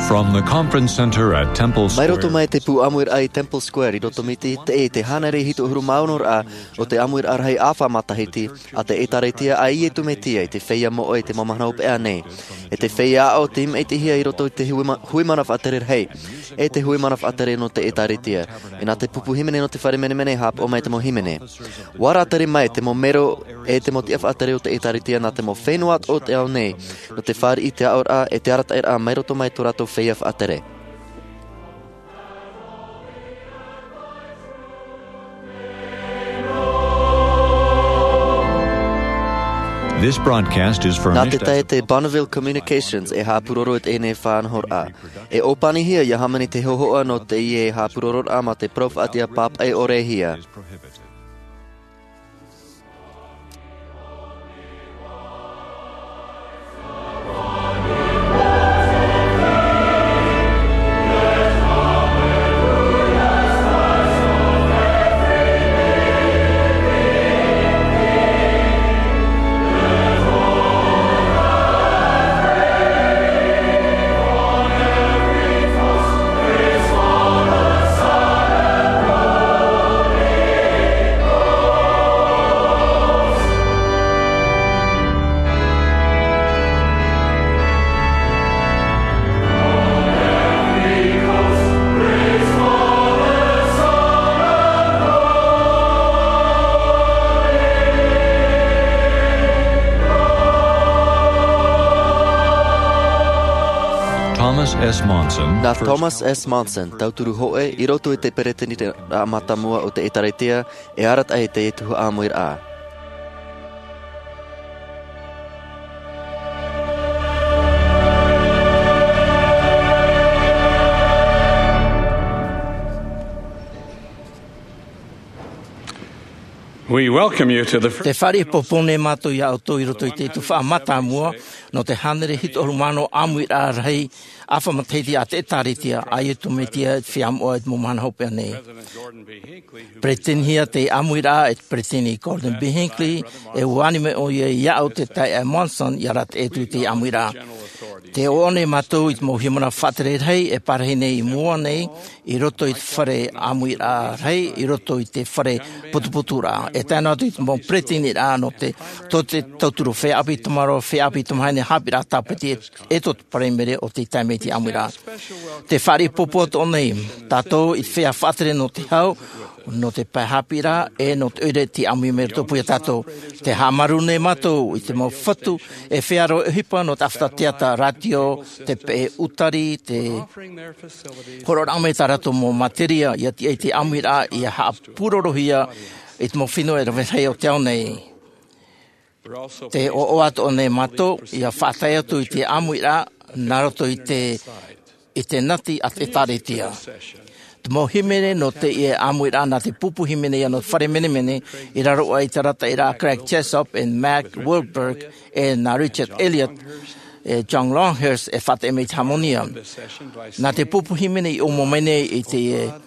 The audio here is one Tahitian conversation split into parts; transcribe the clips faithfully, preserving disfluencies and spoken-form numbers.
From the conference center at Temple Square. Mai roto mai te pū ʻāmuiraʻa i Temple Square, i roto mai te, te, te hānere hitu ʻahuru mā ono ra o te ʻāmuiraʻa rahi ʻāfa matahiti a te ʻĒtārētia a Iesu Mesia i te feiā moʻe i te mau mahana hopeʻa nei. E te feiā aʻo tei māʻitihia i roto i te hui ma-, hui mana faʻatere rahi, e te hui mana faʻatere nō te ʻĒtārētia. E nā te pupu hīmene nō te fare menemene e haʻapaʻo mai te mau hīmene. ʻUa rātere mai te mau mero e te mau tiʻa faʻatere o te ʻĒtārētia nā te mau fenua o te ao nei, nō te fāriʻi i te aʻoraʻa e te arataʻiraʻa mai roto mai tō rātou feiā faʻatere. This broadcast is furnished. Nā te taeaʻe Bonneville Communications e haʻapūroro i teie faʻanahoraʻa. E ʻōpanihia ia hāmani te hōhoʻa nō teie haʻapūrororaʻa mā te parau faʻatiʻa pāpaʻi ʻore hia. Thomas S. Monson, Nā first Thomas S. Monson, tauturu hōʻē i roto i te peretiteniraʻa mātāmua o te ʻĒtārētia, e arataʻi i te tuhaʻa ʻāmuiraʻa. We welcome you to the fir- Tē fāriʻi popou nei mātou iā ʻoutou i roto i te tuhaʻa mātāmua nō te hānere hitu ʻahuru mā ono ʻāmuiraʻa rahi ʻāfa matahiti a te ʻĒtārētia a Iesu Mesia i te feiā moʻe i te mau mahana hopeʻa nei. Peretitenihia te ʻāmuiraʻa e te peretiteni Gordon B. Hinckley, e ʻua ani mai ʻoia iāʻu te taeaʻe Monson ia arataʻi atu i te ʻāmuiraʻa. Tē ʻoaʻoa nei mātou i te mau hīmene faʻatere rahi e parahi nei i mua nei, i roto i te fare ʻāmuiraʻa rahi, i roto i te fare putuputuraʻa. E tae noa atu i te mau peretiteniraʻa nō te, tō te tauturu feiā ʻāpī tamaroa, feiā ʻāpī tamāhine, haʻapiʻiraʻa tāpeti e, e tō te paraimere o te taime i te ʻāmuiraʻa. Tē fāriʻi popou atoʻa nei tātou i te feiā faʻatere nō te hau, nō te pae haʻapiʻiraʻa, e nō te ʻoire tei ʻāmui mai i roto pū iā tātou. Tē haʻamāuruuru nei mātou i te mau fatu e feiā roa ʻohipa nō te ʻāfata teata, rātio, te peʻe ʻūtari, tē hōroʻaraʻa mai tā rātou mau materia ia tiʻa i te ʻāmuiraʻa ia haʻapūrorohia i te mau fenua e rave rahi o te ao nei. Tē ʻoaʻoa atoʻa nei mātou ia faʻatae atu i te ʻāmuiraʻa nā roto i te, i te nati a te ʻĒtārētia. Te mau hīmene nō teie ʻāmuiraʻa nā te pupu hīmene ia nō te fare menemene, i raro aʻe i te arataʻiraʻa a Craig Jessop, e Mack Wilberg, e nā Richard Elliott, e John Longhurst e faʻateʻa mai i te hāmani. Nā te pupu hīmene i ʻōmua mai nei i te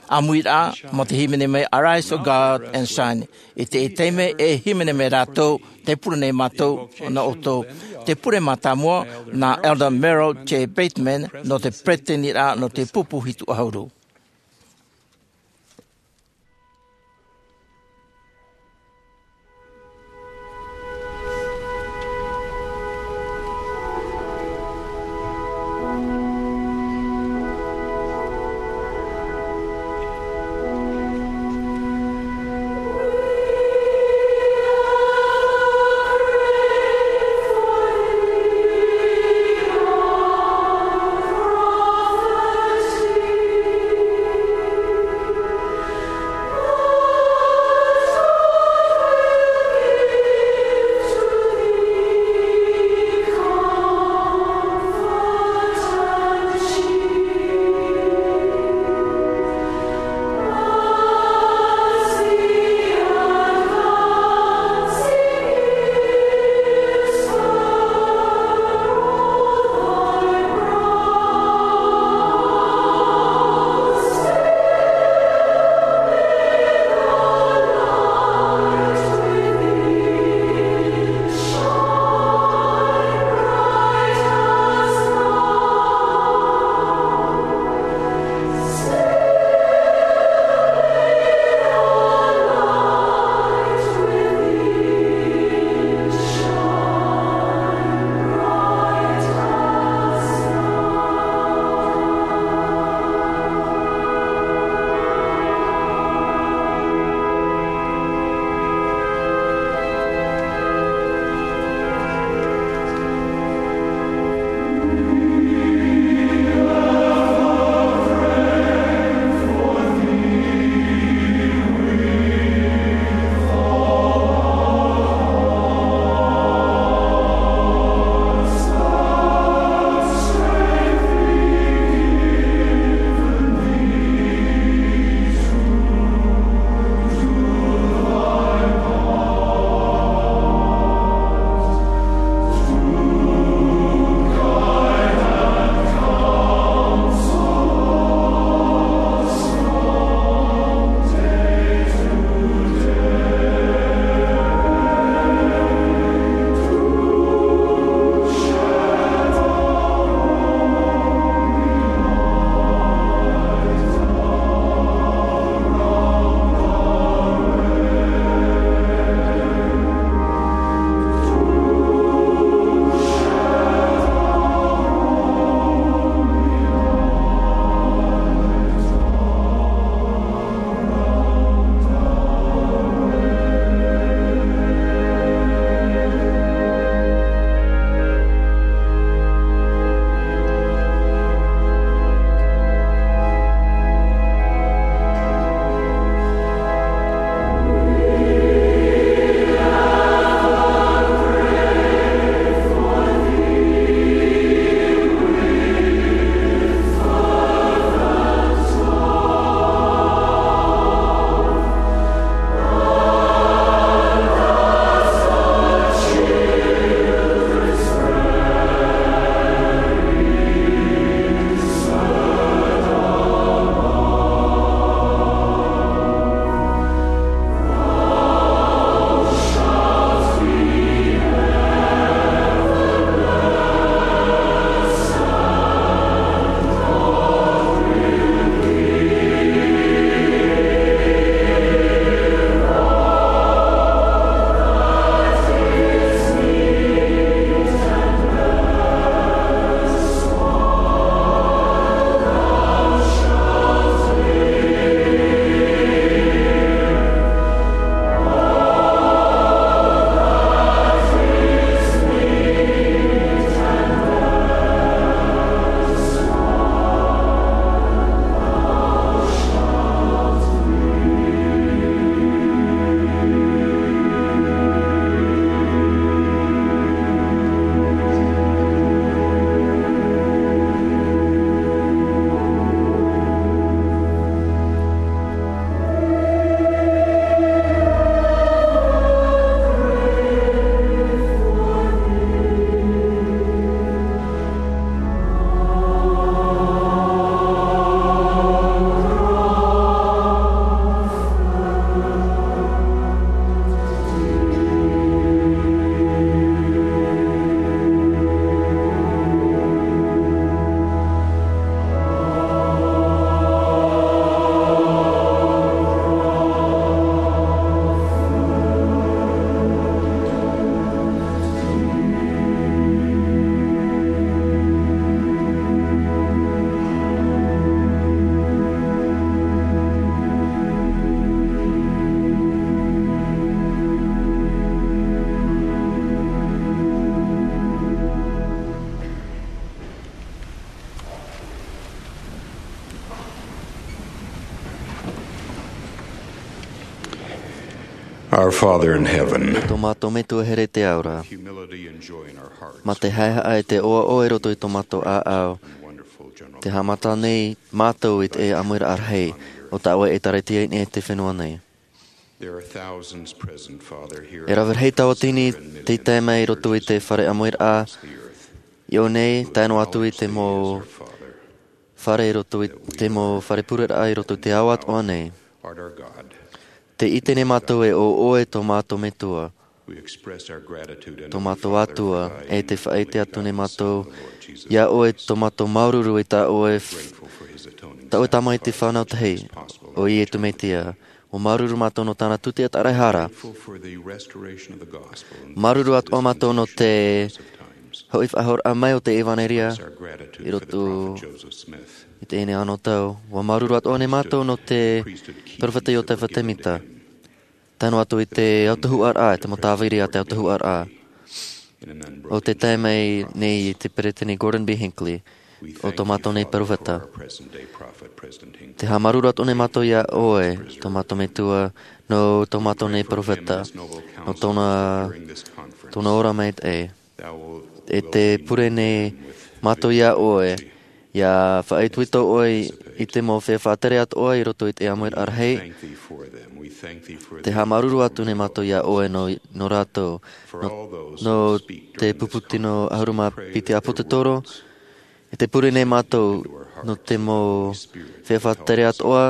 ʻāmuiraʻa, mā te hīmene mai Arise, O God, and Shine. I te taime e hīmene mai rātou, tē pure nei mātou, nā ʻoutou. Te pure mātāmua, nā Elder Merrill J. Bateman, nō te peretiteniraʻa nō te pupu hitu ʻahuru. Our Father in heaven, tō mātou Metua here i te ao ra, humility and joy in our hearts, mā te haʻehaʻa e te ʻoaʻoa i roto i tō mātou ʻāʻau, and wonderful general te haʻamata nei mātou i te ʻāmuiraʻa rahi o tā ʻoe ʻĒtārētia i niʻa i te fenua nei. There are thousands present, Father, here. E rave rahi tauatini tei tae mai i roto i te fare ʻāmuiraʻa i ʻō nei, tae noa atu i te mau fare i roto i te mau fare pureraʻa i roto i te ao atoʻa nei. Art our God. Tē ʻite nei mātou e ʻo ʻoe tō mātou Metua, We express our gratitude and tō mātou Atua, e te faʻaʻite atu nei mātou iā ʻoe tō mātou māuruuru i tā ʻoe, grateful for his atoning tā ʻoe Tamaiti sacrifice, fānau tahi, ʻo Iesu Mesia. ʻUa māuruuru mātou nō tāna tūtiʻa tāraehara. Grateful for the restoration of the gospel in Māuruuru atoʻa mātou nō te hoʻi faʻahouraʻa mai o te ʻevanelia i roto i teie nei anotau. ʻUa māuruuru atoʻa nei mātou nō te perofeta Iotefa Temita, tae noa atu i te autahuʻaraʻa, te mau tāviri a te autahuʻaraʻa, ʻo tē tae mai nei i te Peretiteni Gordon B. Hinckley, ʻo tō mātou nei perofeta. Tē haʻamāuruuru atoʻa nei mātou iā ʻoe, tō mātou Metua, nō tō mātou nei perofeta, nō tōna, tōna ora maitaʻi. E tē pure nei mātou iā ʻoe, ʻia faʻaitoito ʻoe i te mau feiā faʻatere atoʻa i roto i te ʻāmuiraʻa rahi. Tē haʻamāuruuru atu nei mātou iā ʻoe nō, nō rātou, nō, nō te pupu tino ʻahuru mā piti ʻāpōsetolo, e tē pure nei mātou nō te mau feiā faʻatere atoʻa,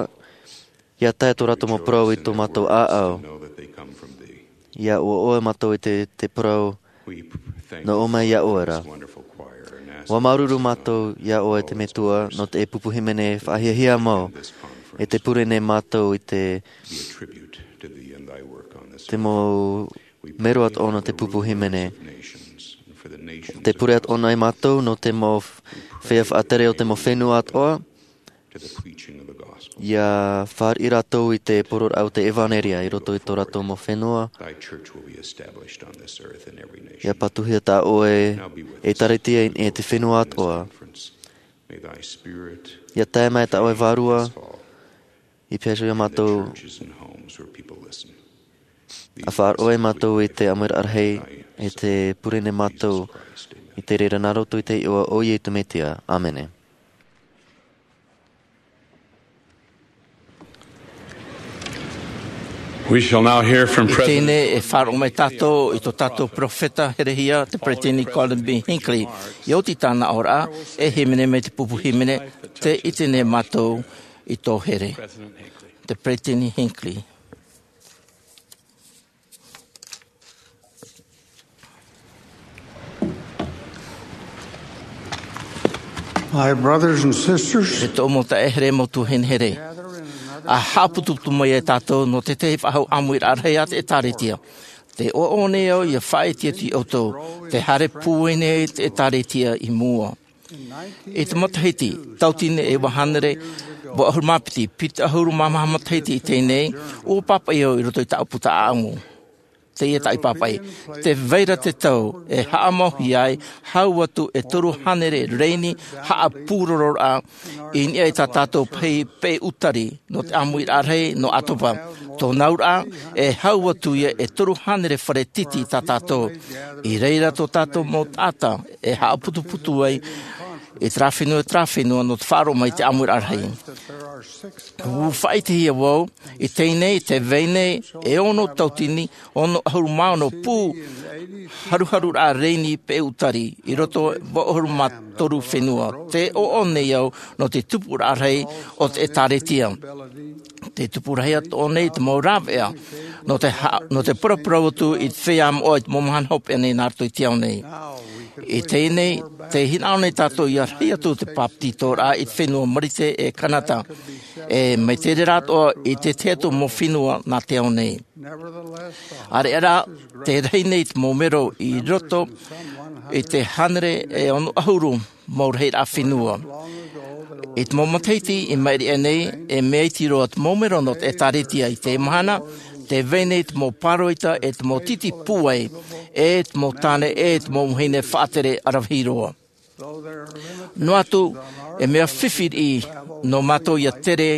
ʻia tae tō rātou mau parau i tō mātou ʻāʻau. ʻIa ʻoaʻoa mātou i te, te parau nō ʻō mai iā ʻoe ra. ʻUa māuruuru mātou iā ʻoe te Metua nō te pupu hīmene faʻahiahia mau, e tē pure nei mātou i te, te mau mero atoʻa nō te pupu hīmene. Tē pure atoʻa nei mātou nō te mau feiā faʻatere o te mau fenua atoʻa, ʻia fāriʻi rātou i te poroʻraʻa o te ʻevanelia i roto i tō rātou mau fenua. ʻIa patuhia tā ʻoe ʻĒtārētia i niʻa i te fenua atoʻa. ʻIa tae mai tā ʻoe Vārua i pēhea iā mātou, ʻia faʻaroʻo mātou i te ʻāmuiraʻa rahi, e tē pure nei mātou i te reira nā roto i te iʻoa o Iesu Mesia. ʻĀmene. We shall now hear from I President teie nei e faʻaroʻo mai tātou i tō tātou perofeta herehia, te Peretiteni Gordon B. Hinckley. ʻIa oti tāna ora, e hīmene mai te pupu hīmene, tē ʻite nei mātou i tō here. Te Peretiteni Hinckley. My brothers and sisters, E tōʻu mau taeaʻe here, mau tuahine here. ʻA haʻaputuputu mai e tātou nō te tahi faʻahou ʻāmuiraʻa rahi a te ʻĒtārētia. Tē ʻoaʻoa nei au ʻia faʻaʻite atu iā ʻoutou, tē haere pūai nei te ʻĒtārētia i mua. I te matahiti, tauatini e iva hānere, vaʻu ʻahuru mā piti, piti ʻahuru mā maha matahiti i teie nei, ʻua pāpaʻi au i roto i tāʻu puta ʻāʻamu. Teie tāʻu pāpaʻi. Tē vai ra te tau e haʻamauhia ai, hau atu e toru hānere rēni haʻapūrororaʻa i niʻa i tā tātou pahi peʻe ʻūtari nō te ʻāmuiraʻa rahi nō ʻAtopa. Tōna auraʻa, e hau atu ia e toru hānere fare titi tā tātou. I reira tō tātou mau taʻata e haʻaputuputu ai i terā fenua, terā fenua nō te faʻaroʻo mai i te ʻāmuiraʻa rahi. ʻUa faʻaʻitehia vau, i teie nei, tē vai nei e ono tauatini, ono ʻahuru mā ono pū haruharuraʻa rēni peʻe ʻūtari, i roto vaʻu ʻahuru mā toru fenua. Tē ʻoaʻoa nei au nō te tupuraʻa rahi o te ʻĒtārētia. Te tupu rahi atoʻa nei te mau rāveʻa, nō te ha-, nō te paraparau atu i te feiā moʻa i te mau mahana hopeʻa nei nā roto i te ao nei. I teie nei, tē hinaʻaro nei tātou ʻia rahi atu te pāpetitoraʻa i te fenua Marite e Kanata, e mai te reira atoʻa i te tahi atu mau fenua nā te ao nei. ʻAreʻa rā, tē rahi nei te mau mero i roto i te hānere e ono ʻahuru mau rahiraʻa fenua. I te mau matahiti i maʻiri aʻe nei, e mea iti roa te mau mero nō te ʻĒtārētia i teie mahana, tē vai nei te mau pāroita e te mau titi pūai, e te mau tāne, e te mau vahine faʻatere ʻaravihi roa. Noa atu, e mea fifi riʻi nō mātou ʻia tere,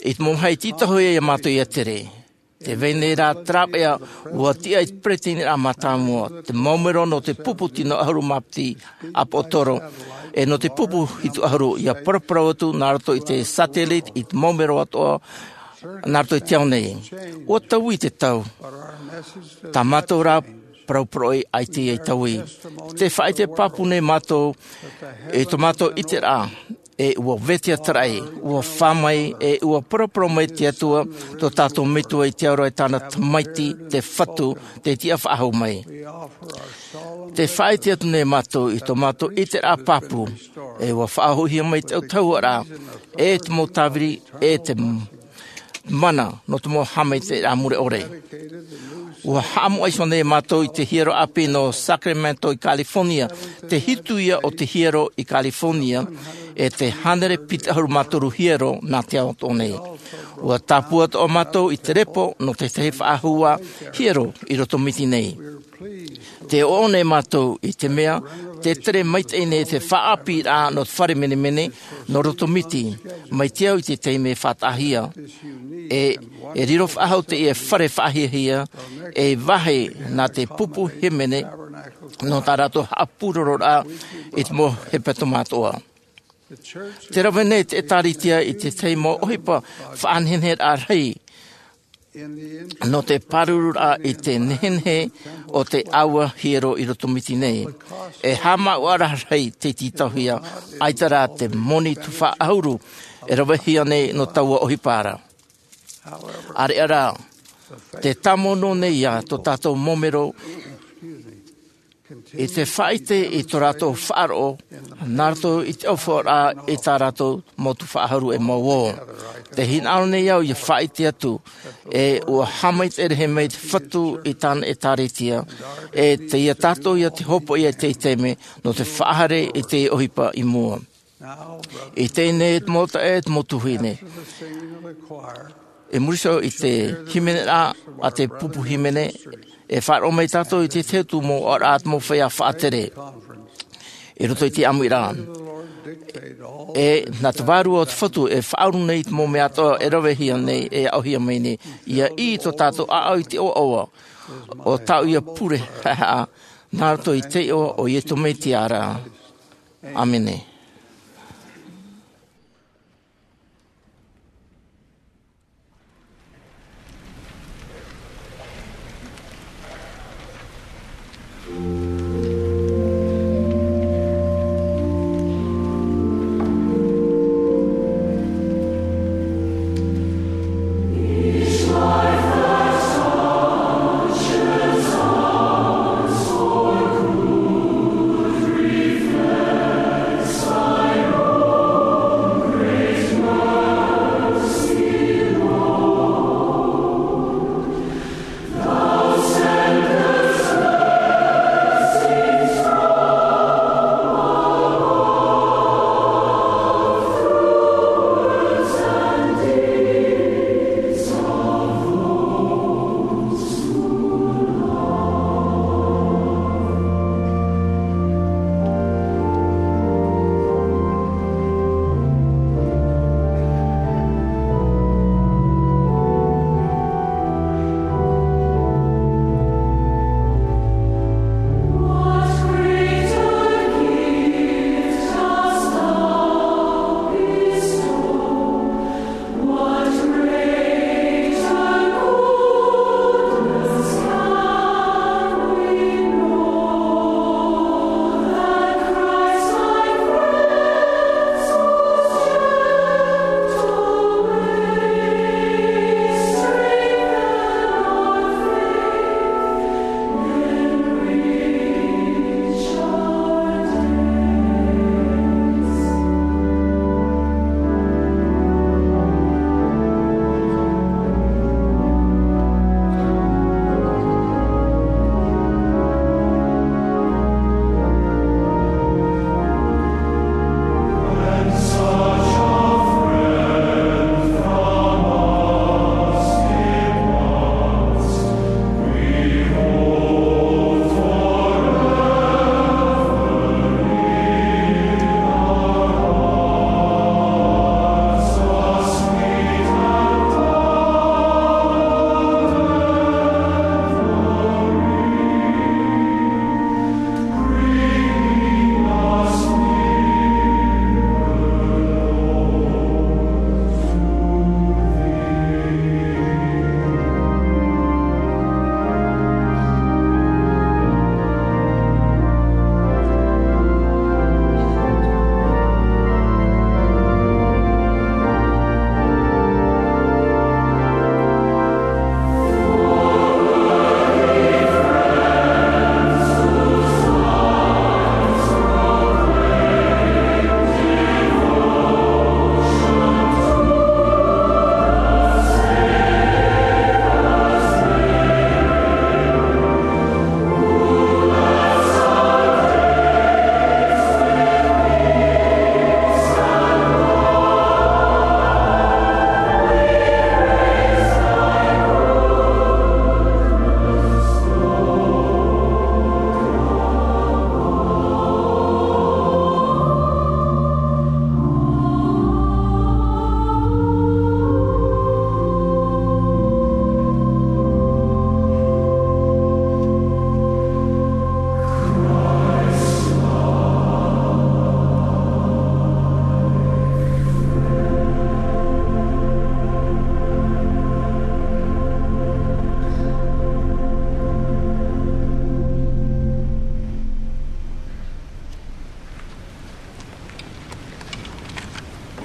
i te mau vāhi tītauhia iā mātou ʻia tere. Tē vai nei rā te rāveʻa, ʻua tiʻa i te peretiteniraʻa mātāmua, te mau mero nō te pupu tino ʻahuru mā piti ʻāpōsetolo, e nō te pupu hitu ʻahuru, ʻia paraparau atu nā roto i te satellite i te mau mero atoʻa, nā roto i te ao nei. ʻUa taui te tau. Tā mātou rā parau poroʻi ʻaita i taui. Tē faʻaʻite pāpū nei mātou i tō mātou ʻiteraʻa, e ʻua vetahi atu ra, ʻua fā mai, e ʻua paraparau mai te Atua, tō tātou Metua i te ao ra, e tāna Tamaiti, te Fatu, tei tiʻa faʻahou mai. Tē faʻaʻite atu nei mātou i tō mātou ʻiteraʻa pāpū, e ʻua faʻahoʻihia mai te autahuʻaraʻa, e te mau tāviri, e te mana nō te mau haʻamaitaʻiraʻa mure ʻore. ʻUa haʻamoʻa iho nei mātou i te hiero ʻāpī nō Sacramento i California, te hitu ia o te hiero i California, e te hānere piti ʻahuru mā toru hiero nā te ao atoʻa nei. ʻUa tāpū atoʻa mātou i te repo nō te tahi faʻahou hiero i roto Miti nei. Tē ʻoaʻoa nei mātou i te mea, tē tere maitaʻi nei te faʻaʻāpīraʻa nō te fare menemene nō roto Miti, mai te au i te taime faʻataʻahia. E, e riro faʻahou teie fare faʻahiahia, e vāhi nā te pupu hīmene nō tā rātou haʻapūrororaʻa i te mau hepetoma atoʻa. Tē rave nei te ʻĒtārētia i te tahi mau ʻohipa faʻaneheneheraʻa rahi, nō te pārururaʻa i te nehenehe o te ʻāua hiero i roto Miti nei. E haʻamāuʻaraʻa rahi tei tītauhia, ʻaita rā te moni tuhaʻa ʻahuru e ravehia nei nō taua ʻohipa ra. ʻĀreʻa rā, tē tāmau noa nei ia tō tātou mau mero i te faʻaʻite i tō rātou faʻaroʻo, nā roto i te ʻōfaʻaraʻa i tā rātou mau tuhaʻa ʻahuru e mau ō. Tē hinaʻaro nei au ʻia faʻaʻite atu, e ʻua haʻamaitaʻi rahi mai te Fatu i tāna ʻĒtārētia, e tei ia tātou ia te hopoiʻa i te taime, nō te faʻahaere i te ʻohipa i mua. I teie nei e te mau taeaʻe, e te mau tuahine. I muri iho i te hīmeneraʻa a te pupu hīmene, e faʻaroʻo mai tātou i te tahi atu mau ʻōraʻa a te mau feiā faʻatere. I roto i te ʻāmuiraʻa. E, nā te Vārua o te Fatu e faʻauru nei i te mau mea atoʻa e ravehia nei, e aʻohia mai nei. ʻIa ʻī tō tātou ʻāʻau i te ʻoaʻoa, ʻo tāʻu ia pure haʻehaʻa, nā roto i te iʻoa o Iesu Mesia ra. ʻĀmene.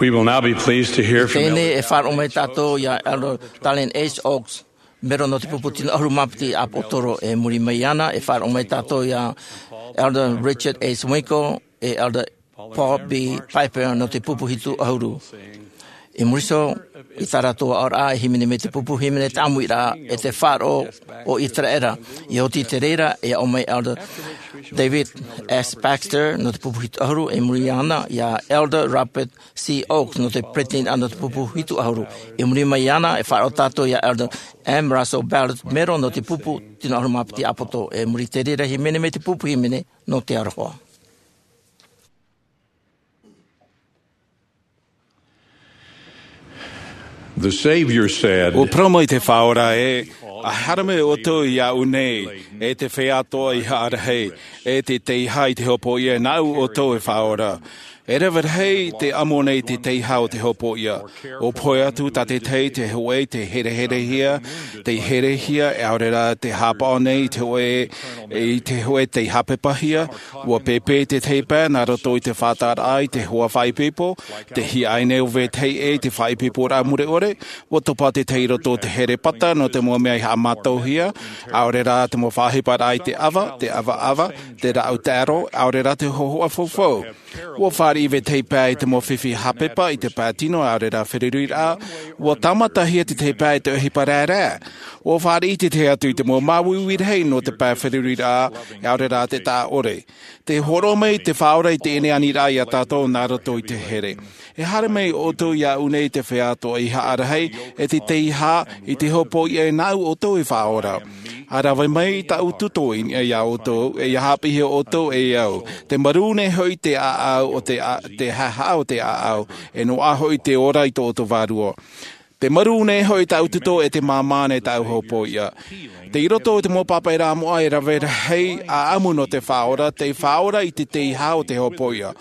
We will now be pleased to hear from Teie nei Elder e faʻaroʻo mai tātou iā Elder Dallin H. Oaks, mero nō te pupu tino ʻahuru mā piti ʻāpōsetolo. I muri mai iāna e faʻaroʻo mai tātou iā Elder Richard A. Swingle e Elder Paul B. Piper nō te pupu hitu ʻahuru. I muri iho i tā rātou aʻoraʻa e hīmene mai te pupu hīmene tāʻāmuiraʻa e te faʻaroʻo o Iseraela. I oti i te reira e aʻo mai Elder David S. Baxter nō te pupu hitu ʻahuru, i muri iāna iā Elder Robert C. Oaks nō te peresideni nō te pupu hitu ʻahuru. I muri mai iāna e faʻaroʻo tātou iā Elder M. Russell Ballard, mero nō te pupu tino ʻahuru mā piti ʻāpōsetolo. I muri i te reira e hīmene mai te pupu hīmene nō te aroha. The Savior said, ʻUa parau mai te Faʻaora ē, ʻa haere mai ʻoutou iāʻu nei, e te feiā atoʻa i haʻa rahi, e te teiaha i te hopoiʻa, nāʻu ʻoutou e faʻaora. E rave rahi te amo nei te teiaha o te hopoiʻa. ʻUa pohe atu tā te tahi te hōʻē tei hereherehia, tei herehia, ʻaore rā tei haʻapaʻo nei i te hōʻē, i te hōʻē tei haʻapepahia. ʻUa pēpē te tahi pae nā roto i te faʻataʻaraʻa i te hoa faʻaipoipo, tei hiaʻai nei ʻo vetahi ʻē i te faʻaipoiporaʻa mure ʻore. ʻUa topa te tahi i roto i te here pata nō te mau mea i haʻamātauhia, ʻaore rā te mau faʻaʻohiparaʻa i te ʻava, te ʻavaʻava, te rāʻau taero, ʻaore rā te hōhoʻa faufau. ʻUa fāriʻi vetahi pae i te mau fifi haʻapepa i te pae tino, ʻaore rā feruriraʻa. ʻUa tāmatahia te tahi pae i te ʻohipa raerae. ʻUa fāriʻi te tahi atu i te mau māuiui rahi nō te pae feruriraʻa, ʻaore rā te taʻa ʻore. Tē hōroʻa mai te Faʻaora i teie nei aniraʻa iā tātou nā roto i te here. E haere mai ʻoutou iāʻu nei, te feiā atoʻa i haʻa rahi, e te teiaha i te hopoiʻa, nāʻu ʻoutou e faʻaora. ʻA rave mai tāʻu tuto i niʻa iā ʻoutou, e ʻia haʻapiʻihia ʻoutou e au. Tē marū nei hoʻi te ʻāʻau o te ʻā-, te haʻahaʻa o te ʻāʻau, e noaʻa hoʻi te ora i tō ʻoutou vārua. Tē marū nei hoʻi tāʻu tuto, e tē māmā nei tāʻu hopoiʻa. Tei roto i te mau pāpaʻiraʻa moʻa e rave rahi ʻāʻamu nō te Faʻaora, tei faʻaora i te teiaha o te hopoiʻa.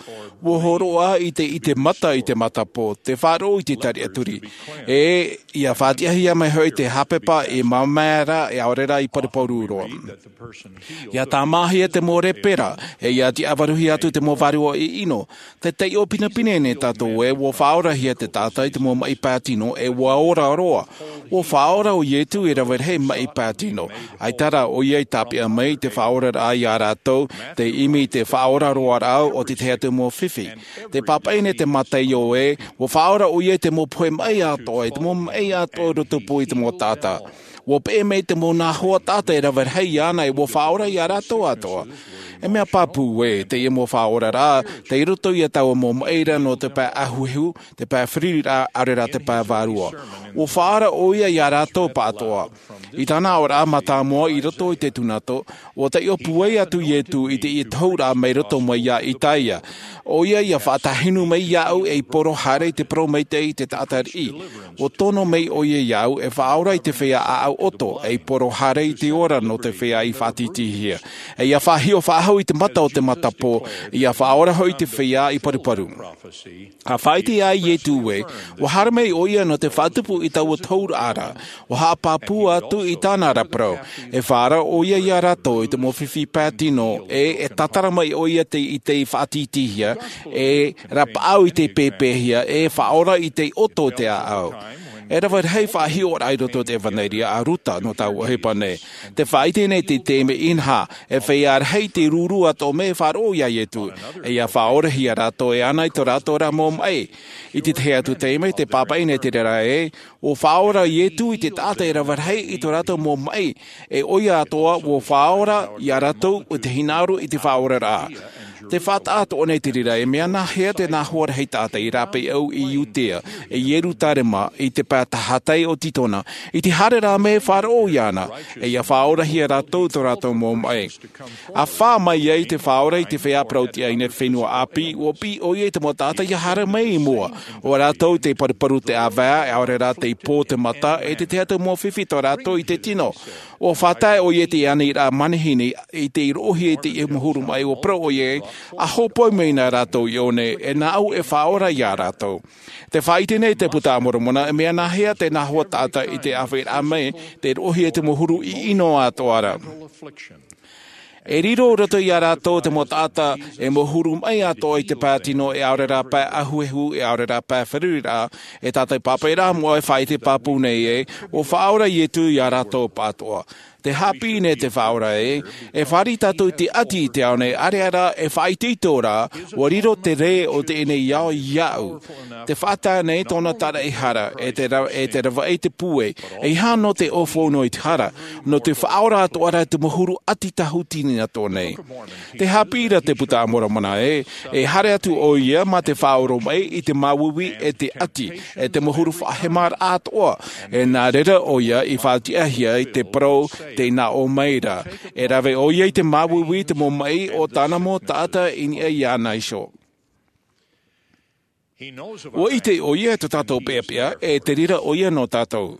ʻUa hōroʻa i te, i te mata, i te matapō, tē faʻaroʻo i te tariʻaturi. E ʻia faʻatiʻahia mai hoʻi te haʻapepa i māmā ra, ʻaore rā i paruparu roa. ʻIa tāmāhia te mau lepera, e ʻia tiʻavaruhia atu te mau vārua ʻiʻino. Tē taiʻo pinepine nei tātou ē, ʻua faʻaorahia te taʻata i te mau maʻi pae tino, e ʻua ora roa. ʻUa faʻaora ʻo Ietu e rave rahi maʻi pae tino. ʻAita rā ʻoia i tāpeʻa mai te faʻaoraraʻa iā rātou, tei ʻimi i te faʻaora roa rā o te tahi atu mau fifi. Tē pāpaʻi nei te Mātaio ē, ʻua faʻaora ʻoia i te mau pohe maʻi atoʻa, i te mau maʻi atoʻa i rotopū i te mau taʻata. ʻUa peʻe mai te mau nā hoa taʻata e rave rahi iāna, e ʻua faʻaora iā rātou atoʻa. E mea pāpū ē, teie mau faʻaoraraʻa, tei roto ia taua mau maʻi ra nō te pae ʻahuʻahu, te pae feruriraʻa, ʻaore rā te pae vārua. ʻUa faʻaora ʻoia iā rātou pāʻatoʻa. I tāna aʻoraʻa mātāmua i roto i te tūnato, ʻua taiʻo pūai atu Ietu i teie tohuraʻa mai roto mai iā Isaia. ʻOia ʻia faʻatāhinu mai iāʻu ei poro haere i te parau maitaʻi i te taʻata riʻi. ʻUa tono mai ʻoia iāʻu e faʻaora i te feiā ʻāʻau ʻoto, ei poro haere i te ora nō te feiā i faʻatītīhia. E ʻia faʻahiʻo faʻahou i te mata o te matapō, ʻia faʻaora hoʻi i te feiā i paruparu. ʻA faʻaʻite ā Ietu ē, ʻua haere mai ʻoia nō te faʻatupu i taua tohuraʻa ra, ʻua haʻapāpū atu i tāna ra parau, e faʻaora ʻoia iā rātou i te mau fifi pae tino, e, e tātara mai ʻoia tei, i tei faʻatītīhia, e rapaʻau i tei pēpēhia, e faʻaora i tei ʻoto i te ʻāʻau. E rave rahi faʻahiʻoraʻa i roto i te ʻEvaneria a Ruta nō taua ʻohipa nei. Tē faʻaʻite nei te taime inaha, e feiā rahi tei rūrū atoʻa mai e faʻaroʻo iā Ietu, e ʻia faʻaorahia rātou e ana i tō rātou ra mau maʻi. I te tahi atu taime, tē pāpaʻi nei te reira ē, ʻua faʻaora Ietu i te taʻata e rave rahi i tō rātou mau maʻi, e ʻoia atoʻa ʻua faʻaora iā rātou i te hinaʻaro i te faʻaoraraʻa. Tē faʻataʻa atoʻa nei te reira ē, mea nāhea te nā hoa rahi taʻata i rāpae au i Iudea, i Ierutarema, i te pae tahatai o Titona, i te haere ra mai e faʻaroʻo iāna, e ʻia faʻaorahia rātou tō rātou mau maʻi. ʻA fā mai ai te Faʻaora i te feiā parau-tiʻa i te fenua ʻāpī, ʻua piʻi ʻoia i te mau taʻata ʻia haere mai i mua. ʻO rātou tei paruparu te ʻāvae, ʻaore rā tei pō te mata, e te tahi atu mau fifi tō rātou i te tino. ʻUa fātae ʻoia i te aniraʻa manihini, i te roʻohia i te mau huru maʻi, ʻua parau ʻoia, ʻa hōpoi mai na rātou iāʻu nei, e nāʻu e faʻaora iā rātou. Tē faʻaʻite nei te Buka a Moromona, e mea nāhea te nā hoa taʻata i te ʻāfaʻiraʻa mai, tei roʻohia i te mau huru ʻiʻino atoʻa ra. E riro roto iā rātou te mau taʻata e mau huru maʻi atoʻa i te pae tino, e ʻaore rā pae ʻahuehu, e ʻaore rā pae feruriraʻa. E tātou pāpaʻi rā moʻa e faʻaʻite pāpū nei ē, ua faʻaora iesu iā rātou pāʻatoʻa. Te haʻapiʻi nei te faʻaora ē, e fāriʻi tātou i te ʻati i te ao nei, ʻaore rā e faʻaitoito rā, ua riro te rē o teie nei ao iāʻu. Te faʻatae nei tōna taraʻehara e te ra- e te ravaʻi te pūai. E ʻeiaha nō te ʻōfou nō i te hara, nō te faʻaora atoʻa rā te mau huru ʻati tāhuti nei atoʻa nei. Te haʻapiʻi ra te puta a moromona ē, e haere atu ʻoia mā te faʻaoromaʻi i te māuiui e te ʻati, e te mau huru faʻahemaraʻa atoʻa. E nā reira ʻoia i faʻatiʻahia i te parau tei nā ʻō mai ra. E rave ʻoia i te māuiui te mau maʻi o tāna mau taʻata i niʻa iāna iho. Ua ʻite ʻoia i tō tātou peʻapeʻa, e te reira ʻoia nō tātou.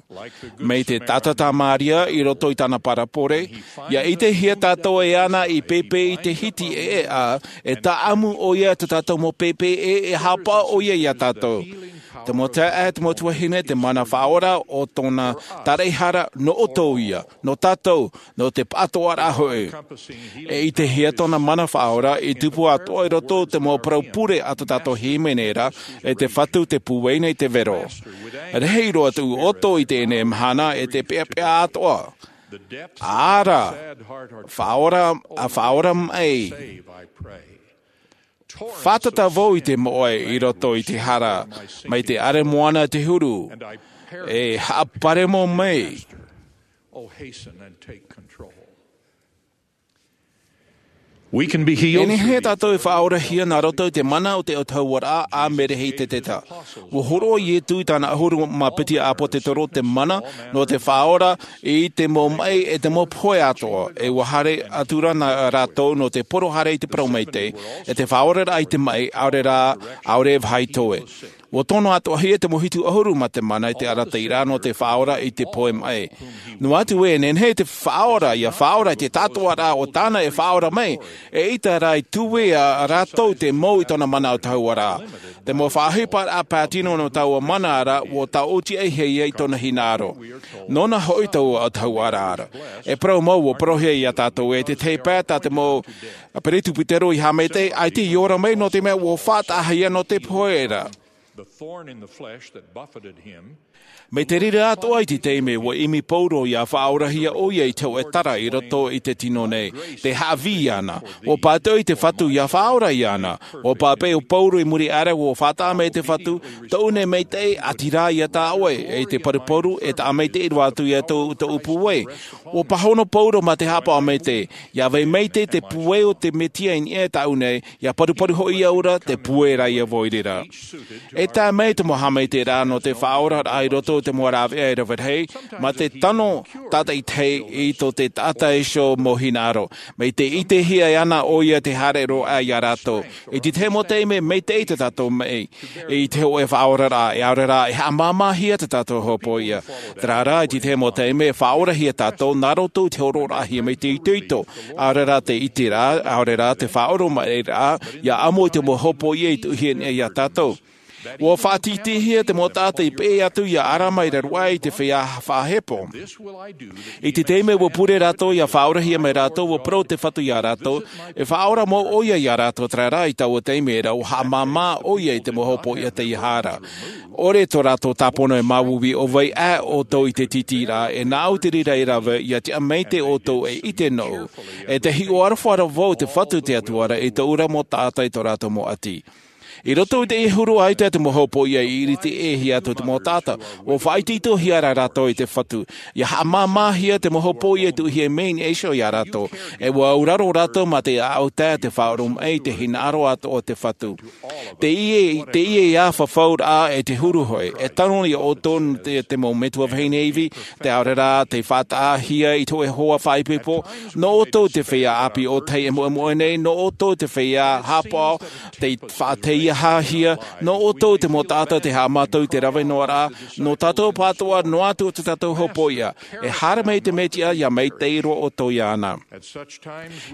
Mai te taʻata tā maria i roto i tāna parabole, ia ʻitehia tātou e ana i pēpē i te hiti ʻeʻa, e tāʻamu ʻoia i tō tātou mau pēpē ʻē, e haʻapaʻo ʻoia iā tātou. Te mau taeaʻe, te mau tuahine, te mana faʻaora o tōna taraʻehara nō ʻoutou ia, nō tātou, nō te pāʻatoʻaraʻa hoʻi. E ʻitehia tōna mana faʻaora i tupu atoʻa i roto i te mau parau pure a tō tātou hīmene ra, e te Fatu te pūai nei te vero. Rahi roa atu ʻoutou i teie nei mahana e te peʻapeʻa atoʻa. Ara, faʻaora, a faʻaora mai. Fātata vau i te moʻe i roto i te hara, mai te ʻare moana te huru, e haʻaparemo mai. E nehenehe tātou e faʻaorahia nā roto i te mana o te autahuʻaraʻa a Merehī Teteta. Ua hōroʻa iesu i tāna ʻahuru mā piti ʻāpōsetolo te mana nō te faʻaora i te mau maʻi e te mau pohe atoʻa, e ua haere atu ra nā rātou nō te poro haere i te parau maitaʻi, e te faʻaoraraʻa i te maʻi ʻaore rā, ʻaore e vāhi toe. Ua tono atoʻahia te mau hitu ʻahuru mā te mana i te arataʻiraʻa nō te faʻaora i te pohe maʻi. Noa atu ē e nehenehe te faʻaora ia faʻaora i te taʻatoʻaraʻa o tāna e faʻaora mai, e ʻaita rā i tuea rātou te mau i tōna mana autahuʻaraʻa. Te mau faʻaʻohiparaʻa pātino nō taua mana ra ua tāʻotiʻaihia ia i tōna hinaʻaro. Nōna hoʻi taua autahuʻaraʻa ra. E parau mau ua parauhia iā tātou ē te tahi pae tā te mau peresibutero i haʻamaitaʻi, ʻaita i ora mai nō te mea ua faʻataʻahia nō te pohe ra. Mai te reira atoʻa i te taime ua ʻimi paulo ia faʻaorahia ʻoia i te hōʻē tara i roto i te tino nei, te haʻavī iāna. Ua pātoʻi te Fatu ia faʻaora iāna. Ua pāpaʻi ʻo paulo i muri aʻe ra ua faʻataʻa mai te Fatu, tōʻu nei maitaʻi ʻati rā iā tāʻoe, e te paruparu e taʻa maitaʻi roa atu iā tōʻu pūai. Ua pāhono paulo mā te haʻapaʻo maitaʻi, ia vai maitaʻi te pūai o te mesia i niʻa iā tāʻu nei, ia paruparu hoʻi au ra te pūai ra ia vau i reira. E tae mai te mau haʻamaitaʻiraʻa nō te faʻaoraraʻa i roto i te mau rāveʻa e rave rahi, mā te tano tātaʻitahi i tō te taʻata iho mau hinaʻaro. Mai te ʻitehia ana ʻoia te haere roa iā rātou. I te tahi mau taime maitaʻi tō tātou maʻi i te hōʻē faʻaoraraʻa, e ʻaore rā e haʻamāmāhia tō tātou hopoiʻa. Terā rā i te tahi mau taime e faʻaorahia tātou nā roto i te hōroʻaraʻahia mai te itoito, ʻaore rā te ʻiteraʻa, ʻaore rā te faʻaoromaʻiraʻa, ia ʻamo i te mau hopoiʻa i tuʻuhia nei iā tātou. Ua faʻatītīhia te mau taʻata i peʻe atu iā ʻarama i raro aʻe i te feiā faʻahepo. I te taime ua pure rātou ia faʻaorahia mai rātou, ua parau te Fatu iā rātou, e faʻaora mau ʻoia iā rātou, terā rā i taua taime ra ua haʻamāmā ʻoia i te mau hopoiʻa teiaha ra. ʻOre tō rātou tāpono e māuiui ʻo vai aʻe ʻoutou i te tītīraʻa, e nāʻu te reira e rave, ia tiʻa maitaʻi ʻoutou e ʻite nōʻu. E te hiʻo aroha ra vau te Fatu te Atua ra i tōʻu ra mau taʻata i tō rātou mau ʻati. I roto i teie huru ʻaita te mau hopoiʻa i ʻiriti ʻē hia atu te mau taʻata, ua faʻaitoitohia ra rātou e te Fatu. Ia haʻamāmāhia te mau hopoiʻa i tuʻuhia mai nei iho iā rātou. E ua auraro rātou mā te ʻaʻau tae te faʻaoromaʻi i te hinaʻaro atoʻa o te Fatu. Teie, teie ia fafauraʻa e te huru hoʻi, e tano iā ʻoutou te, te mau metua vahine ivi, te ʻaore rā te faʻataʻahia i te hōʻē hoa faʻaipoipo, nō ʻoutou te feiā ʻāpī ʻōtahi e moemoe nei, nō ʻoutou te feiā haʻapaʻo, te faʻatahi ia hāhia nō ʻoutou te mau taʻata te haʻamātau i te rave noa rā nō tātou pātoʻa noa atu o te tātou hopoiʻa. E haere mai te mesia ia maitaʻi roa ʻoutou iāna.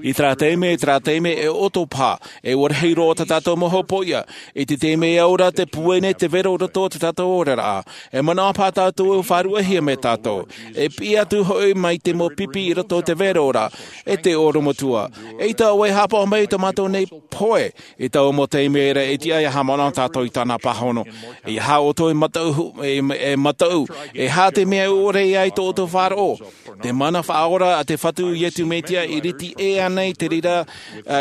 I terā taime i terā taime e ʻoto paha e ua rahi roa tā tātou mau hopoiʻa. I te taime e au ra te pūai nei te vero roto o te tātou oraraʻa, e manaʻo paha tātou e faʻaruʻehia mai tātou. E piʻi atu hoʻi mai te mau pipi i roto o te vero ra e te oromatua. E ʻaita ʻoe haʻapaʻo mai i tō mātou nei pohe i taua mau taime ra e tiʻa ia haʻamanaʻo tātou i tāna pāhono. E aha ʻoutou e mataʻu e mataʻu e aha te mea ʻore ai tō ʻoutou faʻaroʻo? Te mana faʻaora a te fatu iesu mesia i rite ʻē ana i te reira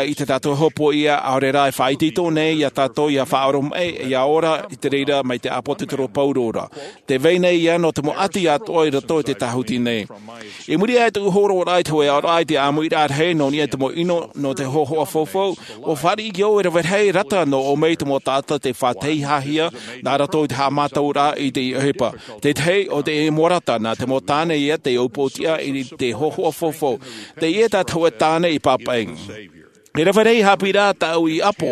i te tātou hopoiʻa ʻaore rā e faʻaitoito nei iā tātou ia faʻaoromaʻi ia ora i te reira mai te ʻāpōsetolo paulo ra. Te vai nei ia nō te mau ʻati atoʻa i roto i te tāhuti nei. I muri aʻe i tōʻu hōroʻaraʻa i te hoʻe aʻoraʻa i te ʻāmuiraʻa rahi nō niʻa i te mau ʻino nō te hōhoʻa faufau, ua fāriʻi au e rave rahi rata nō ʻō mai te mau taʻata te faʻateihahia nā roto i te haʻamātauraʻa i te ʻohipa. Tētahi o te mau rata nā te mau tāne ia te ʻōpōtiʻa i te hōhoʻa faufau. Teie tā te hoʻe tāne i pāpaʻi. E rave rahi haʻapiʻiraʻa tāʻu i ʻapo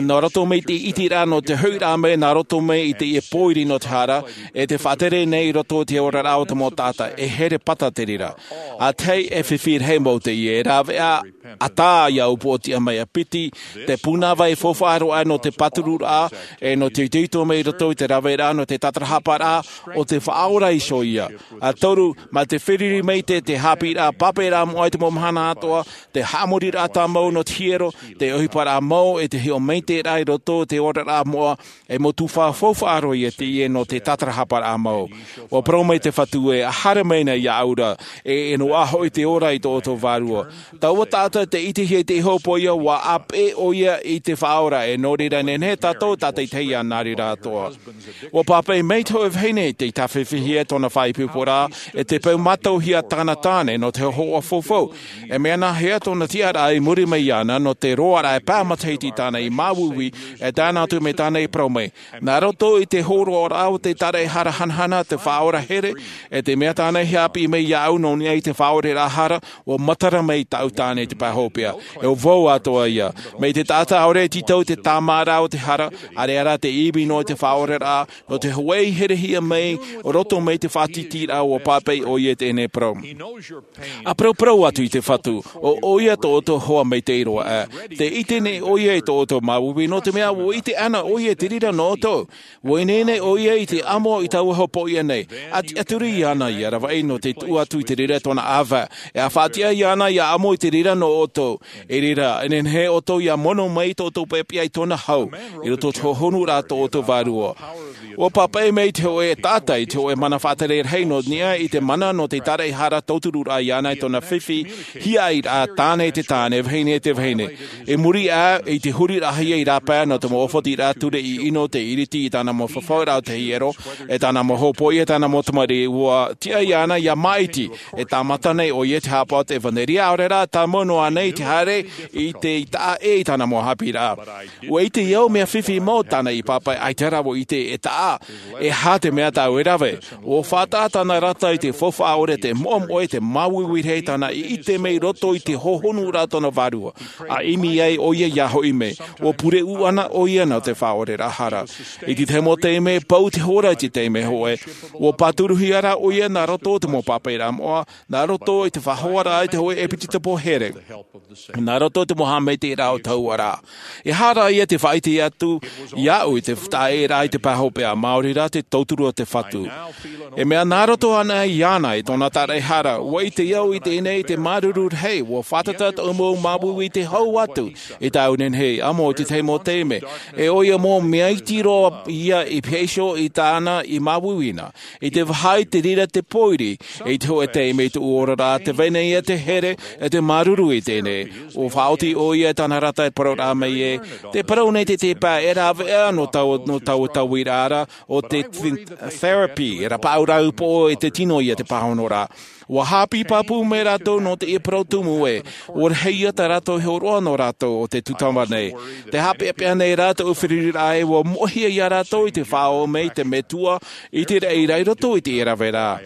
nā roto mai i te ʻiteraʻa nō te hoʻiraʻa mai nā roto mai i teie pōiri nō te hara e te faʻatere nei i roto i te oraraʻa o te mau taʻata e here pata te reira. A tahi e fifi rahi mau teie e rāveʻa ʻatā ia ʻōpōtiʻa mai a piti te pūnava e faufaʻa roa nō te pātururaʻa e nō te itoito mai i roto i te raveraʻa nō te tatarahaparaʻa o te faʻaora iho ia. A toru, mā te feruri maitaʻi te haʻapiʻiraʻa pāpaʻiraʻa moʻa i te mau mahana atoʻa, te haʻamoriraʻa tāmau nō te hiero, te ʻohiparaʻa mau e te hiʻo maitaʻiraʻa i roto i te oraraʻa moʻa, e mau tuhaʻa faufaʻa roa ia teie nō te tatarahaparaʻa mau. Ua parau mai te fatu ē, haere mai na iāʻu ra, e e noaʻa hoʻi te ora i tō ʻoutou vārua. Taua taʻata te ʻitehia i te hopoiʻa ua ʻāpeʻe ʻoia i te faʻaora e nō reira nehenehe tātou tātaitahi ia nā reira atoʻa. Ua pāpaʻi mai te hoʻe vahine i te tāfifihia tōna faʻaipoiporaʻa e te peu mātauhia tāna tāne nō te hōhoʻa faufau. E mea nā hea tōna tiʻaraʻa i muri mai iāna nō te roaraʻa e pae matahiti tāna i māuiui e tae noa atu mai tāna i parau mai. Nā roto i te hōroaraʻa o te taraehara hanahana te faʻaora here e te mea tāna i haʻapiʻi mai iāʻu nō niʻa i te faʻaoraraʻa hara. Ua matara mai tāʻu tāne i te pae hopeʻa. E ua vau atoʻa ia mai te taʻata ʻaore e tītau i te tāmāraʻa o te hara. ʻAreʻa rā te ivi noa i te faʻaoraraʻa nō te hōʻē herehia mai roto mai te faʻatītīraʻa ua pāpaʻi ʻoia i teie nei parau. A parauparau atu i te fatu, ʻo ʻoia tō ʻoutou hoa maitaʻi roa ʻā. Te ʻite nei ʻoia i tō ʻoutou māuiui nō te mea ua ʻite ana ʻoia i te reira nō ʻoutou. Ua ineine ʻoia i te amo i taua hopoiʻa nei. A tiʻaturi iāna ia ravaʻi nō te tuʻu atu i te reira tōna ʻāvae. E a faʻatiʻa iāna ia amo i te reira nō ʻoutou. I reira e nehenehe ʻoutou ia mono mai i tō ʻoutou peʻapeʻa i tōna hau i roto i te hohonuraʻa tō ʻoutou vārua. Ua pāpaʻi mai te hoʻe taʻata i te hoʻe mana faʻatere rahi nō niʻa i te mana nō te taraehara tautururaʻa iāna i tōna fifi hiaʻairaʻa tāne i te tāne vahine i te vahine. I muri aʻe i te huriraʻahia i rāpae nō te mau ʻōfatiraʻa ture i ʻino te iriti i tāna mau fafauraʻa o te hiero e tāna mau hopoiʻa e tāna mau tamariʻi ua tiʻa iāna ia māʻiti. E tāmata nei ʻoia te haʻapaʻo o te evanelia ʻaore rā tāmau noa nei te haere i te taʻa ʻē i tāna mau haʻapiʻiraʻa. Ua ʻite au mea fifi mau tāna i pāpaʻi ʻaita rā ua ʻite e taʻa. E aha te mea tāʻu e rave? Ua faʻataʻa tāna rata i te faufaʻa ʻore te moʻomoʻe te māuiui rahi tāna i ʻite mai roto i te hohonuraʻa tōna vārua. A ʻimi ai ʻoia ia hoʻi mai ua pure ʻū ana ʻoia nō te faʻaoraraʻa hara. I te tahi mau taime pau te hora i te taime hoʻe ua pāturuhia rā ʻoia nā roto i te mau pāpaʻiraʻa moʻa nā roto i te faʻahoaraʻa i te hoʻe ʻepitopo here. Nā roto i te mau haʻamaitaʻiraʻa o taua rā. E aha rā ia te faʻaʻite atu iāʻu i te taʻaʻēraʻa i te pae hopeʻa māori rā te tauturu o te fatu. E mea nā roto ana iāna i tōna taraehara ua ʻite au i teie nei i te māuruuru rahi ua fātata tōʻu mau māuiui i te hau atu i tāʻu nehenehe amo i te tahi mau taime. E ʻoia mau mea iti roa ia i pēhea iho i tāna i māuiui na i te vaha i te reira te pōiri. I te hoʻe taime i tōʻu oraraʻa te vai nei ia te here e te māuruuru i teie nei. Ua faʻaoti ʻoia i tāna rata e parau rā mai ē, te parau nei te tepa e rāveʻa nō taua nō taua tauiraʻa ra o te therapy e rapaʻau rāʻau poʻo i te tino ia te pāhonoraʻa. Ua hāpī pāpū mai rātou nō te parau tumu ē, ua rahi ia tā rātou hōroʻa nō rātou o te tūtava nei. Te haʻapeʻapeʻa nei rā tōʻu feruriraʻa ē, ua moʻehia ia rātou i te faʻaō mai te metua i te reira i roto i te rave ra.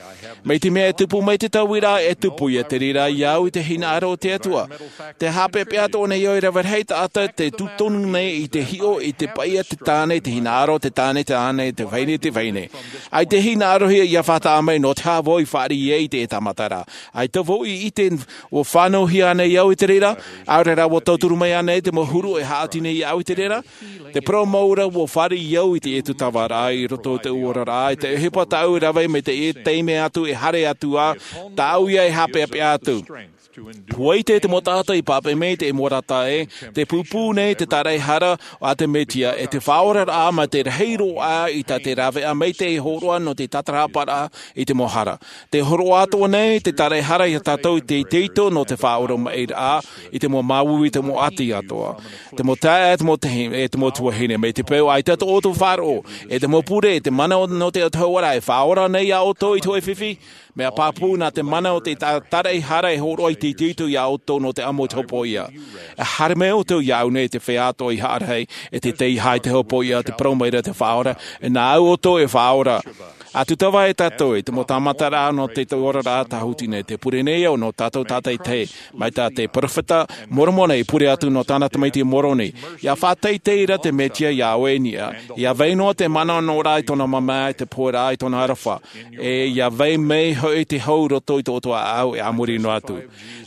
Mai te mea e tupu mai te tauira, e tupu ia te reira ia au i te hinaʻaro o te Atua. Te haʻapeʻapeʻa atoʻa nei au e rave rahi taʻata te tūtonu nei i te hiʻo i te paʻi a te tāne, te hinaʻaro te tāne, te tāne te vahine, te vahine. ʻAita e hinaʻarohia ia faʻataʻa mai nō te aha vau i fāriʻi ai i te tāmata ra. ʻAita vau i ʻite ua fānauhia nei au i te reira, ʻaore rā ua tauturu mai ānei te mau huru e haʻati nei iāʻu i te reira. Te parau mau ra ua fāriʻi au i te tūtava ra i roto i te oraraʻa, i te ʻohipa tāʻu e rave mai te taime atu e haere atu ā, tāʻu ia e haʻapeʻapeʻa atu. Ua ʻite te mau taʻata i pāpaʻi mai te mau rata ē, te pūpū nei te tāraʻehara a te Mesia, e te faʻaoraraʻa mai te rahi roa i tā te rāveʻa mai te hōroʻa nō te tātarahaparaʻa i te mau hara. Te hōroʻa atoʻa nei te tāraʻehara ia tātou i te itoito nō te faʻaoromaʻiraʻa i te mau māuiui, te mau ʻati atoʻa, te mau taeaʻe, te mau tahi-, e te mau tuahine, mai te peu ʻaita tō ʻoutou faʻaroʻo, e te mau pure, e te mana nō te Atua ra e faʻaora nei iā ʻoutou i te hōʻē fifi. Mea pāpū nā te mana o te tā-, tāraʻehara e hōroʻa i te itoito iā ʻoutou nō te amo i te hopoiʻa. E haere mai ʻoutou iāʻu nei te feiā atoʻa i haʻarahi, e te teiaha i te hopoiʻa, te parau mai ra te Faʻaora, e nā au ʻoutou e faʻaora. ʻA tūtava e tātou i te mau tāmata ra nō te oraraʻa tāhuti nei, te pure nei au nō tātou tātaitahi, mai tā te peropheta Moromona i pure atu nō tāna tamaiti Moroni. ʻIa faʻateitei ra te Mesia iā ʻoe i niʻa, ʻia vai noa te mana nō rā i tōna māmā, i te pohe ra i tōna aroha. E ʻia vai mai hoʻi te hau i roto i tō ʻoutou ʻāʻau e a muri noa atu.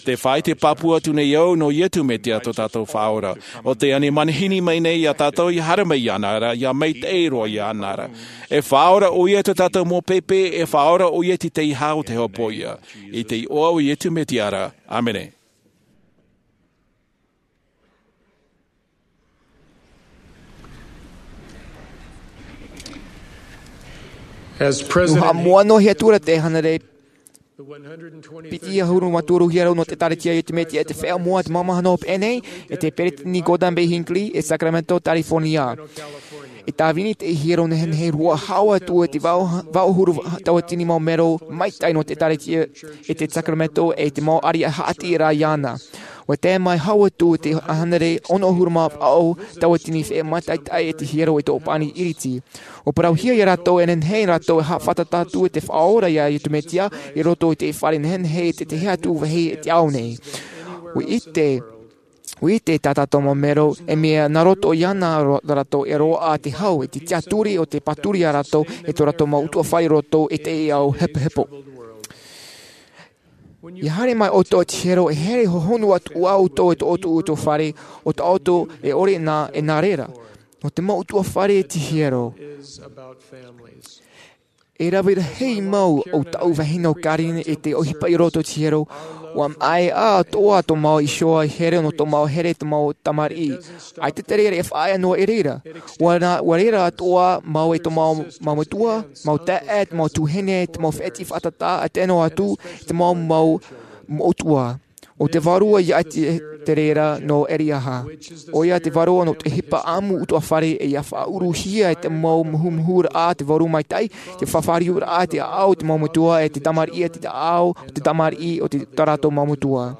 Te faʻaʻite pāpū atu nei au nō Iesu Mesia tō tātou Faʻaora, ʻo tē ani manihini mai nei iā tātou ʻia haere mai iāna ra, ʻia maitaʻi roa iāna ra. E faʻaora ʻoia i tō tātou mau pēpē, e faʻaora ʻoia i te teiaha o te hopoiʻa. I te iʻoa o Iesu Mesia ra. ʻĀmene. As President, ʻua haʻamoʻa noa hia atu ra te hānere piti ʻahuru mā toru hiero nō te ʻĒkālesia Iesu Mesia e te Feiā Moʻa, te māmāhana hopeʻa nei, e te Peresideni Gordon B. Hinckley, e Sacramento, California. E tāvini te hiero nehenehe roa, hau atu e te vaʻu, vaʻu ʻahuru tauatini mau melo maitaʻi nō te ʻĒkālesia e te Sacramento, e te mau ariʻi haʻati ra iāna. ʻUa tae mai hau atu te hānere ono ʻahuru mā vaʻu tauatini feiā mātaʻitaʻi e te hiero e tō pani iriti. ʻUa parauhia ia rātou e nehenehe rātou e haʻafātata atu e te Faʻaora iā Iesu Mesia i roto i te fare nehenehe i te tahi atu vāhi i te ao nei. ʻUa ʻite, ʻua ʻite tā tātou mau melo, e mea nā roto iāna ro-, rātou e roaʻa te hau, e te tiʻaturi o te pāturi iā rātou, e tō rātou mau ʻutuāfare i roto i te ao hepohepo. ʻIa haere mai ʻoutou i te hiero, e here hohonu atu ā ʻoutou e tō ʻoutou ʻutuāfare, ʻo tā ʻoutou e ʻore nā, e nā reira. Nō te mau ʻutuāfare i te hiero, e rave rahi mau ʻo tāʻu vahine ʻo Karyn i te ʻohipa i roto i te hiero. ʻUa maʻe atoʻa tō mau iho i here nō tō mau here, tō mau tamariʻi. ʻAita te reira e faʻaea noa i reira. ʻUa ra-, ʻua rere atoʻa mau e tō mau, mau metua, mau taeaʻe, tō mau tuahine, tō mau fētiʻi fātata, ʻa tae noa atu i te mau, mau moʻotua. ʻO te vārua ia te, te reira nō Eriaha. ʻOia te vārua nō te ʻohipa ʻāmu ʻutuāfare, e ʻia faʻauruhia e te mau muhumuhuraʻa te vārua maitaʻi, te fāriuraʻa te ʻāʻau te mau metua, e te tamariʻi e te ʻāʻau te tamariʻi o te, tā rātou mau metua.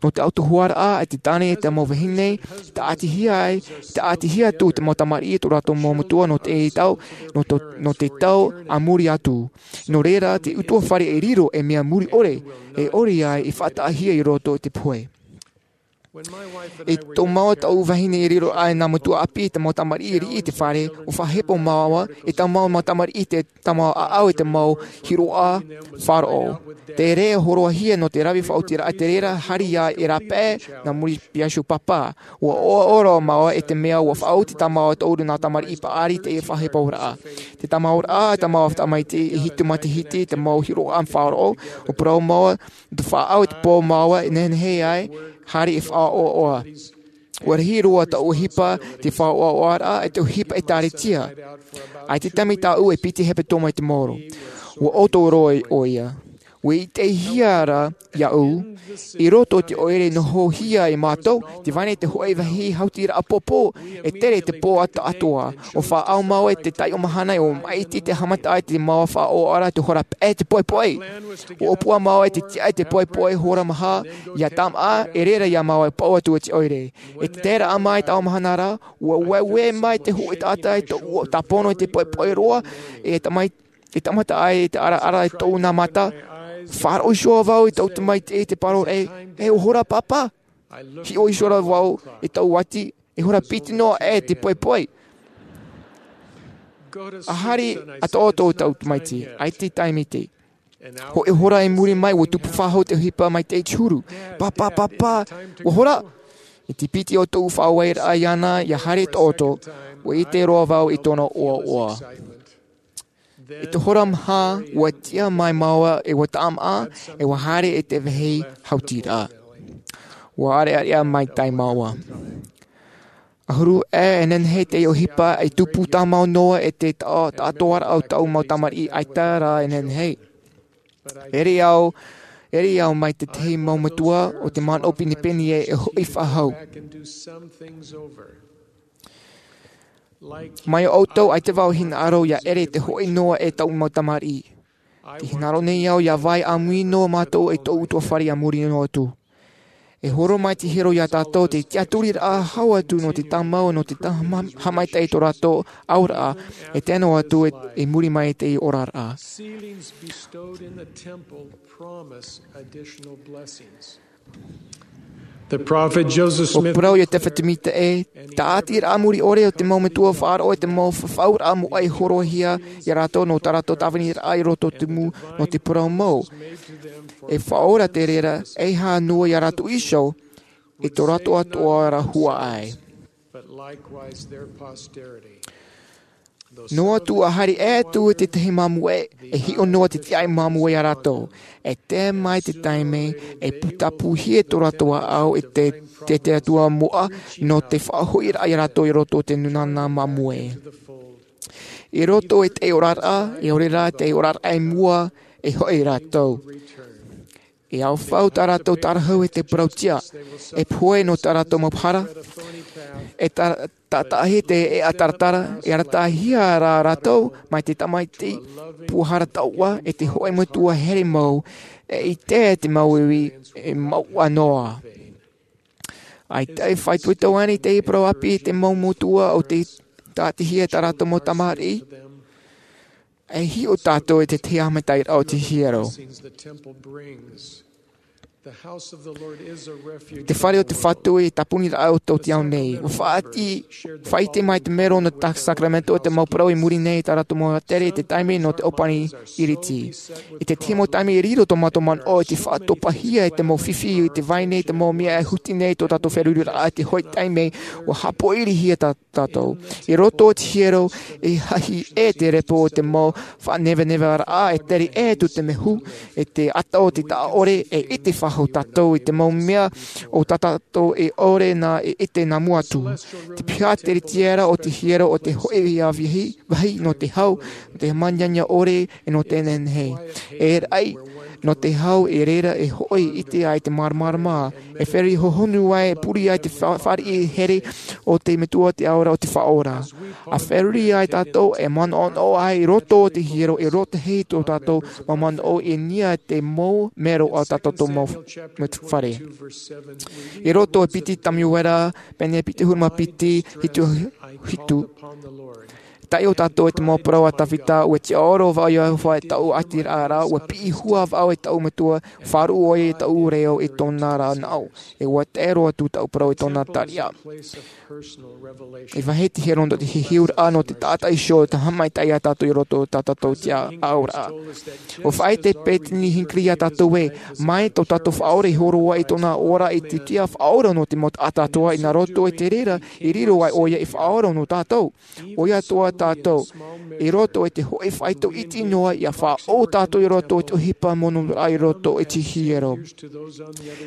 Nō te autahuʻaraʻa e te tāne e te mau vahine, tāʻatihia ai, tāʻatihia atu te mau tamariʻi tō rātou mau metua nō te tau, nō tō, nō te tau a muri atu. Nō reira, te ʻutuāfare e riro e mea muri ʻore, e ʻore ai i faʻataʻahia i roto i te pohe. I tō māua tāʻu vahine i riro ai nā metua ʻāpī te mau tamariʻi riʻi i te fare, ʻua faʻahepo māua, e tō māua mau tamariʻi te, tō māua ʻāʻau e te mau hiroʻa faʻaroʻo. Te reira hōroʻahia nō te rave faʻaotiraʻa te reira, haere ia e rāpae, nā muri piahi pāpā. ʻUa ʻoaʻoa roa māua i te mea ʻua faʻaoti tā māua toʻuru nā tamariʻi paʻari te faʻaheporaʻa. Te tāmāuraʻa, tā māua tamaiti e hitu matahiti, te mau hiroʻa faʻaroʻo, ʻua parau māua, te faʻaau te pō māua e nehenehe ai, haere e faʻaʻoaʻoa. ʻUa rahi roa tāʻu ʻohipa, te faʻaʻoaʻoaraʻa, e te ʻohipa ʻĒkālesia. ʻAita te taime tāʻu e piti hepetoma i te maoro. ʻUa ʻoto roa ʻoia. ʻUa ʻitehia ra iāʻu, i roto i te ʻoire nohohia e mātou, tē vai nei te hōʻē vāhi hautiraʻa pōpō, e tere te pō atoʻa. ʻUa faʻaau māua i te taiʻo mahana, ʻua maʻiti te haʻamata i te mau faʻaʻoraʻa, te hora paʻi te poʻipoʻi. ʻUa ʻōpua māua i te tiʻa i te poʻipoʻi hora maha, ʻia tāmāʻa, e reira ia māua e paʻu atu i te ʻoire. I te taeraʻa mai i taua mahana ra, ʻua ueue mai te hōʻē taʻata i tōʻu tāpono i te poʻipoʻi roa, e tamai-, e tāmata ai i te ʻaraʻara i tōʻu nā mata, faʻaroʻo iho vau i tōʻu tamaiti i te parau ra, e, e ʻua hora pāpā. Hiʻo iho ra vau i tōʻu ati, e hora piti noa aʻe te poʻipoʻi. ʻA haere atoʻa tō tōʻu tamaiti, ʻaita i taime iti. Hōʻē hora i muri mai, ʻua tupu faʻahou te ʻohipa mai te iti huru. Pāpā, pāpā, ʻua hora. I te piti o tōʻu faʻaʻoraʻa iāna, ʻia haere tō ʻoto, ʻua ʻite roa vau i tōna ʻoaʻoa. I te hora maha, ʻua tiʻa mai māua, e ʻua tāmāʻa, e ʻua haere i te vāhi hautiraʻa. ʻUa ʻārearea maitaʻi māua. ʻAhuru aʻe e nehenehe te ʻohipa, e tupu tāmau noa e te ta-, taʻatoʻaraʻa o tōʻu mau tamariʻi, ʻaita rā e nehenehe. ʻEre au, ʻere au mai te tahi mau metua o te manaʻo pinepine e, e hoʻi faʻahou. Mai ʻoutou, ʻaita vau e hinaʻaro ʻia ʻere te hoʻi noa e tōʻu mau tamariʻi. Tē hinaʻaro nei au ʻia vai ʻāmui noa mātou i tōʻu ʻutuāfare ʻia muri noa atu. E horo mai te hiero iā tātou te tiʻaturiraʻa hau atu nō te tāmau, nō te tā-, haʻamaitaʻi i tō rātou auraʻa, e tae noa atu i, i muri mai i te oraraʻa. Ceilings bestowed in the temple promise additional blessings. The prophet Joseph ʻUa Smith parau Iosefa Sāmita ē, tāʻatiraʻa muri ʻore o te mau metua faʻaroʻo i te mau fafauraʻa moʻa i hōroʻahia iā rātou nō tā rātou tāviniraʻa i roto tumu nō te parau mau. E faʻaora te reira, ʻeiaha noa iā rātou iho, i tō rātou atoʻa ra huaʻai. But likewise their posterity. Noa atu ʻa haere atu i te tahi māmoe, e hiʻo noa te tiaʻi māmoe iā rātou. E tae mai te taime, e putapūhia tō rātou ʻāʻau i te, te, te atua moʻa, nō te faʻahoʻiraʻa iā rātou i roto i te nūnaʻa māmoe. I roto i te oraraʻa, e ʻore rā te oraraʻa i mua, e hoʻi rātou. E aofau tā rātou tārahu e te parauʻtiʻa, e pohe nō tā rātou mau hara, e ta-, taʻataʻahi te ʻēʻa taratara, e arataʻihia rā rātou mai te tamaiti puaʻahara taoʻa e te hōʻē metua here mau, e ʻite te mau ivi e mauʻa noa. ʻAita e faʻaitoito ānei te parau ʻāpī i te mau metua ʻo tē tāʻatihia tā rātou mau tamariʻi? E hiʻo tātou i te tahi haʻamaitaʻiraʻa o te hiero. Te fare o te Fatu e tāponiraʻa o tō te ao nei. ʻUa faʻaʻite, faʻaʻite mai te mero nō te sākramentu o te mau parau i muri nei i tā rātou mau tere i te taime nō te ʻōpani ʻīriti. I te tahi mau taime e riro tō mātou manaʻo i te faʻatopahia i te mau fifi i te vai nei te mau mea e huti nei tō tātou feruriraʻa i te hōʻē taime ʻua haʻapoʻirihia tā tātou. I roto i te hiero, e hahi ʻē te repo o te mau faʻaneveneveraʻa, e tere ʻē atu te mehu, e te ata o te taʻaʻore, e ʻite faʻahou tātou i te mau mea o tā tātou e ʻore na e ʻite nā mua atu. Te piha te ritiera o te hiero o te hōʻē ia vāhi, vāhi nō te hau, nō te maniania ʻore, e nō te nehenehe. E raʻi, nō te hau, e reira e hoʻi ʻite ai te māramarama, e fare hohonu ai, e pure ai te fa-, fāriʻi here o te Metua, te Atua o te Faʻaora. ʻA feruri ai tātou, e manaʻonaʻo ai i roto o te hiero, e rōtahi tō tātou mau manaʻo i niʻa i te mau mero a tā tātou mau f-, mau fare. I roto i piti Tamuera, pene piti ʻahuru mā piti, hitu, hitu. Taiʻo tātou i te mau parau a Tavita, ʻua tiʻaoro vau iā Iehova i tōʻu ʻātiraʻa ra, ʻua piʻi hua vau i tōʻu Metua, faʻaruʻe ʻoia i tōʻu reo i tōna ra naʻo, e ʻua tae roa atu tōʻu parau i tōna tariʻa. E vāhi te hiero nō te hiʻoraʻa, nō te taʻata iho, te haʻamaitaʻi ia tātou i roto i tā tātou tiʻaʻauraʻa. ʻUa faʻaʻite Peretiteni Hinckley iā tātou ē, mai tō tātou Faʻaora i hōroʻa i tōna ora i te tiʻa faʻaora nō te mau taʻata atoʻa, ʻe nā roto i te reira, i riro ai ʻoia ei faʻaora nō tātou. ʻOia atoʻa tātou, i roto i te hōʻē faito iti noa, ʻia faʻaʻō tātou i roto i te ʻohipa monūraʻa i roto i te hiero.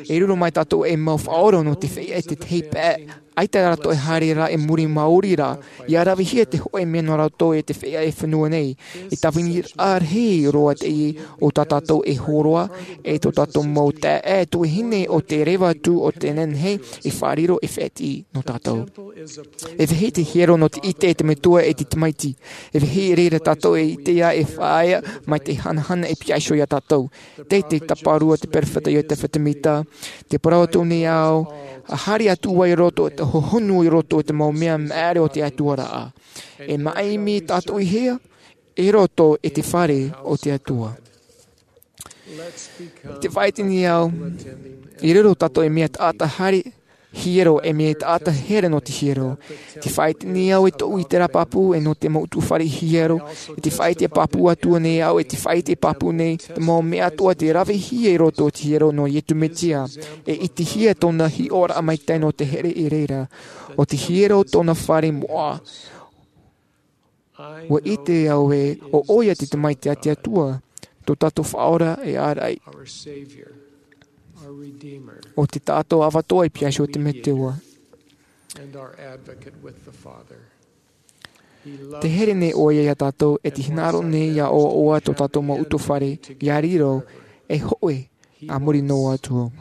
E riro mai tātou ei mau faʻaora nō te feiā i te tahi pae ʻAita rātou e haere ra e muri maori ra, ia ravehia te hōʻē mea nō rātou e te feiā e fenua nei. E tāviniraʻa rahi roa teie o tā tātou e hōroa, e tō tātou mau taeaʻe tuahine o te reva atu o te nehenehe e fārerei e fētiʻi nō tātou. E vāhi te hiero nō te ʻite e te metua e te tamaiti. E vāhi e reira tātou e ʻite ia e faʻaea mai te hanahana e piahi iho ia tātou. Tei te tāparu a te peropheta Iotefa Semita, te parau atu nei au, a haere atu vau i roto i te hohonu i roto i te mau mea maere o te Atua ra. E maʻimi tātou i hea, i roto i te fare o te Atua. Te faʻaite nei au, i riro tātou e mea taʻata haere hiero e mea taʻata here nō te hiero. Te faʻaite nei au e tōʻu ʻiteraʻa pāpū e nō te mau ʻutuāfare hiero. E te faʻaite pāpū atu nei au, e te faʻaite pāpū nei te mau mea atoʻa te ravehia i roto i te hiero nō Iesu Mesia. E ʻitehia tōna hiʻoraʻa maitaʻi nō te here i reira. ʻO te hiero tōna fare moʻa. Ua ʻite au ē, ʻo ʻoia te Tamaiti a te Atua, tō tātou Faʻaora e ārai. ʻO te taʻata ʻavatoa i piahi iho te Metua. Te here nei ʻoia ia tātou, e te hinaʻaro nei ia ʻoaʻoa tō tātou mau ʻutuāfare, ia riro, e hōʻē, a muri noa atu.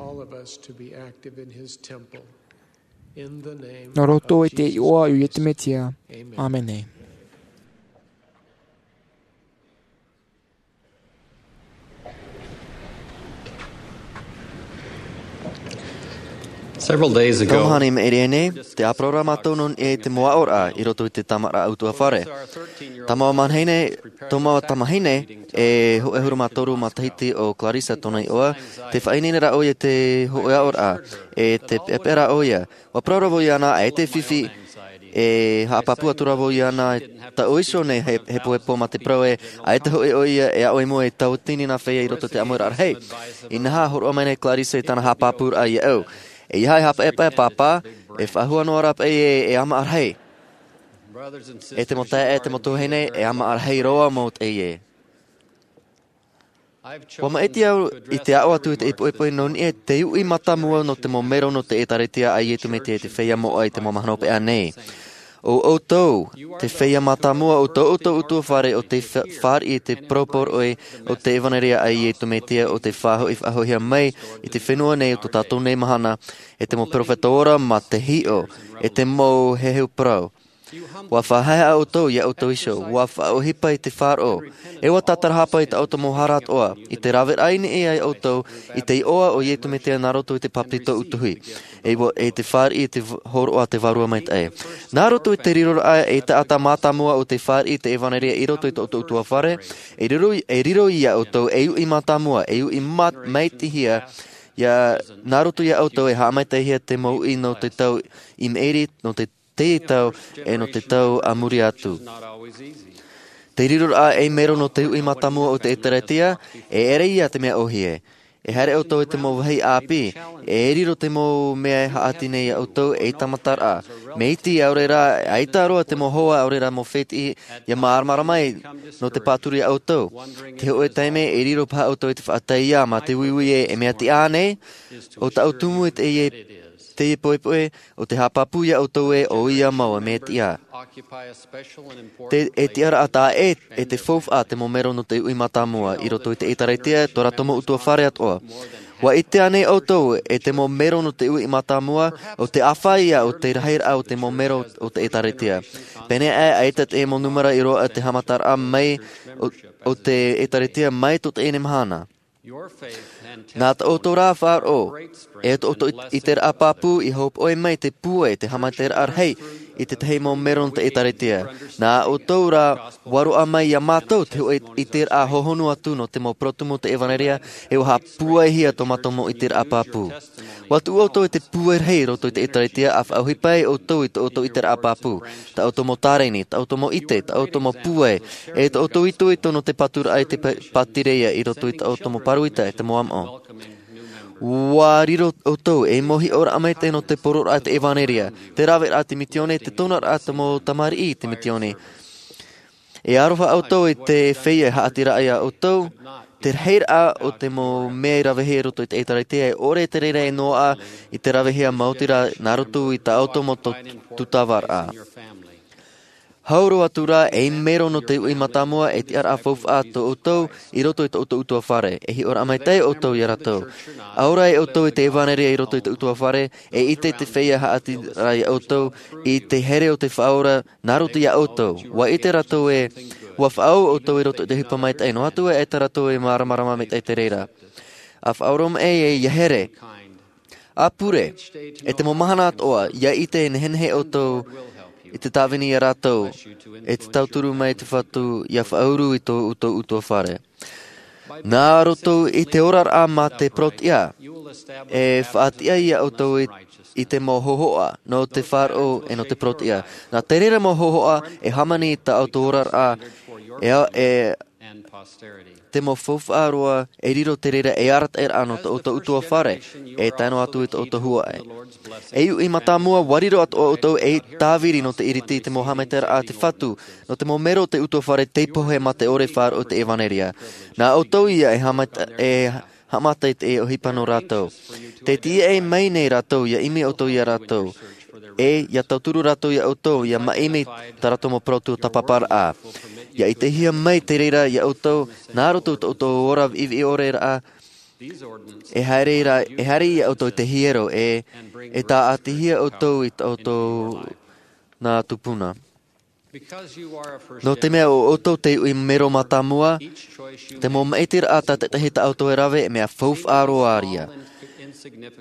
Nō roto i te iʻoa o Iesu Mesia. ʻĀmene. Several days ago, Tau mahana i maʻiri aʻe nei, tē ʻāparau ra mātou nō niʻa i te mau aʻoraʻa i roto i te tamariʻi ʻutuāfare. Tamaiti mahine, tamaiti tamahine, e hōʻē ʻahuru mā toru matahiti ʻo Clarissa tōna iʻoa, tē faʻaineine ra ʻoia i te hōʻē aʻoraʻa, e tē peʻapeʻa ra ʻoia. ʻUa parau ra vau iāna, ʻaita e fifi, e haʻapāpū atu ra vau iāna, taʻu iho nei he, hepohepo mā te parau ē, ʻaita hoʻi ʻoia e aʻo i mua i taua teina feiā i roto i te ʻāmuiraʻa rahi. Inaha, hōroʻa mai nei Clarissa i tāna haʻapāpūraʻa iāʻu. ʻEiaha e haʻapaʻepaʻe, Pāpā, e faʻahou noa ra paʻi ē, e ʻāmaʻa rahi. E te mau taeaʻe, e te mau tuahine, e ʻāmaʻa rahi roa mau teie. ʻUa maʻiti au i te aʻo atu i te ʻipoʻipo nō niʻa i te uʻi mātāmua nō te mau mero nō te ʻĒtārētia a Iesu Mesia i te feiā moʻa i te mau mahana hopeʻa nei. ʻO ʻoutou, te feiā mātāmua o tō ʻoutou ʻutuāfare ʻo tē fa-, fāriʻi i te parau poroʻi o te ʻevanelia a Iesu Mesia ʻo tē faʻahoʻi-, faʻahoʻihia mai i te fenua nei ʻo tō tātou nei mahana, e te mau peropheta ora mā te hiʻo, e te mau heheu parau. ʻUa faʻahaehaʻa ʻoutou iā ʻoutou iho, ʻua faʻaʻohipa i te faʻaroʻo, e ʻua tātarahapa i tā ʻoutou mau hara atoʻa, i te raveraʻa i niʻa iā ʻoutou, i te iʻoa o Iesu Mesia nā roto i te bāpetizo ʻutuhi. E ʻua, e te fāriʻi i te v-, hōroʻa a te Vārua Maitaʻi. Nā roto i te riroraʻa e taʻata mātāmua ʻo tē fāriʻi i te ʻevanelia i roto i tō ʻoutou ʻutuāfare, e riro, e riro iā ʻoutou ei uʻi mātāmua, ei uʻi mā-, maitihia, ia, nā roto iā ʻoutou e haʻamaitaʻihia te mau uʻi nō te tau i maʻiri, nō te te tau, e nō te tau a muri atu. Te riroraʻa ei mero nō te uʻi mātāmua o te ʻĒtārētia, e ʻere ia te mea ʻōhie. E haere ʻoutou i te mau vāhi ʻāpī, e riro te mau mea e haʻati nei iā ʻoutou ei tāmataraʻa. Mai te ʻaore rā, ʻaita roa te mau hoa ʻaore rā mau fētiʻi, ia māramarama mai nō te pāturu iā ʻoutou. Te hōʻē taime, e riro paha ʻoutou i te faʻaʻite ia mā te uiui ē, e mea tiʻa ānei, ʻo tāʻu tumu i teie, teie poʻipoʻi, ʻo tē haʻapāpū iā ʻoutou ē, ʻo ia mau e mea tiʻa. Te, e tiʻaraʻa taʻa ʻē, e te faufaʻa te mau mero nō te uʻi mātāmua, i roto i te ʻĒtārētia, tō rātou mau ʻutuāfare atoʻa. ʻUa ʻite ānei ʻoutou, e te mau mero nō te uʻi mātāmua, ʻo te ʻāfaʻi ia o te rahiraʻa o te mau mero o te ʻĒtārētia. Pēneiaʻe, ʻaita te mau nūmera i roaʻa te haʻamataraʻa mai, ʻo, ʻo te ʻĒtārētia mai tō teie nei mahana. Nā tō ʻoutou rā faʻaroʻo, e tō ʻoutou ʻit-, ʻiteraʻa pāpū i hōpoʻi mai te pūai, te haʻamaitaʻiraʻa rahi, i te tahi mau mero nō te ʻĒtārētia. Nā ʻoutou rā, ʻua roaʻa mai iā mātou te hōʻē ʻiteraʻa hohonu atu nō te mau parau tumu o te ʻevanelia, e ʻua haʻapūaihia tō mātou mau ʻiteraʻa pāpū. ʻUa tuʻu ʻoutou i te pūai rahi i roto i te ʻĒtārētia, ʻa faʻaʻohipa ai ʻoutou i tō ʻoutou ʻiteraʻa pāpū, tā ʻoutou mau tāreni, tā ʻoutou mau ʻite, tā ʻoutou mau pūai, e tō ʻoutou itoito nō te pāturaʻa i te pā-, pātireia i roto i tā ʻoutou mau pāroita e te mau ʻāmaʻo. ʻUa riro ʻoutou ei mau hiʻoraʻa maitaʻi nō te poroʻraʻa i te ʻevanelia, te raveraʻa i te misiōni, te tonaraʻa i te mau tamariʻi i te misiōni. E aroha ʻoutou i te feiā e haʻati ra iā ʻoutou, te rahiraʻa o te mau mea i ravehia i roto i te ʻĒtārētia, e ʻore te reira e noaʻa i te ravehia maoti rā nā roto i tā ʻoutou mau tū-, tūtavaraʻa. Hau roa atu rā, ei mero nō te uʻi mātāmua, e tiʻaraʻa faufaʻa tō ʻoutou i roto i tō ʻoutou ʻutuāfare. E hiʻoraʻa maitaʻi ʻoutou ia rātou. ʻAore ʻoutou i te ʻevanelia i roto i te ʻutuāfare, e ʻite te feiā haʻapiʻiraʻa ia ʻoutou i te here o te Faʻaora nā roto ia ʻoutou. ʻUa ʻite rātou ē, ʻua faʻaau ʻoutou i roto i te ʻohipa maitaʻi, noa atu ā tā rātou e māramarama maitaʻi i te reira. ʻA faʻaoromaʻi ē, ʻia here, ʻa pure, e te mau mahana atoʻa, ʻia ʻite e nehenehe ʻoutou i te tāvini ia rātou, e te tauturu mai te Fatu ʻia faʻauru i tō ʻoutou ʻutuāfare. Nā roto i te oraraʻa mā te parau-tiʻa, e faʻatiʻa ia ʻoutou i, i te mau hōhoʻa nō te faʻaroʻo e nō te parau-tiʻa. Nā te reira mau hōhoʻa e hāmani i tā ʻoutou oraraʻa, e, e te mau faufaʻa roa e riro te reira ei arataʻiraʻa nō tō ʻoutou ʻutuāfare, e tae noa atu i tō ʻoutou huaʻai. Ei uʻi mātāmua, ʻua riro atoʻa ʻoutou ei tāviri nō te ʻiriti i te mau haʻamaitaʻiraʻa a te Fatu, nō te mau mero o te ʻutuāfare tei pohe mā te ʻore faʻaroʻo i te ʻevanelia. Nā ʻoutou ia e haʻamata-, e haʻamata i te ʻohipa nō rātou. Tē tīaʻi mai nei rātou, ʻia ʻimi ʻoutou ia rātou. E, ʻia tauturu rātou ia ʻoutou, ʻia māʻimi tā rātou mau parau tuatāpaparaʻa. ʻIa ʻitehia mai te reira ia ʻoutou, nā roto i tō ʻoutou ora viʻiviʻi ʻore ra, e haere ra, e haere ia ʻoutou i te hiero, e, e tāʻatihia ʻoutou i tō ʻoutou nā tupuna. Nō te mea ʻo ʻoutou te uʻi mero mātāmua, te mau maʻitiraʻa tātaʻitahi tā ʻoutou e rave, e mea faufaʻa roa ïa.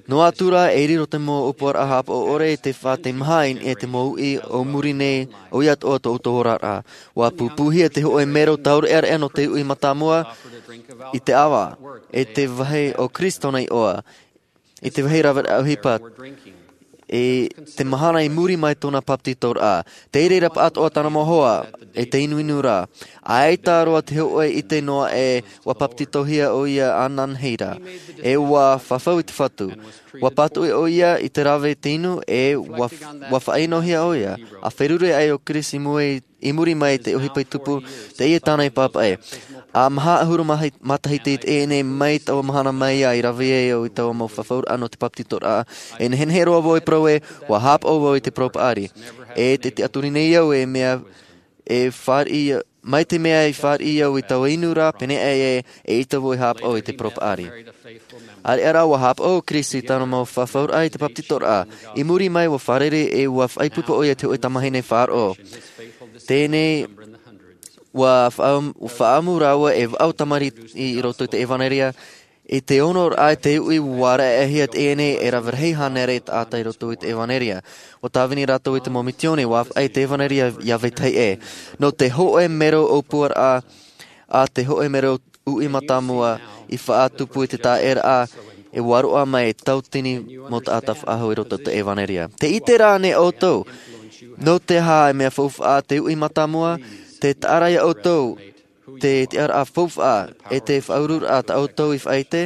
Noa atu rā, e riro te mau ʻōpuaraʻa haʻapaʻo ʻore i te faʻateimaha i niʻa i te mau uʻi o muri nei, ʻoia atoʻa tō ʻoutou oraraʻa. ʻUa pūpūhia te hōʻē mero taureʻareʻa nō te uʻi mātāmua i te ʻava, e te vāhi o Kristo nei ʻoa, i te vāhi raveraʻa ʻohipa, i te mahana i muri mai tōna papetitoraʻa. Tei reira pāʻatoʻa tāna mau hoa, e te inuinu ra. ʻAita roa te hōʻē ʻite noa ē ʻua papetitohia ʻoia ananahi ra. E ʻua fafau i te Fatu. ʻUa pātoʻi ʻoia i te rave i te inu, e ʻua, ʻua faʻaʻinohia ʻoia. ʻA feruri aʻe ʻo Kirisi i mua i i muri mai i te ʻohipa i tupu, teie tāna i pāpaʻi. ʻA maha ʻahuru mahi-, matahiti i teie nei mai taua mahana mai ā i rave ai au i taua mau fafauraʻa nō te papetitoraʻa, e nehenehe roa vau e parau ē, ʻua haʻapaʻo vau i te parau paʻari. E te tiʻaturi nei au e mea, e fāriʻi, mai te mea i fāriʻi au i taua inu ra, pēnei aʻe ē, eʻita vau e haʻapaʻo i te parau paʻari. ʻĀreʻa rā ʻua haʻapaʻo ʻo Kirisi i tāna mau fafauraʻa i te papetitoraʻa. I muri mai ʻua fārerei e ʻua faʻaipoipo ʻoia i te hōʻē tamahine faʻaroʻo. Teie nei, ʻua faʻa-, ʻua faʻaʻamu rāua e vaʻu tamariʻi i roto i te ʻevanelia. I te onoraʻa i te uʻi ʻua raʻehia teie nei e rave rahi hānere taʻata i roto i te ʻevanelia. ʻUa tāvini rātou i te mau misiōni, ʻua ʻāfaʻi i te ʻevanelia iā vetahi ʻē. Nō te hōʻē mero ʻōpuaraʻa, ʻa te hōʻē mero uʻi mātāmua i faʻatupu i te taʻeraʻa, e ʻua roaʻa mai e tauatini mau taʻata faʻahou i roto i te ʻevanelia. Tē ʻite ra ānei ʻoutou, nō te aha e mea faufaʻa te uʻi mātāmua, te taʻa ra ia ʻoutou, te tiʻaraʻa faufaʻa, e te faʻaururaʻa tā ʻoutou i faʻaʻite?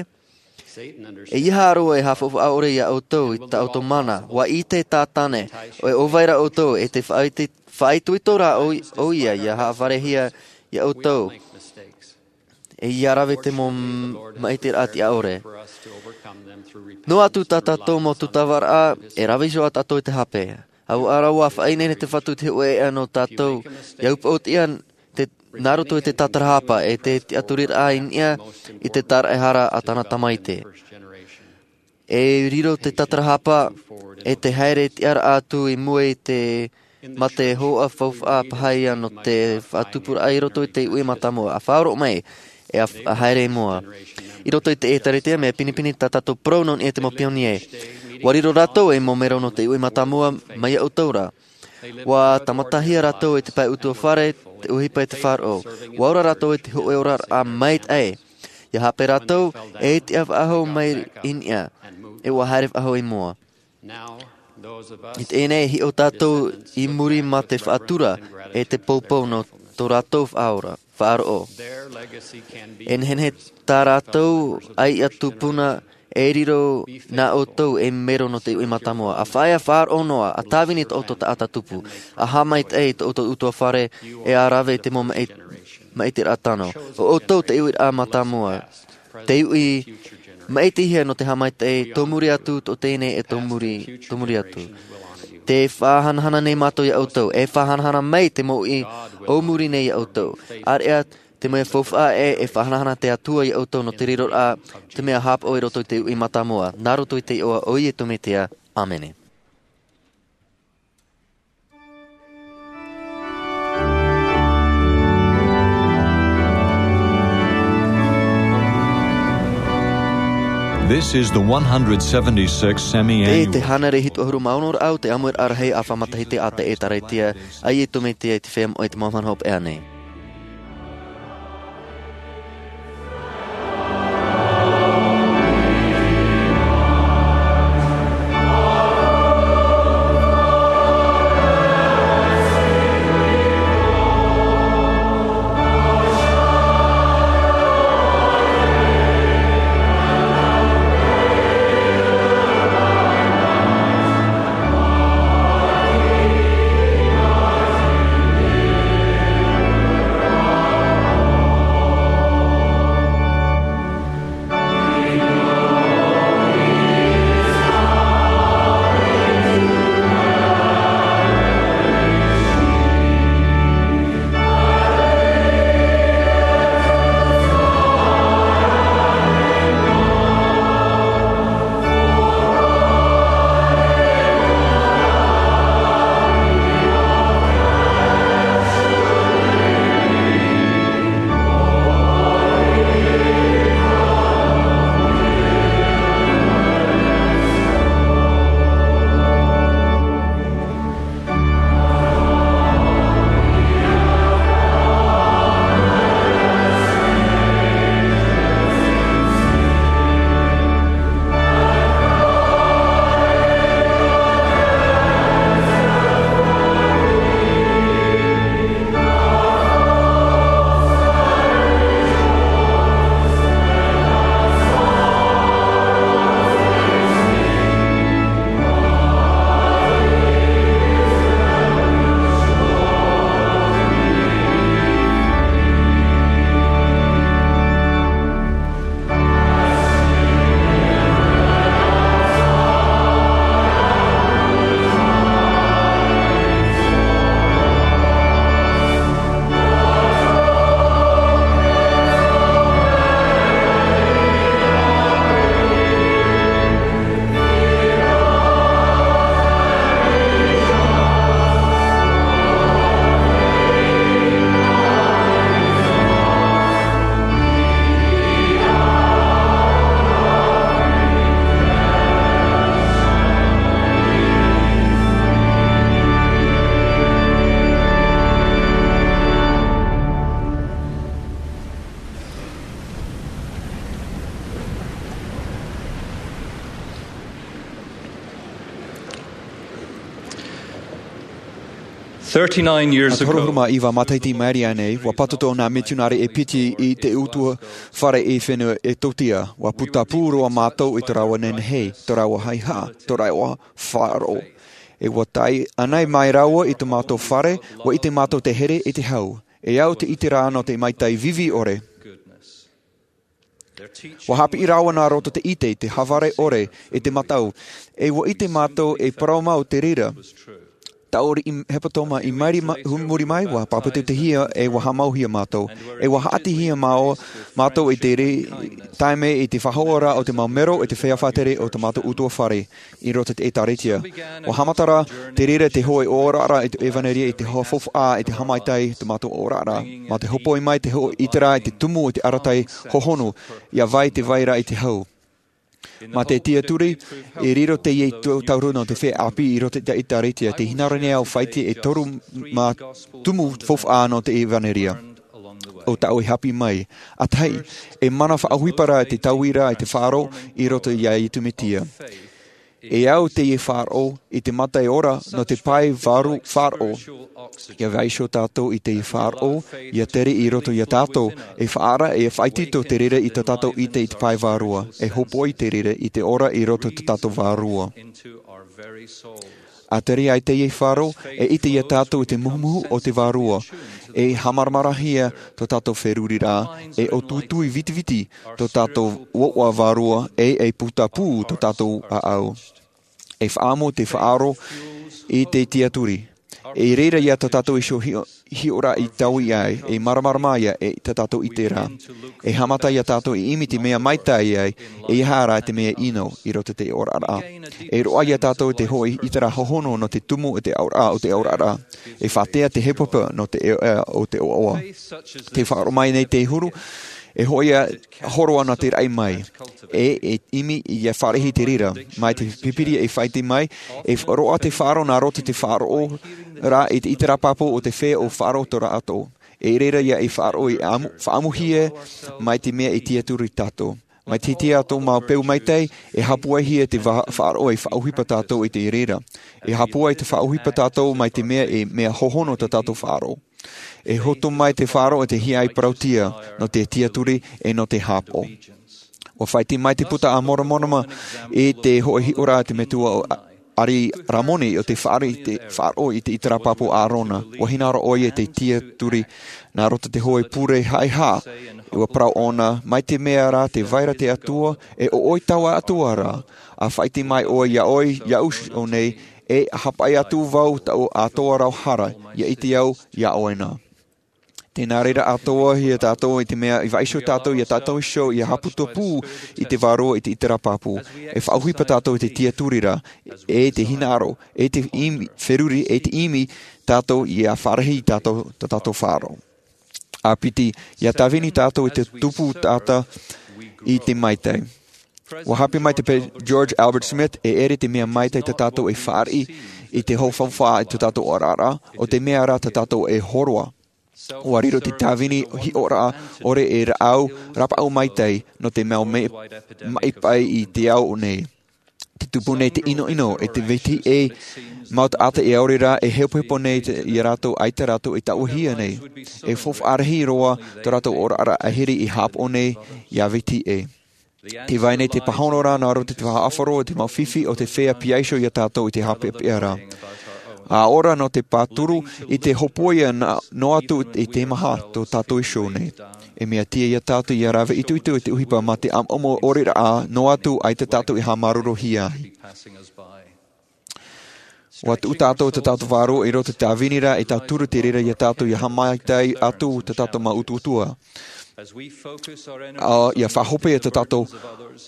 ʻEiaha roa e haʻafaufaʻa ʻore ia ʻoutou i tā ʻoutou mana, ʻua ʻite Tātane, ʻoia ʻo vai ra ʻoutou, e te faʻaʻite, faʻaitoito rā ʻo, ʻoia, ʻia haʻafarehia ia ʻoutou. E ʻia rave te mau m-, maʻitiraʻa tiʻa ʻore. Noa atu tā tātou mau tūtavaraʻa, e rave iho ā tātou i te hape. ʻAuaʻa rā ʻua faʻaineine te Fatu i te hōʻē ʻēʻa nō tātou, ʻia upoʻotiʻa te, nā roto i te tātarahapa, e te tiʻaturiraʻa i niʻa i te tāraʻehara a tāna Tamaiti. E riro te tātarahapa, e te haere tiʻaraʻa atu i mua i te, mā te hōhoʻa faufaʻa paha ïa nō te faʻatupuraʻa i roto i te uʻi mātāmua, ʻa faʻaroʻo mai, e ʻa, ʻa haere i mua. I roto i te ʻĒtārētia, mea pinepine tā tātou parau nō niʻa i te mau pionie. ʻUa riro rātou ei mau mero nō te uʻi mātāmua, mai iā ʻoutou ra. ʻUa tāmatahia rātou e te pae ʻutuāfare, te ʻohipa e te faʻaroʻo. ʻUa ora rātou i te hōʻē oraraʻa maitaʻi. ʻIa hape rātou, e tiʻa faʻahou mai i niʻa, e ʻua haere faʻahou i mua. I teie nei, e hiʻo tātou i muri mā te faʻatura, e te poupou nō tō rātou faʻaora, faʻaroʻo. E nehenehe tā rātou ʻaiʻa tupuna, e riro nā ʻoutou ei mero nō te uʻi mātāmua. ʻA faʻaea faʻaroʻo noa, ʻa tāvini tō ʻoutou taʻata tupu, ʻa haʻamaitaʻi i tō ʻoutou ʻutuāfare, e ʻa rave i te mau maʻi-, maʻitiraʻa tano. ʻO ʻoutou te uiraʻa mātāmua. Te uʻi maʻitihia nō te haʻamaitaʻi, tō muri atu, tō teie nei e tō muri, tō muri atu. Tē faʻahanahana nei mātou iā ʻoutou, e faʻahanahana mai te mau uʻi ʻōmuri nei iā ʻoutou. ʻĀreʻa te mea faufaʻa ē, e faʻahanahana te Atua iā ʻoutou nō te riroraʻa, te mea haʻapaʻo i roto i te uʻi mātāmua, nā roto i te iʻoa o Iesu Mesia. ʻĀmene. This is the one hundred seventy-six Semi-Annual. Tē te hānere hitu ʻahuru mā ono raʻa o te ʻāmuiraʻa rahi ʻāfa matahiti a te ʻĒtārētia a Iesu Mesia i te feiā moʻa i te mau mahana hopeʻa nei. Thirty-nine years ago, ʻahuru mā iva matahiti i maʻiri aʻe nei, ʻua pātotoʻa nā mitionare e piti i te utuafare i te fenua Ethiopia. ʻUa putapū roa mātou i tō rāua nehenehe, tō rāua haʻehaʻa, tō rāua faʻaroʻo. E ʻua tae anaʻe mai rāua i tō mātou fare, ʻua ʻite mātou te here e te hau. E au te ʻite ra nō te maitaʻi vivi ʻore. ʻUa haʻapiʻi rāua nā roto i te ʻite, te haʻavare ʻore, e te mataʻu. E ʻua ʻite mātou e parau mau te reira. Tāʻori i hepetoma i maʻiri ma-, hu-, muri mai, ʻua pāpetitohia e ʻua haʻamauhia mātou. E ʻua haʻatihia māo-, mātou i te re-, taime i te faʻahoʻoraʻa o te mau mero e te feiā faʻatere o tō mātou utuafare i roto i te ʻĒtārētia. ʻUa haʻamata ra te reira te hōʻē ʻōroʻa i te ʻevanelia i te hōʻē faufaʻa i te haʻamaitaʻi tō mātou ʻōroʻa. Mā te hōpoi mai te hōʻē ʻiteraʻa i te tumu i te arataʻi hohonu, ʻia vai te vai ra i te hau. Mā te tiaturi, e riro teie tau-, tauruna o te feiā ʻāpī i roto i te ʻĒtārētia, tē hinaʻaro nei au faʻaʻite e toru mā tumu faufaʻa nō te ʻevanelia. ʻO tāʻu e haʻapiʻi mai. ʻA tahi, e mana faʻaʻohipa ra te tauira i te faʻaroʻo i roto iā Iesu Mesia. E au teie faʻaroʻo i te mataʻi ora nō te pae vārua faʻaroʻo. ʻIa vaiiho tātou i teie faʻaroʻo, ʻia tere i roto iā tātou, e faʻaara, e faʻaitoito te reira i tō tātou ʻite i te pae vārua, e hōpoi te reira i te ora i roto i tō tātou vārua. A tere ai teie faro, e ʻite ia tātou i te muhumuhu o te vārua, e haʻamāramarahia tō tātou feruri ra, e ʻo tuitui vitiviti tō tātou ʻoaʻoa vārua, e e putapū tō tātou ʻāʻau. E faʻaʻamu te faʻaroʻo i te tiaturi. E reira ia tā tātou iho hiʻoraʻa i taui ai, e māramarama ia e tā tātou ʻite ra. E haʻamata ia tātou i ʻimi te mea maitaʻi ai, e aha rā te mea ʻino i roto i te oraraʻa. E roaʻa ia tātou te hoʻi ʻiteraʻa hohonu nō te tumu o te auraʻa o te oraraʻa. E faʻatea te hepohepo nō te ʻeʻa o te ʻoaʻoa. Te faʻaroʻo mai nei te huru, e hoʻi ia horoʻa nō te raʻi mai. E e ʻimi ia fāriʻi te reira. Mai te pīpīria e faʻaʻite mai, e roaʻa te faʻaroʻo nā roto i te faʻaroʻo ra i te ʻiteraʻa pāpū o te feiā ʻo faʻaroʻo tō rātou. E reira ia e faʻaroʻo i ʻamu-, faʻaʻamuhia mai te mea e tiaturi tātou. Mai te hiti atu mau peu maitaʻi, e hāpuaihia te va-, faʻaroʻo e faʻaʻohipa tātou i te reira. E hāpua i te faʻaʻohipa tātou mai te mea e mea hohonu tā tātou faʻaroʻo. E hotu mai te faʻaroʻo i te hiaʻai parauʻtiʻa nō te tiaturi e nō te hāpaʻo. ʻUa faʻaʻite mai te puta a Moromona i te hoʻi hiʻoraʻa te metua ʻo Ari Ramoni ʻo te faʻaroʻo i te, faʻaroʻo i te ʻiteraʻa pāpū a ʻĀrona. ʻUa hinaʻaro ʻoia i te tiaturi nā roto i te hōʻē pure haʻehaʻa. ʻUa parau ʻōna, mai te mea rā tē vai ra te Atua, e ʻo ʻoe taua Atua rā, ʻa faʻaʻite mai ʻoe iā ʻoe, iāʻu iho nei, e ʻa haʻapaʻo atu vau taʻu atoʻa rau hara, ʻia ʻite au iā ʻoe na. Tē nā reira atoʻa ia tātou i te mea i vaiiho tātou ia tātou iho, ʻia haʻaputapū i te vārua i te ʻiteraʻa pāpū. E faʻaʻohipa tātou i te tiaturi ra, e te hinaʻaro, e te ʻimi, feruri, e te ʻimi tātou ʻia fāriʻi tātou, tā tātou faʻaroʻo. ʻA piti, ʻia tāvini tātou i te tupu taʻata i te maitaʻi. ʻUa hape mai te pe-, George Albert Smith, e ʻere te mea maitaʻi tā tātou e fāriʻi i te hōfaufaʻa i tō tātou oraraʻa, ʻo te mea rā tā tātou e hōroʻa. ʻUa riro te tāvini hiʻoraʻa ʻore e rāʻau, rāpaʻau maitaʻi, nō te mau me-, maʻi paʻi i te ao nei. Te tupu nei te ʻinoʻino, e te vetiʻi, mau taʻata e ʻaore rā, e hepohepo nei te, ia rātou, ʻaita rātou e taʻuhia nei. E faufaʻa rahi roa tō rātou oraraʻa ʻahiri i hāpaʻo nei, ʻia vetiʻi. Tē vai nei te pāhono ra nā roto i te faʻaʻāfaro o te mau fifi o te feiā piaiho ia tātou i te haʻapeʻapeʻa ra. ʻA ora nō te pāturu i te hōpoiʻa na-, noa atu i te maha tō tātou iho nei. E mea tiʻa ia tātou ʻia rave itoito i te ʻohipa mā te ʻamuʻamu ʻore rā, noa atu ʻaita tātou e haʻamāuruuruhia ai. ʻUa tuʻu tātou tā tātou vārua i roto i te tāvini ra, e tauturu te reira ia tātou ʻia haʻamaitaʻi atu tā tātou mau utuutu. ʻA, ʻia faʻahope tā tātou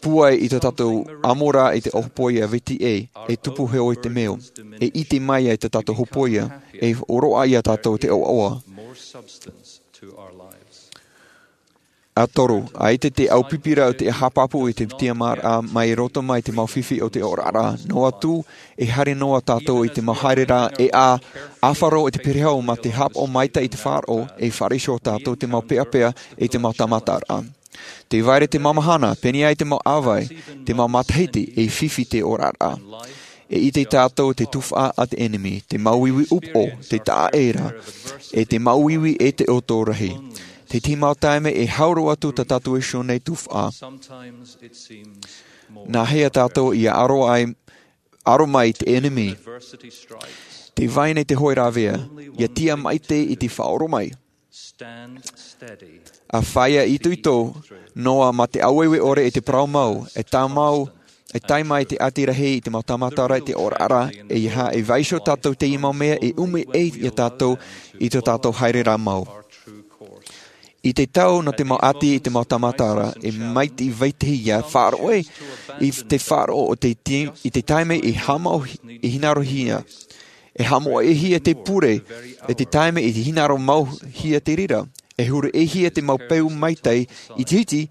pūai i tā tātou ʻamu ra i te hōpoiʻa vetiʻi, e tupu heo i te mea. E ʻite mai ai tā tātou hōpoiʻa, e roaʻa ia tātou te ʻoaʻoa. ʻA toru, ʻaita te ʻaupipiraʻa o te haʻapāpū i te tiʻamāraʻa mai roto mai te mau fifi o te oraraʻa. Noa atu, e haere noa tātou i te mau haereraʻa, e ʻa, ʻāfaro i te perehau mā te hāpaʻo maitaʻi i te faʻaroʻo, e fāriʻi iho tātou te mau peʻapeʻa e te mau tāmataraʻa. Tē vai ra te mau mahana, pēneiaʻe te mau ʻāvae, te mau matahiti, e fifi te oraraʻa. E ʻite tātou te tuhaʻa a te ʻenemi, te māuiui upoʻo, te taʻaʻē ra, e te māuiui e te ʻoto rahi. Te tahi mau taime e hau roa atu tā tātou iho nei tuhaʻa. Nāhea tātou ʻia aro ai, aro mai te ʻenemi? Tē vai nei te hōʻē rāveʻa, ʻia tiʻa maitaʻi i te faʻaora mai. ʻA fāʻia itoito noa mā te ʻāueue ʻore e te parau mau, e tāmau, e tae mai te ʻati rahi i te mau tāmatara i te oraraʻa, e ʻeiaha e vaiiho tātou i teie mau mea e ʻumi ai ia tātou i tō tātou haereraʻa mau. I te tau nō te mau ʻati i te mau tāmatara, e maitaʻi vetahi ʻia faʻaroʻo i te faʻaroʻo o te ti-, i te taime i haʻamau hi-, i hinaʻarohia. E haʻamoʻehia te pure, e te taime i hinaʻaro mauhia te reira. E huru ʻē hia te mau peu maitaʻi i te hiti,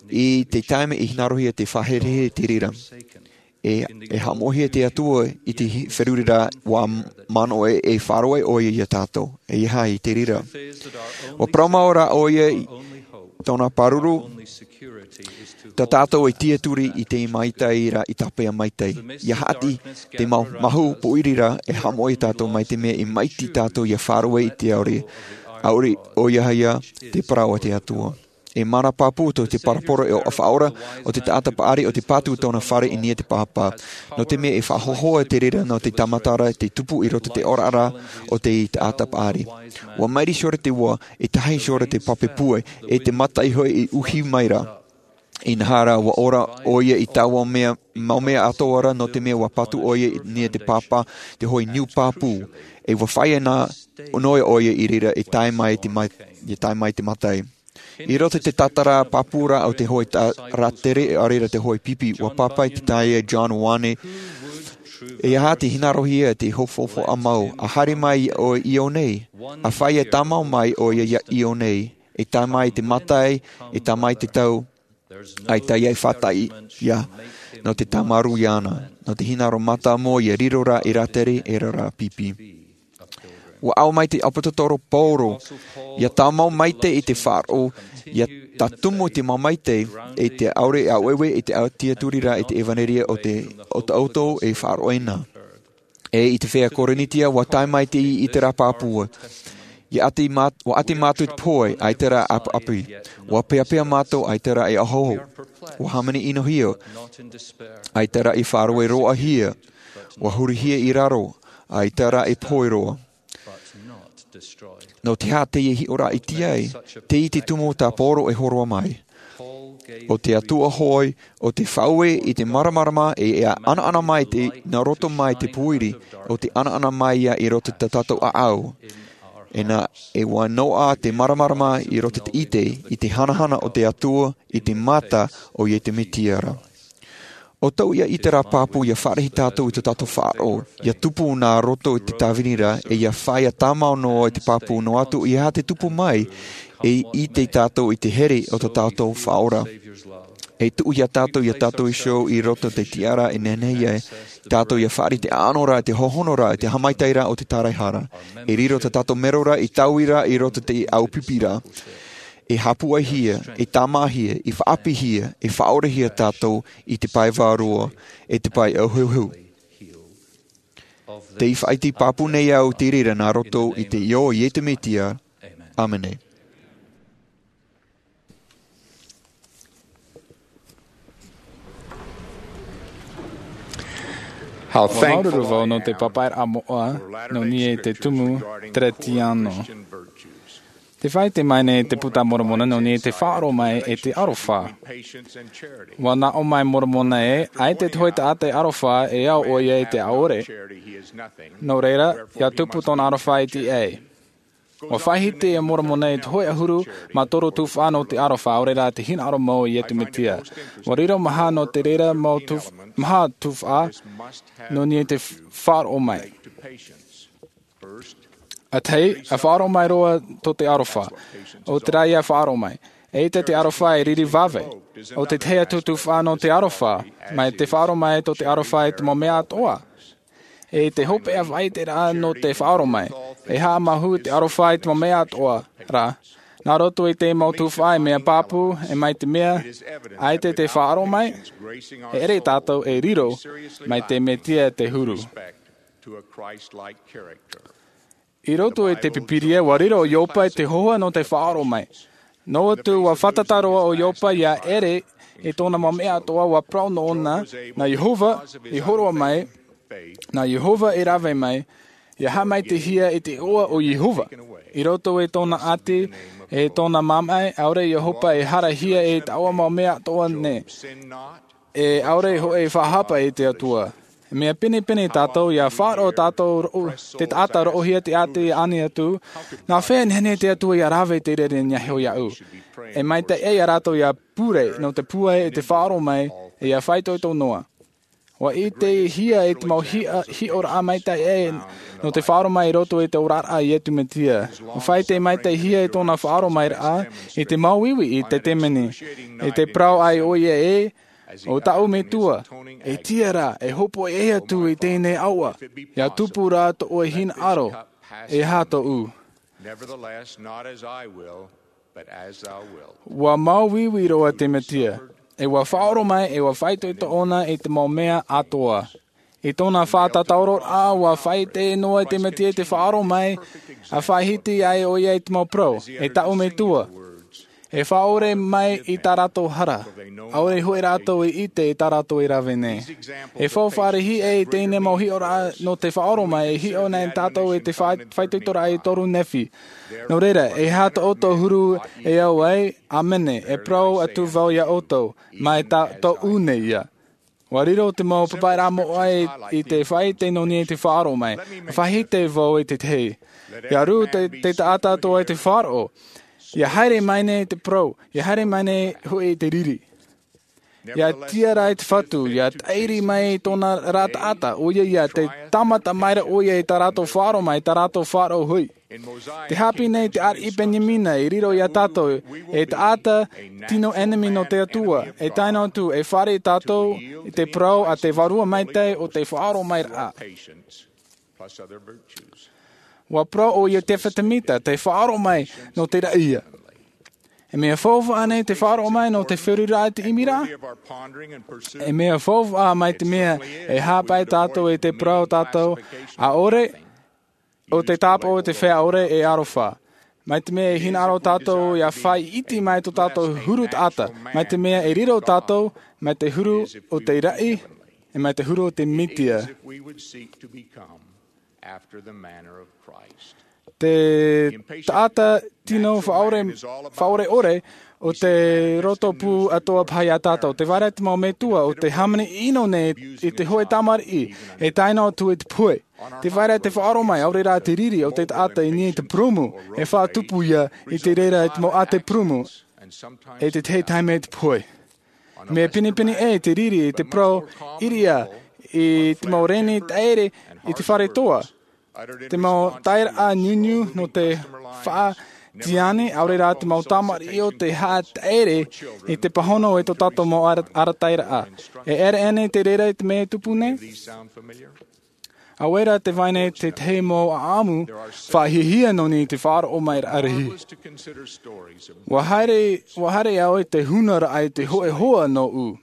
i te taime i hinaʻarohia te faʻaherehere te reira. E, e haʻamoʻehia te Atua i te hi-, feruriraʻa ʻua manaʻo e, e faʻaroʻo ʻoia ia tātou. E ʻeiaha i te reira. ʻUa parau mau ra ʻoia i tōna pāruru, tā tātou e tiaturi i te maitaʻi ra i tāpeʻa maitaʻi. ʻIa haʻati te mau mahu pōʻiri ra e haʻamoʻe tātou mai te mea e maitaʻi tātou ʻia faʻaroʻo i te aore. ʻAore, ʻoia hoʻi te parau a te Atua. E mana pāpū tō te paraporo e o faʻaora o te taʻata paʻari o te pātū tōna fare i niʻa te pāpā. Nō te mea e faʻahohoʻa te reira nō te tāmatara te tupu i roto te oraraʻa o te taʻata paʻari. Ua mairi sora te ua, e tahi sora te pape pue, e te mata i hoʻi i uhi mai ra. Inaha rā ua ora ʻoia i taua mea mau mea atoʻa ra nō te mea ua patu ʻoia i niʻa te pāpā te hoʻi niu pāpū. E ua faʻaea nā noa ʻoia i reira e tae mai te ma- e tae mai te mataʻi. I roto i te tātara pāpū rā o te hoʻi rātere a reira te hoʻi pipi ua pāpaʻi te taeaʻe John Wayne. E aha te hinaʻarohia te hofohofa mau a haere mai ʻoe i ʻō nei, a faʻaea tāmau mai ʻoia i ʻō nei, e tae mai te mataʻi, e tae mai te tau, ʻaita ia e faʻataʻi ia nō te tāmarū iāna nō te hinaʻaro mātāmua ia riro rā i rātere e rā pipi. Ua ʻau mai te ʻāpōsetolo paulo ia tāmau maite i te faʻaroʻo, ia tātumu i te mau maite i te ʻaore ʻāueue i te tiaturi rā i te ʻevanelia o te ʻotoʻoto e faʻaroʻo ina. E i te fea korinetia ua tae mai te i i te rā pāpū. Ia ʻati māt- ua ʻati mātou i te pohe ʻaita rā ʻapaʻapi. Ua peapea mātou ʻaita rā e ahoho. Ua hāmani ʻinohia ʻaita rā e faʻaroʻo roa hia. Ua hurihia i raro ʻaita rā e pohe roa. Nō te aha te ia hiʻoraʻa i te ai te i te tumu tā paulo e horoa mai. O te atua hoʻi o te faʻaue i te māramarama e ia ʻanaʻana mai te nā roto mai te pūiri o te ʻanaʻana mai ia i roto i tā tātou ʻaʻau. Ina e ua noaʻa te māramarama i roto i te ʻite i te hanahana o te atua i te mata o iesu mesia ra. O tau ia i te rā pāpū ia faʻaroʻo tātou i tō tātou faʻaroʻo ia tupu nā roto i te tāvini ra e ia faʻaea tāmau noa i te pāpū noa atu ia te tupu mai. E ʻite tātou i te here o tō tātou faʻaora. E tuʻu ia tātou ia tātou iho i roto i te tiʻaraʻa e nehenehe ai tātou ia faʻaroʻo i te ʻaʻano ra i te hohonu ra i te haʻamaitaʻiraʻa o te taraehara. E riro tā tātou mero ra i taui ra i roto i te ʻāupiʻiraʻa. E hāpuʻaihia e tāmāhia e faʻaʻāpīhia e faʻaorehia tātou i te pae vārua e te pae ʻauheuheu. Te faʻaiti pāpū nei au te reira nā roto i te iʻoa o iesu mesia. ʻĀmene. Ua māuruuru vau nō te pāpaʻiraʻa moʻa nō niʻa i te tumu teretiano. Te faʻaite mai nei te puta a moromona nō niʻa i te faʻaroʻo mai e te aroha. Ua naʻo mai moromona ē ʻaita te hoʻi taʻata e aroha e ao ʻoia i te ʻaore. Nō reira ia tupu tōna aroha i te ʻai. Ua faʻahiti e moromona i te hoʻi ʻahuru mā toru tuhaʻa nō te aroha ʻaore rā te hinaʻaro mau i iesu mesia. Ua riro maha nō te reira mau tuhaʻa nō niʻa i te faʻaroʻo mai. ʻA tahi a faʻaroʻo mai roa tō te aroha. ʻO te rā ia faʻaroʻo mai e ʻite te aroha e riri vave. ʻO te tahi atu tuhaʻa nō te aroha mai te faʻaroʻo mai tō te aroha i te mau mea atoʻa. E te hopeʻa faʻaiteraʻa nō te faʻaroʻo mai e haʻamāuruuru te aroha i te mau mea atoʻa rā. Nā roto i te mau tuhaʻa e mea pāpū e mai te mea ʻaita te faʻaroʻo mai e ʻere tātou e riro mai te mesia te huru. I roto i te pīpīria ua riro ʻo iopa i te hohoʻa nō te faʻaroʻo mai. Noa atu ua fātata roa ʻo iopa ia ʻere i tōna mau mea atoʻa ua parau nōna, nā iehova i horoʻa mai, nā iehova i rave mai. Ia haʻamaitaʻihia i te iʻoa o iehova i roto i tōna ʻati e tōna mamaʻi ʻaore iopa e harahia i taua mau mea atoʻa nei. E ʻaore hoʻi e faʻahapa i te atua. Mea pinepine tātou ia faʻaroʻo tātou roʻo te taʻata roʻohia te ʻati ani atu. Nā fea nehenehe te atua ia rave i te reira i niʻa iho iaʻu? E maitaʻi ai ia rātou ia pure nō te pūai i te faʻaroʻo mai e ia faʻaitoito noa. Ua ʻitehia i te mau hiʻoraʻa maitaʻi ai nō te faʻaroʻo mai i roto i te oraraʻa a iesu mesia. Ua faʻaite maitaʻihia i tōna faʻaroʻo mai raʻa i te mau iwi i te temeni i te parau ai ʻoia ē, o taʻu metua, e tiʻa rā e hopoʻi atu i teie nei ʻaoʻa ia tupu rā tōʻu hinaʻaro e aha tōʻu. Ua mau iwi roa te mesia e ua faʻaroʻo mai e ua faʻaitoito ʻoia i te mau mea atoʻa. I tōna faʻatataʻuraʻa ua faʻaite noa te mesia i te faʻaroʻo mai a faʻahiti ai ʻoia i te mau parau e taʻu metua. E faʻaʻore mai i tā rātou hara. ʻAore hoʻi rātou i ʻite i tā rātou e rave nei. E faufaʻa rahi ʻē i teie mau hiʻoraʻa nō te faʻaʻoro mai, e hiʻo nei tātou i te fa-, faʻaitoitoraʻa e toru Nephi. Nō reira, e aha tō ʻoutou huru e au ai, ʻāmene, e parau atu vau iā ʻoutou, mai tā tōʻu nei ia. ʻUa riro te mau papaʻiraʻa moʻa i, i te faʻaʻite nō niʻa i te faʻaʻoro mai. Faʻaʻite vau i te tahi. ʻIa rū te, te taʻata atoʻa i te faʻaroʻo. ʻIa haere mai nei te parau. ʻIa haere mai nei hoʻi te riri. ʻIa tiʻa ra i te Fatu. ʻIa taʻiri mai i tōna ra taʻata. ʻOia ia te tāmata mai ra ʻoia i tā rātou faʻaʻoro mai, tā rātou faʻaroʻo hoʻi. Te haʻapiʻi nei te ariʻi Beniamina i riro iā tātou, e taʻata tino ʻenemi nō te Atua, e tae noa atu, e fāriʻi tātou i te parau a te Vārua Maitaʻi o te faʻaʻoromairaʻa. ʻUa parau ʻo Iosepha Semita, te faʻaʻoro mai nō te raʻi ia. E mea faufaʻa nei te faʻaʻoro mai nō te feruriraʻa i te ʻimiraʻa? E mea faufaʻa mai te mea e haʻapaʻo tātou i te parau tātou, ʻaore, ʻo te tāpaʻo o te feiā ʻore e aroha. Mai te mea e hinaʻaro tātou ʻia faʻaʻite mai tō tātou huru taʻata. Mai te mea e riro tātou, mai te huru o te raʻi, e mai te huru o te Mesia. Te taʻata tino faʻaʻore, faʻaʻore ʻore, ʻo te roto pū atoʻa paha iā tātou. Tē vai ra te mau metua, ʻo tē hāmani ʻino nei i te hōʻē tamariʻi, e tae noa atu i te pohe. Tē vai ra te faʻaʻoro mai, ʻaore rā te riri o te taʻata i niʻa i te purūmu, e faʻatupu ia i te reira i te mau ʻātē purūmu, e te tahi taime i te pohe. Mea pinepine ʻē te riri i te parau ʻiriʻa i te mau reni taʻere i te fare toa. Te mau taeraʻa niuniu nō te faʻatiani, ʻaore rā te mau tamariʻi ʻo tē haʻataʻere i te pāhono e tō tātou mau ara-, arataʻiraʻa. E ʻere ānei te reira i te mea e tupu nei? ʻAore rā tē vai nei te tahi mau ʻāʻamu faʻahiahia nō niʻa i te faʻaʻoromairaʻa rahi. ʻUa haere, ʻua haere au i te hunaraʻa i te hōʻē hoa nōʻu.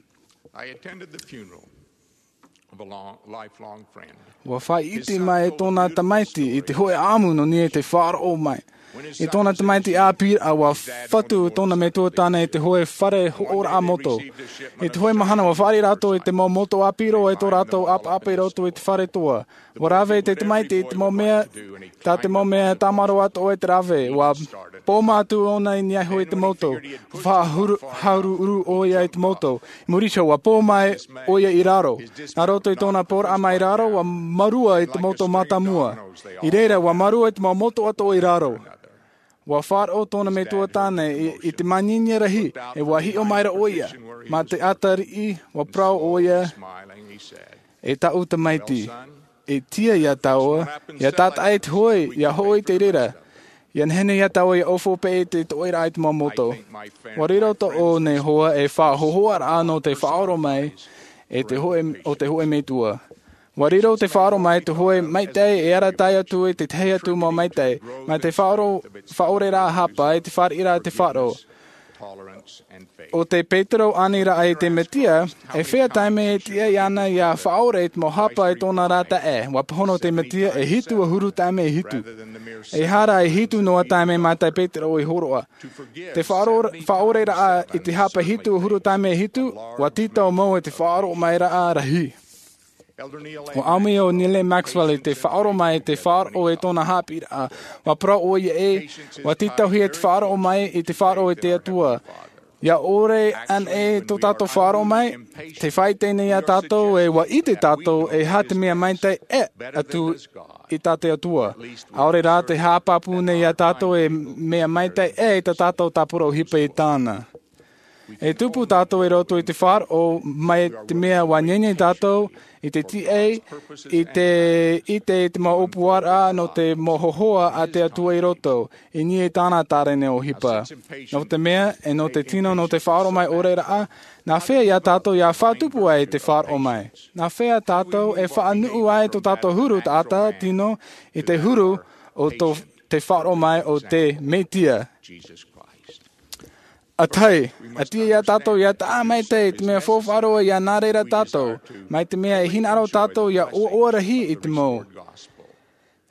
I attended the funeral of a long, lifelong friend. ʻUa faʻaʻite mai tōna tamaiti i te hōʻē ʻāʻamu nō niʻa i te faʻaʻoro mai. I tōna tamaiti ʻāpīraʻa, ʻua fatu tōna metua tāne i te hōʻē fare hoʻoraʻa moto. I te hōʻē mahana ʻua fāriʻi rātou i te mau moto ʻāpī roa i tō rātou ʻapaʻapa i roto i te fare toa. ʻUa rave te tamaiti i te mau mea, tā te mau mea tāmau atoʻa i te rave. ʻUa pōma atu ʻōna i niʻa iho i te moto. Faʻahuru-, hāuruuru ʻoia i te moto. I muri iho, ʻua pō mai ʻoia i raro. Nā roto i tōna pōraʻa mai raro, ʻua mārua i te moto mātāmua. I reira, ʻua mārua i te mau moto atoʻa i raro. ʻUa faʻaroʻo tōna metua tāne i, i te māniania rahi, e ʻua hiʻo mai ra ʻoia. Mā te ʻātariʻi, ʻua parau ʻoia, e tāʻu tamaiti, e tiʻa iā tāua, ʻia tātaʻi te hōʻē, ʻia hoʻo i te reira. ʻIa nehenehe iā tāua ʻia ʻōfaʻi i te toʻeraʻa i te mau moto. ʻUa riro tōʻu nei hoa ei faʻahōhoʻaraʻa nō te faʻaʻoro mai, e te hōʻē, ʻo te hōʻē metua. ʻUa riro te faʻaʻoro mai te hōʻē maitaʻi e arataʻi atu i te tahi atu mau maitaʻi, mai te faʻaʻoro, faʻaʻoreraʻa hapa i te fāriʻiraʻa te faʻaroʻo. ʻO te Petero aniraʻa i te Mesia, e feiā taime e tiʻa iāna ʻia faʻaʻore i te mau hapa i tōna ra taeaʻe. ʻUa pāhono te Mesia e hitu ʻahuru taime e hitu. ʻEiaha rā e hitu noa taime mai tā Petero i hōroʻa. Te faʻaʻoro-, faʻaʻoreraʻa i te hapa hitu ʻahuru taime e hitu, ʻua tītau mau i te faʻaʻoromairaʻa rahi. ʻUa ʻāmui ʻo Neal Maxwell i te faʻaʻoro mai i te faʻaroʻo i tōna haʻapiʻiraʻa. ʻUa parau ʻoia ē, ʻua tītauhia te faʻaroʻo mai i te faʻaroʻo i te Atua. ʻIa ʻore anaʻe tō tātou faʻaroʻo mai, tē faʻaʻite nei iā tātou ē ʻua ʻite tātou e aha te mea maitaʻi ʻē atu i tā te Atua. ʻAore rā tē haʻapāpū nei iā tātou e mea maitaʻi ʻē i tā tātou tāpura ʻohipa i tāna. E tupu tātou i roto i te faʻaroʻo mai te mea ʻua nehenehe tātou i te tiʻa, i te, i te, i te mau ʻōpuaraʻa nō te mau hōhoʻa a te Atua i roto, i niʻa i tāna tārene ʻohipa. Nō te mea, e nō te tino nō te faʻaʻoro mai ʻore rā, nā hea ia tātou ʻia faʻatupu ai te faʻaʻoro mai? Nā hea tātou e faʻanuʻu ai tō tātou huru taʻata tino i te huru o tō, te faʻaʻoro mai o te Mesia? ʻA tahi, ʻa tiʻa ia tātou ʻia taʻa maitaʻi i te mea faufaʻa roa ʻia nā reira tātou, mai te mea e hinaʻaro tātou ʻia ʻoaʻoa rahi i te mau.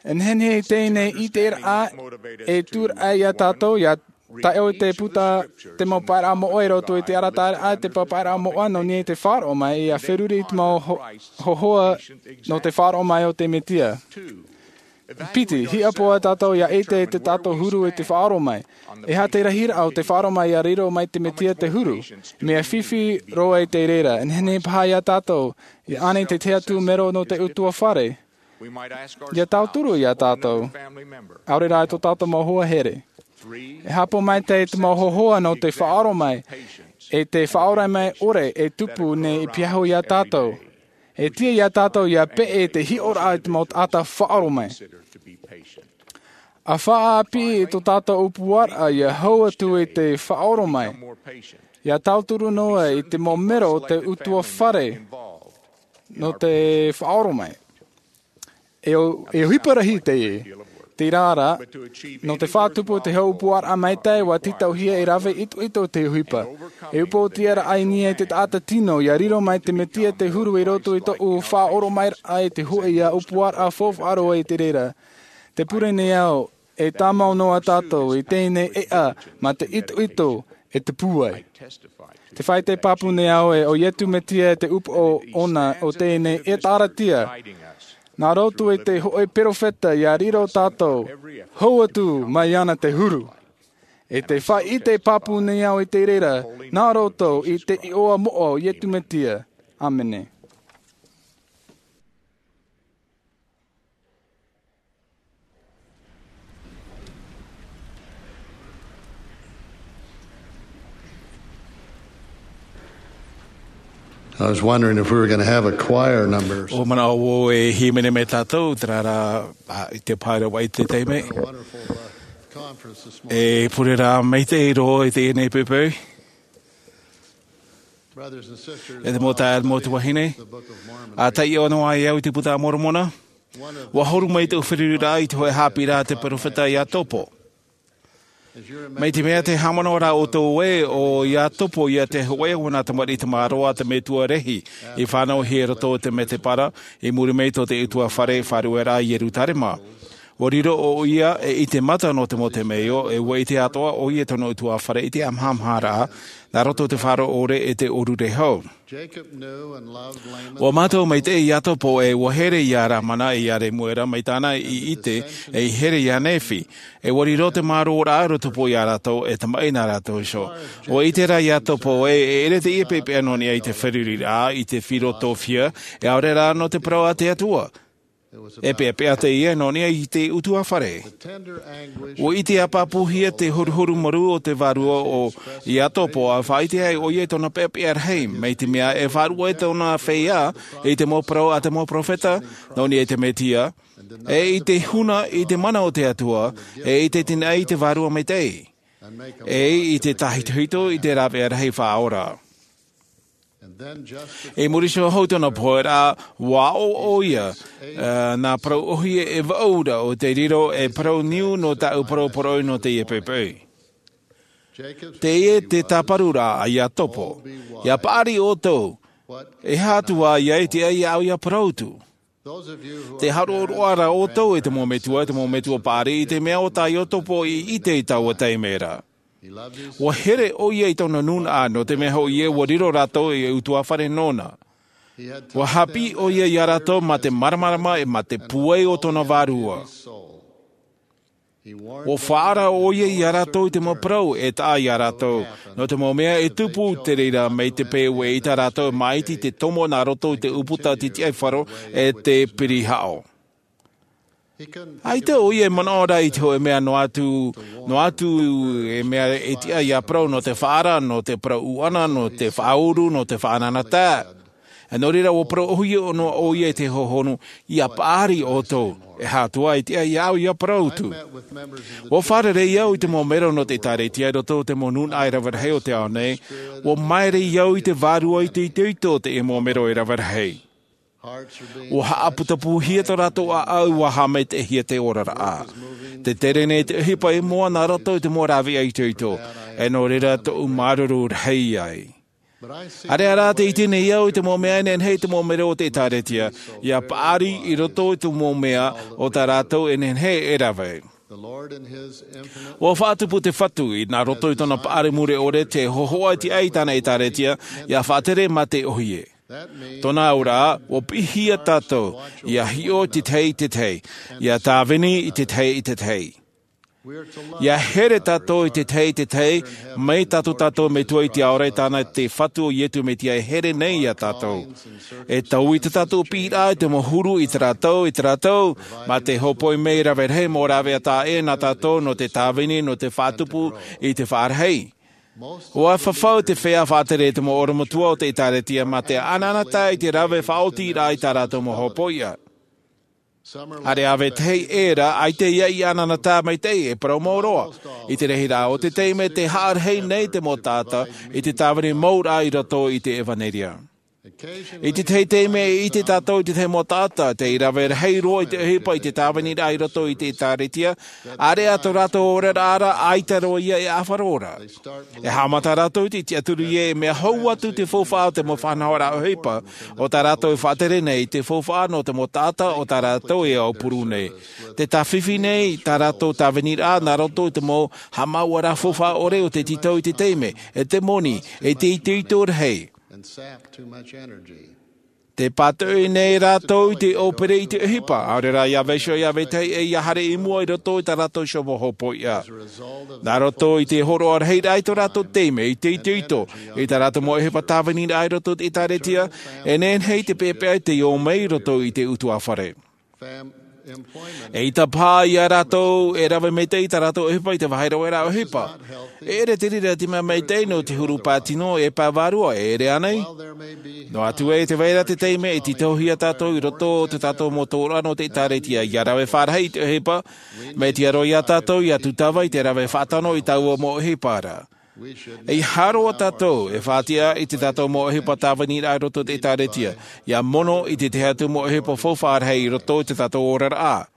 E nehenehe i teie nei ʻiteraʻa e tūraʻi ia tātou ʻia Taʻo i te puta te mau paeraʻa moʻa i roto i te arataʻiraʻa i te papaʻiraʻa moʻa nō niʻa i te faʻaroʻo mai ia feruri i te mau ho- hohoʻa nō te faʻaroʻo mai o te mesia. Piti, hiʻapoʻa tātou ia ʻite i te tātou huru i te faʻaroʻo mai. E aha te rahiraʻa o te faʻaroʻo mai ia riro mai te mesia te huru? Mea fifi roa i te reira e nehenehe paha ia tātou ia ʻane i te tahi atu mero nō te utuafare. Ia tauturu ia tātou, ʻaore rā i tō tātou mau hoa here. E hāpaʻo maitaʻi te mau hohoʻa nō te faʻaroʻo mai e te faʻaora mai ʻore e tupu nei i piahu ia tātou. E tiʻa ia tātou ia peʻe i te hiʻoraʻa i te mau taʻata faʻaroʻo mai. A faʻaʻāpī i tō tātou upuaraʻa ia hau atu i te faʻaroʻo mai, ia tauturu noa i te mau mero o te utuafare nō te faʻaroʻo mai. E ʻohipa rahi teie, tērā rā, nō te faʻatupu i te hau upuaraʻa maitaʻi ua tītauhia e rave itoito te ʻohipa. E upoʻotiaraʻa i niʻa i te taʻata tino ia riro mai te mesia te huru i roto i tōʻu faʻaroʻo mai raʻa i te hoʻi ia upuaraʻa faufaʻa roa i te reira. Te pure nei au, e tāmau noa tātou i teie nei ʻeʻa ma te itoito e tupu ai. Te faʻaite pāpū nei au e ʻo iesu mesia te upoʻo ʻona o teie nei ʻeʻa tāratia, nā roto i te hoʻi peropheta ia riro tātou hau atu mai iāna te huru. E te faʻaite pāpū nei au i te reira nā roto i te iʻoa moʻa o iesu mesia. ʻĀmene. I was wondering if we were going to have a choir number. ʻO manaʻo au e hīmene mai tātou, terā rā, i te pae rahi i te taime. E pure rā maitaʻi roa i teie nei poʻipoʻi. E te mau taeaʻe, mau tuahine, a taiʻo noa ai au i te puta a Moromona. Ua huru mai tōʻu feruriraʻa i te hoʻi haʻapiʻiraʻa a te peropheta Iakobo. Mai te mea tē haʻamanaʻo ra ʻoutou ē, ʻo Iakobo ia te hōʻē o nā tamariʻi tamaroa a te metua Lehi, i fānauhia i roto i te medebara, i muri mai tō te utuafare faʻarueraʻa i Ierusalema. Ua riro ʻoia ei ʻite mata nō te mau temeio, e ua ʻite atoʻa ʻoia i tōna utuafare i te ʻāmahamaharaʻa, nā roto i te faʻaroʻo ʻore e te ʻōrure hou. Ua mātau maitaʻi Iakobo ē ua here ia Lamana e ia Lemuela mai tāna i ʻite, e i here ia Nephi. E ua riro te mārōraʻa i roto iā rātou e tamaʻi nā rātou iho. Ua ʻite rā Iakobo ē e ʻere teie peʻapeʻa nō niʻa i te feruriraʻa, i te filosofia, e ʻaore rā nō te parau a te Atua. E peʻapeʻa teie nō niʻa i te utuafare. Ua ʻite ʻāpapūhia te horuhoru marū o te vārua o Iakobo, a faʻaʻite ai ʻoia i tōna peʻapeʻa rahi, mai te mea e faʻaruʻe tōna feiā i te mau parau a te mau peropheta nō niʻa i te Mesia, e i te huna i te mana o te Atua, e i te tinaʻi i te Vārua Maitaʻi, e i te tāhitohito i te rāveʻa rahi faʻaora. I muri iho hou tōna pohe ra, ua ʻō ʻoia, ā, nā parau ʻōhie e vaʻu ra ʻo tei riro ei parau niu nō tāʻu parau poroʻi nō teie poʻipoʻi. Teie te tāparu ra a Iakobo, ʻia paʻari ʻoutou, e aha atu ā ia ʻite ai iāʻu ʻia parau atu. Tē haʻaroʻaroʻa ra ʻoutou e te mau metua, e te mau metua paʻari i te mea o tā Iakobo i ʻite i taua taime ra. Ua here ʻoia i tōna nūnaʻa, nō te mea hoʻi ē ua riro rātou ei utuafare nōna. Ua haʻapiʻi ʻoia iā rātou mā te māramarama e mā te pūai o tōna vārua. Ua faʻaara ʻoia iā rātou i te mau parau e taʻa iā rātou, nō te mau mea e tupu te reira mai te peu e ʻita rātou e māʻiti te tomo nā roto i te ʻūputa titiʻaifaro e te pirihaʻo. ʻAita ʻoia e manaʻo ra i te hōʻē mea noa atu, noa atu e mea e tiʻa ʻia parau nō te faʻaara, nō te parau ʻuʻana, nō te faʻauru, nō te faʻanahoraʻa. E nō reira, ua parau ʻōhie noa ʻoia i te hohonu, ʻia paʻari ʻoutou, e aha atu ā e tiʻa iāʻu ʻia parau atu. Ua fārerei au i te mau mero nō te ʻĒkālesia i roto i te mau nūnaʻa e rave rahi o te ao nei, ua māere au i te vārua i te itoito o te mau mero e rave rahi. Ua haʻaputapūhia tō rātou ʻāʻau, ua haʻamaitaʻihia te oraraʻa. Tē tere nei te ʻohipa i mua nā roto i te mau rāveʻa itoito, e nō reira tōʻu māuruuru rahi ai. ʻĀreʻa rā tē ʻite nei au i te mau mea e nehenehe te mau mero o te ʻĒkālesia ʻia paʻari i roto i te mau mea o tā rātou e nehenehe e rave. Ua faʻatupu te Fatu i nā roto i tōna paʻari mure ʻore te hōhoʻa i te ʻai i tāna ʻētāretia ia faʻatere mā te ʻohie. Tōna auraʻa ua piʻihia tātou ia hiʻo i te tahi i te tahi, ia tāvini i te tahi i te tahi, ia here tātou i te tahi i te tahi, mai tā tō metua i te ao ra i tāna te Fatu o Iesu Mesia e here nei ia tātou. E taui tā tātou piʻiraʻa i te mau huru i te rātou i te rātou mā te hōpoi mai rave rahi mau rāveʻa taʻa ʻē nā tātou nō te tāvini nō te faʻatupu i te faʻarahi. Ua fafau te feiā faʻatere i te mau oromatua o te ʻētāretia mā te ʻanaʻanatae i te rave faʻaotiraʻa i tā rātou mau hōpoiʻa. Are ʻāvae tahi ʻē rā ʻaita ia i ʻanaʻanatae maitaʻi e parau mau roa i te rahiraʻa o te taime te haʻarahi nei te mau taʻata i te tāvini mau raʻa i roto i te ʻevanelia. I te tahi taime e ʻite tātou i te tahi mau taʻata tei rave rahi roa i te ʻohipa i te tāviniraʻa i roto i te ʻētāretia, are ā tō rātou oraraʻa ra ʻaita roa ia e ʻāfaro ra. E haʻamata rātou i te tiʻaturi ē e mea hou atu te faufaʻa o te mau faʻanahoraʻa ʻohipa o tā rātou e faʻatere nei i te faufaʻa nō te mau taʻata o tā rātou e aupuru nei. Te tāfifi nei tā rātou tāviniraʻa nā roto i te mau haʻamāuʻaraʻa faufaʻa ʻore o te tītau i te taime e te moni e te itoito rahi. Te pātoʻi nei rātou i te ʻōpere i te ʻohipa ʻaore rā ia vaiiho ia vetahi ʻē ia haere i mua i roto i tā rātou iho mau hōpoiʻa. Nā roto i te hōroʻa rahiraʻa i tō rātou taime i te itoito i tā rātou mau ʻohipa tāviniraʻa i roto i te ʻētāretia, e nehenehe i te peʻapeʻa i te ō mai i roto i te ʻutuāfare. E ʻita paha ia rātou e rave maitaʻi i tā rātou ʻohipa i te vāhi raveraʻa ʻohipa. E ʻere te reira te mea maitaʻi nō te huru pae tino e pae vārua, e ʻere ānei? Noa atu ē te vai ra te taime e tītauhia tātou i roto o tō tātou mau tōroʻa nō te ʻētāretia ia rave faʻarahi i te ʻohipa, mai te aro ia tātou ia tūtava i te rave faʻatano i taua mau ʻohipa ra. E ʻeiaha roa tātou e faʻatiʻa i tō tātou mau ʻohipa tāviniraʻa i roto i te ʻētāretia ia mono i te tahi atu mau ʻohipa faufaʻa rahi i roto i tō tātou oraraʻa.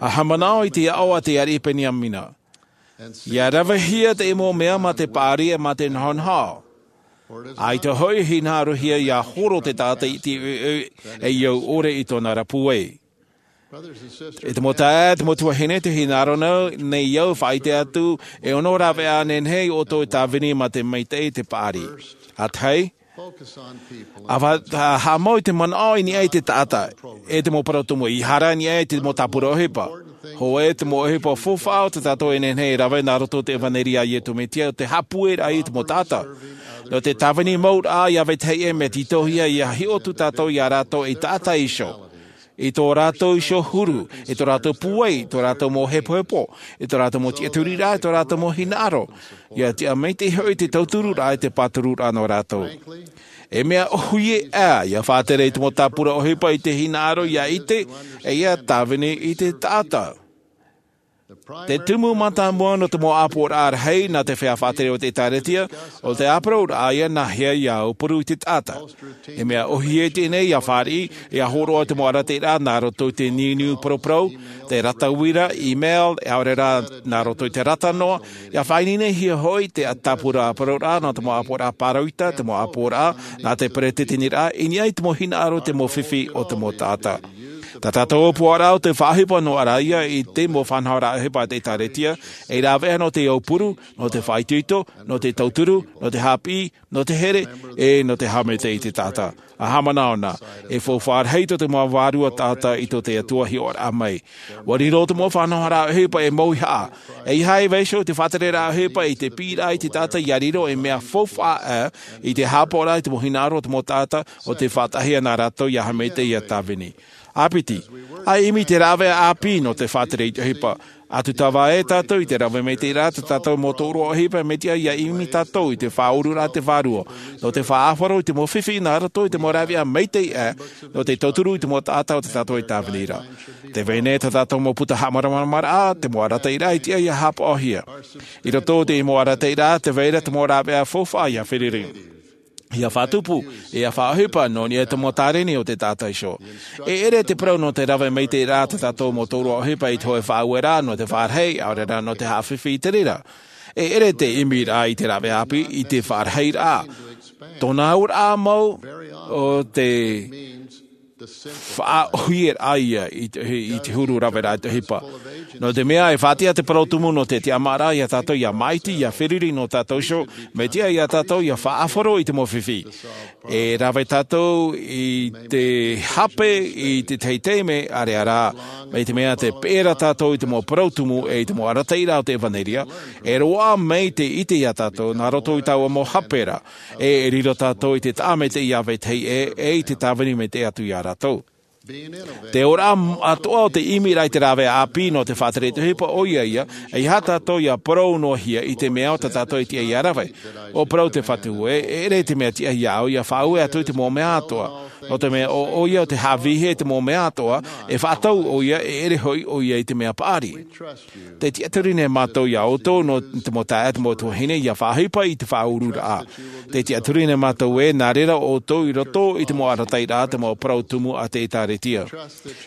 ʻA haʻamanaʻo i te aʻo a te ariʻi Beniamina: Ia ravehia te mau mea mā te paʻari e mā te nahonaho, ʻaita hoʻi e hinaʻarohia ia horo te taʻata i te ʻoiʻoi e au ʻore i tōna ra pūai. E te mau taeaʻe, te mau tuahine, te hinaʻaro nei au e faʻaʻite atu e ono raveraʻa nehenehe ʻoutou e tāvini mā te maitaʻi i te paʻari. ʻA tahi, ʻa haʻamau i te manaʻo i niʻa i te taʻata, e te mau parau tumu, ʻeiaha rā i niʻa i te mau tāpura ʻohipa. Hōʻē te mau ʻohipa faufaʻa o tō tātou e nehenehe e rave nā roto i te ʻevanelia a Iesu Mesia o te haʻapūairaʻa i te mau taʻata. Nō te tāvini mau raʻa ia vetahi ʻē, mea tītauhia ia hiʻo atu tātou ia rātou ei taʻata iho, i tō rātou iho huru, i tō rātou pūai, i tō rātou mau hepohepo, i tō rātou mau tiʻaturiraʻa, i tō rātou mau hinaʻaro, ia tiʻa maitaʻi hoʻi te tautururaʻa e te pātururaʻa nō rātou. E mea ʻohie ā ia faʻatere i te mau tāpura ʻohipa i te hinaʻaro ia ʻite e ia tāvini i te taʻata. Te tumu mātāmua nō te mau ʻāpoʻoraʻa rahi nā te feiā faʻatere o te ʻētāretia, ʻo te ʻāparauraʻa ia nāhea ia aupuru i te taʻata. E mea ʻohie teie nei ia fāriʻi, ia hōroʻa i te mau arataʻiraʻa nā roto i te niuniu paraparau, te rata uira, email, ʻaore rā nā roto i te rata noa, ia faʻaineinehia hoʻi te tāpura ʻāparauraʻa nō te mau ʻāpoʻoraʻa pāroita, te mau ʻāpoʻoraʻa nā te peretiteniraʻa, i niʻa i te mau hinaʻaro, te mau fifi o te mau taʻata. Tā tātou ʻōpuaraʻa o te faʻaʻohipa noa ra ia i te mau faʻanahoraʻa ʻohipa a te ʻētāretia, ei rāveʻa nō te aupuru, nō te faʻaitoito, nō te tauturu, nō te haʻapiʻi, nō te here, e nō te haʻamaitaʻi i te taʻata. ʻA haʻamanaʻo na, e faufaʻa rahi tō te mau vārua taʻata i tō te Atua hiʻoraʻa mai. Ua riro te mau faʻanahoraʻa ʻohipa ei mauhaʻa. ʻEiaha e vaiiho te faʻatereraʻa ʻohipa i te piʻiraʻa i te taʻata ia riro ei mea faufaʻa ʻā i te haʻapaʻoraʻa i te mau hinaʻaro o te mau taʻata, ʻo tē faʻataʻahia nā rātou ia haʻamaitaʻi, ia tāvini. ʻĀpiti, ʻa ʻimi i te rāveʻa ʻāpī nō te faʻatere i te ʻohipa. ʻA tūtava ē tātou i te rave maitaʻiraʻa tā tātou mau tōroʻa ʻohipa, mea tiʻa ia ʻimi tātou i te faʻaururaʻa a te Vārua nō te faʻaʻāfaro i te mau fifi nā roto i te mau rāveʻa maitaʻi ʻā, nō te tauturu i te mau taʻata o tā tātou e tāvini ra. Tē vai nei tā tātou mau puta haʻamāramaramaraʻa, te mau arataʻiraʻa e tiʻa ia haʻapaʻohia. I roto i te mau arataʻiraʻa tē vai ra te mau rāveʻa faufaʻa ia fārerei, ia faʻatupu, ia faʻaʻohipa nō niʻa i te mau tāreni o te taʻata iho. E ʻere te parau nō te rave maitaʻiraʻa tā tātou mau tōroʻa ʻohipa i te hōʻē faʻaueraʻa nō te faʻarahi, ʻaore rā nō te haʻafifi i te reira. E ʻere te ʻimiraʻa i te rāveʻa ʻāpī i te faʻarahiraʻa. Tōna auraʻa mau, ʻo te faʻaʻohie raʻa ia i te, i te huru raveraʻa i te ʻohipa. Nō te mea e faʻatiʻa te parau tumu nō te tiʻamāraʻa iā tātou ia māʻiti, ia feruri nō tātou iho, mai te tiʻa iā tātou ia faʻahoro i te mau fifi. E rave tātou i te hape i te tahi taime, ʻāreʻa rā, mai te mea tē peʻe ra tātou i te mau parau tumu e i te mau arataʻiraʻa o te ʻevanelia, e roaʻa mai te ʻite iā tātou, nā roto i taua mau hape ra, e, e riro tātou i te taʻa maitaʻi iā vetahi ʻē, e i te tāvini maitaʻi atu iā rātou. Te ora atoʻa o te ʻimi ra i te rave ʻāpī nō te faʻatere i te ʻohipa ʻoia ia, ʻeiaha tātou ia parau noa hia i te mea o tā tātou e tiʻa ia rave. ʻUa parau te Fatu ē, e ʻere te mea tiʻa iāʻu ia faʻaue atu i te mau mea atoʻa. Nō te mea ʻo, ʻoia ʻo te haʻavīhia i te mau mea atoʻa, e faʻatau ʻoia, e ʻere hoʻi ʻoia i te mea paʻari. Tē tiʻaturi nei mātou iā ʻoutou nō te mau taeaʻe, te mau tuahine, ia faʻaʻohipa i te faʻaururaʻa. Tē tiʻaturi nei mātou ē, nā reira ʻoutou i roto i te mau arataʻiraʻa, te mau parau tumu a te ʻĒtārētia.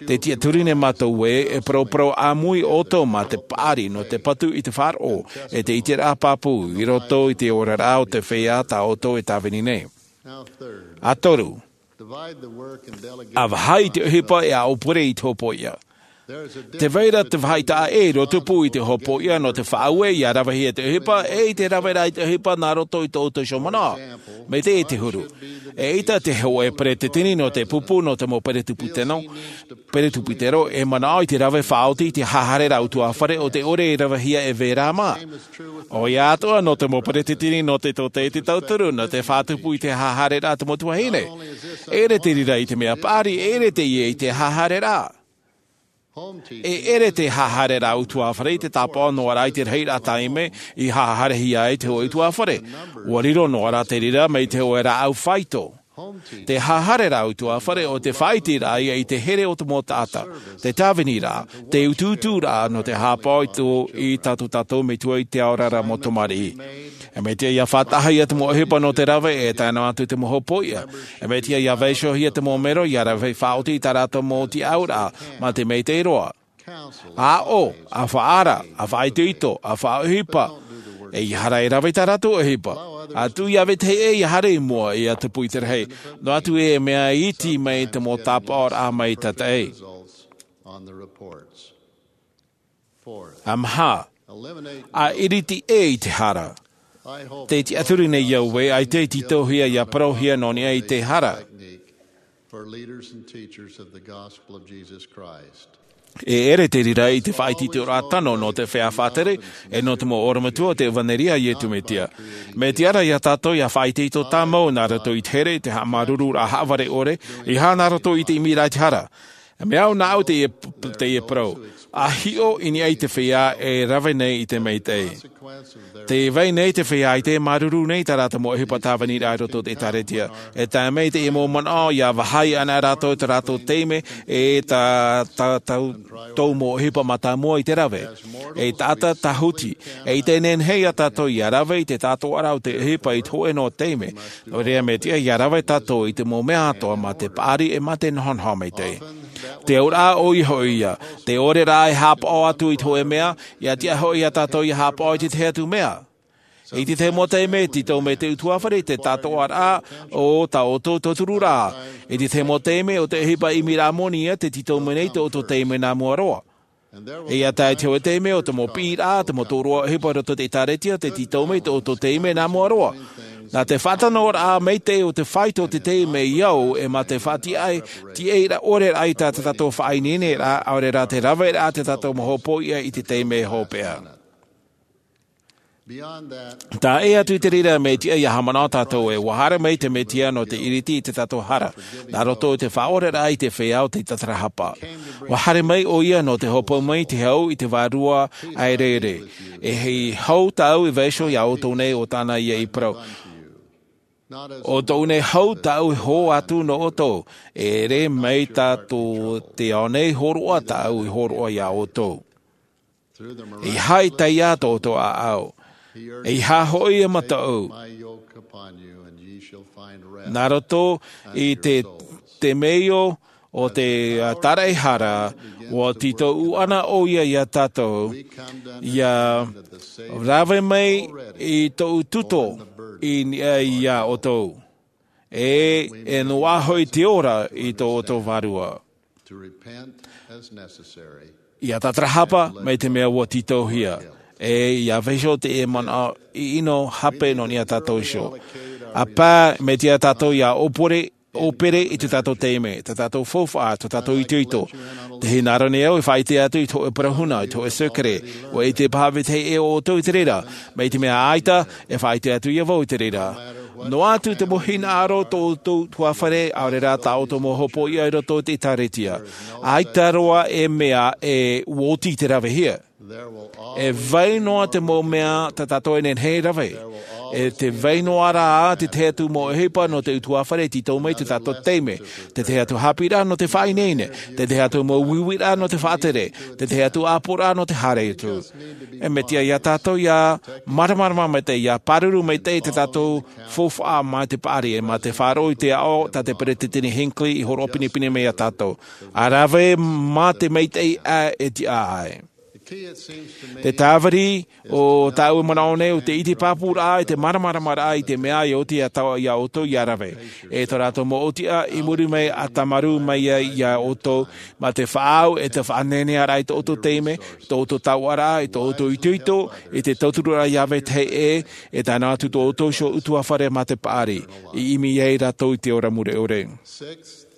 Tē tiʻaturi nei mātou ē, e parauparau ʻāmui ʻoutou mā te paʻari nō te patu i te faʻaroʻo, e te ʻiteraʻa pāpū i roto i te oraraʻa o te feiā tā ʻoutou e tāvini nei. ʻA toru, ʻa vāhi i te ʻohipa e ʻa ʻōpere i te hopoiʻa. Tē vai ra te vāhi taʻa ʻē i roto pū i te hopoiʻa nō te faʻaue ia ravehia te ʻohipa, e i te raveraʻa i te ʻohipa nā roto i tō ʻoutou iho manaʻo. Mai te, i te huru. ʻEita te hōʻē peretiteni nō te pupu nō te mau peretiputeno, peretiputero, e manaʻo i te rave faʻaoti i te hahareraʻa ʻutuāfare ʻo tē ʻore e ravehia e vērā mā. ʻOia atoʻa nō te mau peretiteni nō te tōtaiete tauturu, nō te faʻatupu i te hahareraʻa te mau tuahine. E ʻere te reira i te mea paʻari, e ʻere teie i te hahareraʻa. E ʻere te hahareraʻa ʻutuāfare i te tāpaʻo noa ra i te rahiraʻa taime i haharehia ai te hōʻē ʻutuāfare. ʻUa riro noa ra te reira mai te hōʻē rāʻau faito. Te hahareraʻa ʻutuāfare ʻo te faʻaiteraʻa ia i te here o te mau taʻata, te tāviniraʻa, te utuuturaʻa nō te haʻapaʻo i tō, i tātou, tātou metua i te ao ra mau tamariʻi. E mea tiʻa ia faʻataʻahia te mau ʻohipa nō te rave, e tae noa atu te mau hopoiʻa. E mea tiʻa ia vaiihohia te mau mero ia rave faʻaoti i tā rātou mau tiʻauraʻa, mā te maitaʻi roa. ʻA aʻo, ʻa faʻaara, ʻa faʻaitoito, ʻa faʻaʻohipa. ʻEiaha ra e rave i tā rātou ʻohipa. ʻA tuʻu ia vetahi ʻē ia haere i mua, ia tupu i te rahi. Noa atu e mea iti mai te mau tāpaʻoraʻa mai tataʻi. ʻA maha, ʻa iriti ʻē i te hara. Tē tiʻaturi nei au ē, ʻaita e tītauhia ia parauhia nō niʻa i te hara. E ʻere te reira i te faʻaitoitoraʻa tano nō te feiā faʻatere, e nō te mau orometua o te ʻevanelia a Iesu Mesia. Mea tiʻa ra iā tātou ia faʻaitoito tāmau nā roto i te here, te haʻamāuruururaʻa haʻavare ʻore, ʻeiaha nā roto i te ʻimiraʻa i te hara. E mea au nāʻu teie, teie parau. ʻA hiʻo i niʻa i te feiā e rave nei i te maitaʻi. Tē vai nei te feiā ʻaita e māuruuru nei i tā rātou mau ʻohipa tāviniraʻa i roto i te ʻĒtārētia. E tae mai teie mau manaʻo, ia vāhi ana rātou i tā rātou taime, e tā, tā, tā, tō mau ʻohipa mātāmua i te rave. E taʻata tāhuti, e ʻaita e nehenehe iā tātou ia rave i te tātoʻaraʻa o te ʻohipa i te hōʻē noa taime. Nō reira mea tiʻa ia rave tātou i te mau mea atoʻa mā te paʻari e mā te nohonoho maitaʻi. Te auraʻa ʻoia hoʻi ia, te ʻore rā e haʻapaʻo atu i te hōʻē mea, ia tiʻa hoʻi iā tātou ia haʻapaʻo i te tahi atu mea. I te tahi mau taime, tītau mai te ʻutuāfare te tātoʻaraʻa o tā ʻoutou tautururaʻa. I te tahi mau taime, ʻo te ʻohipa ʻimiraʻa moni ia tē tītau mai nei tō ʻoutou taime nā mua roa. E ia tae te hōʻē taime, ʻo te mau piʻiraʻa, te mau tōroʻa ʻohipa i roto i te ʻĒtārētia, tē tītau mai tō ʻoutou taime nā mua roa. Nā te faʻatanoraʻa maitaʻi o te faito o te taime i au, e mā te faʻatiʻa, tiʻairaʻa ʻore rā i tā tātou faʻaineineraʻa, ʻaore rā te raveraʻa tā tātou mau hopoiʻa i te taime hopeʻa. Tae atu i te reira, mea tiʻa ia haʻamanaʻo tātou ē, ʻua haere mai te Mesia nō te iriti i tā tātou hara, nā roto i te faʻaoreraʻa i te feiā o te tatarahapa. ʻUa haere mai ʻoia nō te hōpoi mai i te hau i te Vārua Aereere. E hau tāʻu i vaiiho iā ʻoutou nei, ʻo tāna ia i parau. ʻO tōʻu nei hau tāʻu e hō atu nō ʻoutou, e ʻere mai tā tō te ao nei hōroʻa tāʻu i hōroʻa iā ʻoutou. ʻEiaha e taiā tō ʻoutou ʻāʻau. ʻEiaha hoʻi e mataʻu. Nā roto i te, te temeio o te, ā, tāraʻehara, ʻua tītau ana ʻoia iā tātou, ia rave mai i tōʻu tuto i niʻa iā ʻoutou. ʻe e noaʻa hoʻi te ora i tō ʻoutou vārua. To repent as necessary. Ia tātarahapa mai te mea ua tītauhia, ʻe ia vaiiho te manaʻo ʻino hape nō niʻa tātou iho. ʻA pā, mai te reira tātou ia ʻōpere, ʻōpere i tō tātou taime, tō tātou faufaʻa, tō tātou itoito. Tē hinaʻaro nei au e faʻaʻite atu i te hōʻē parau huna, i te hōʻē sēkere. ʻUa ʻite paha vetahi ʻē o ʻoutou i te reira, mai te mea ʻaita, e faʻaʻite atu ia vau i te reira. Noa atu te mau hinaʻaro tō ʻoutou ʻutuāfare, ʻaore rā tā ʻoutou mau hopoiʻa i roto i te ʻĒtārētia. ʻAita roa e mea e oti i te ravehia. E vai noa te mau mea tā tātou e nehenehe e rave. E te vai noa rā te tahi atu mau ʻohipa nō te ʻutuāfare e tītau mai tō tātou taime. Te tahi atu haʻapiʻiraʻa nō te faʻaineine. Te tahi atu mau uiuiraʻa nō te faʻatere. Te tahi atu ʻāpoʻoraʻa nō te haere atu. E mea tiʻa ia tātou ia māramarama maitaʻi, ia pāruru maitaʻi tō tātou faufaʻa mā te paʻari, ʻe mā te faʻaroʻo i te aʻo tā te Peresideni Hinckley i hōroʻa pinepine mai ia tātou. ʻA rave mā te maitaʻi ʻae e tiʻa ai. Te tāviri o tāʻu e manaʻo nei, ʻo te ʻite pāpūraʻa, ʻe te māramaramaraʻa i te mea ia oti ia tāua, ia ʻoutou ia rave. ʻE tō rātou mau ʻōtiʻa i muri mai ʻa tāmarū mai ia, ia ʻoutou, mā te faʻaau ʻe te faʻanehenehe raʻa i tō ʻoutou taime, tō ʻoutou taoʻaraʻa, i tō ʻoutou itoito, i te tautururaʻa ia vetahi ʻē, e tae noa atu tō ʻoutou iho ʻutuāfare mā te paʻari, i ʻimi ai rātou i te ora mure ʻore.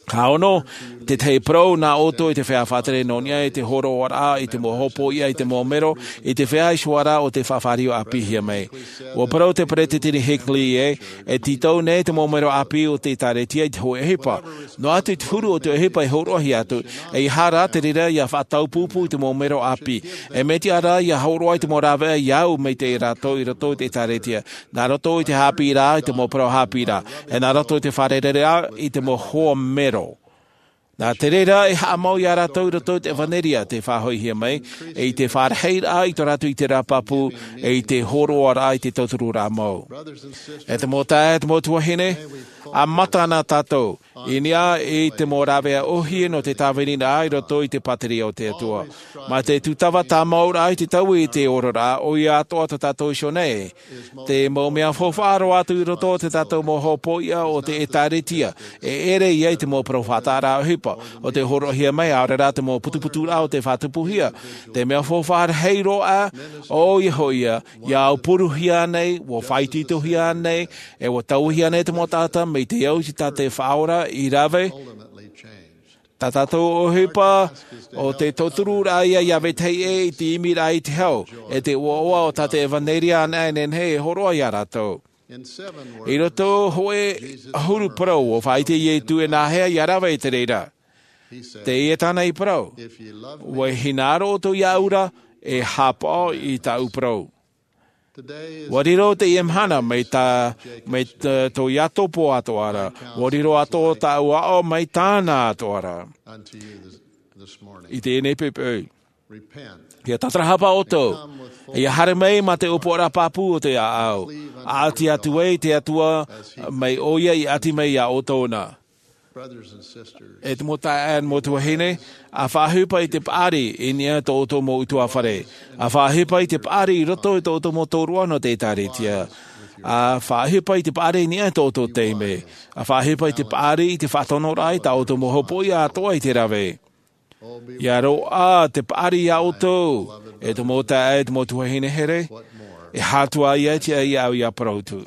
Ka ono, te tahi parau nā ʻoutou i te feiā faʻatere nō niʻa i te hōroʻaraʻa i te mau hopoiʻa, i te mau mero, i te feiā iho ā rā o te faʻafāriu ʻāpīhia mai. ʻUa parau te Peresideni Hinckley ē, e tītau nei te mau mero ʻāpī o te ʻĒtārētia i te hōʻē ʻohipa. Noa atu i te huru o te ʻohipa e hōroʻahia atu, ʻeiaha rā te reira ia faʻataupupū i te mau mero ʻāpī. E mea tiʻa rā ia hōroʻa i te mau rāveʻa ia au maitaʻi rātou i roto i te ʻĒtārētia. Nā roto i te haʻapiʻiraʻa, i te mau parau haʻapiʻiraʻa. ʻE nā roto i te fārereiraʻa, i te mau hoa mero. Nā te reira e haʻamau ia rātou i roto i te ʻevanelia tē faʻahoʻihia mai, ʻe i te fārahiraʻa i tō rātou ʻiteraʻa pāpū, ʻe i te hōroʻaraʻa i te tautururaʻa mau. E te mau taeaʻe, e te mau tuahine, ʻa mata na tātou, i niʻa i te mau rāveʻa ʻōhie nō te tāviniraʻa i roto i te pātireia o te Atua. Mā te tūtava tāmauraʻa i te taui i te oraraʻa, ʻoia atoʻa tā tātou iho nei. Te mau mea faufaʻa roa atu i roto o tō tātou mau hopoiʻa o te ʻĒtārētia, e ʻere ia i te mau parau faʻataʻaraʻa ʻohipa, ʻo tē hōroʻahia mai, ʻaore rā te mau putuputuraʻa o tē faʻatupuhia. Te mea faufaʻa rahi roa, ʻoia hoʻi ia, ia aupuruhia nei, ʻua faʻaitoitohia nei, ʻe ʻua tauihia nei te mau taʻata, mai te au i te tā te Faʻaora i rave. Tā tātou ʻohipa, ʻo te tautururaʻa ia, ia vetahi ʻē i te ʻimiraʻa i te hau, ʻe te ʻoaʻoa o tā te ʻevanelia anaʻe e nehenehe e hōroʻa ia rātou. I roto hōʻē ʻahuru parau, ʻua faʻaʻite Iesu e nāhea ia rave i te reira. Teie tāna i parau. ʻUa hinaʻaro ʻoutou iāʻu ra, e haʻapaʻo i tāʻu parau. ʻUa riro teie mahana mai tā, mai tā, tō Iakobo atoʻa ra. ʻUa riro atoʻa tāʻu aʻo mai tāna atoʻa ra. I teie nei poʻipoʻi. Ia tātarahapa ʻoutou. Ia haere mai mā te ʻōpuaraʻa pāpū o te ʻāʻau. ʻAʻati atu ai te Atua, mai ʻoia i ʻati mai iā ʻoutou na. E te mau taeaʻe, mau tuahine, ʻa faʻaʻohipa i te paʻari i niʻa i tō ʻoutou mau ʻutuāfare. ʻA faʻaʻohipa i te paʻari i roto i tō ʻoutou mau tōroʻa nō te ʻĒtārētia. ʻA faʻaʻohipa i te paʻari i niʻa i tō ʻoutou taime. ʻA faʻaʻohipa i te paʻari i te faʻatonoraʻa i tā ʻoutou mau hopoiʻa atoʻa i te rave. Ia roaʻa te paʻari iā ʻoutou, e te mau taeaʻe, e te mau tuahine here, e aha atu ia te tiʻa iāʻu ia parau atu.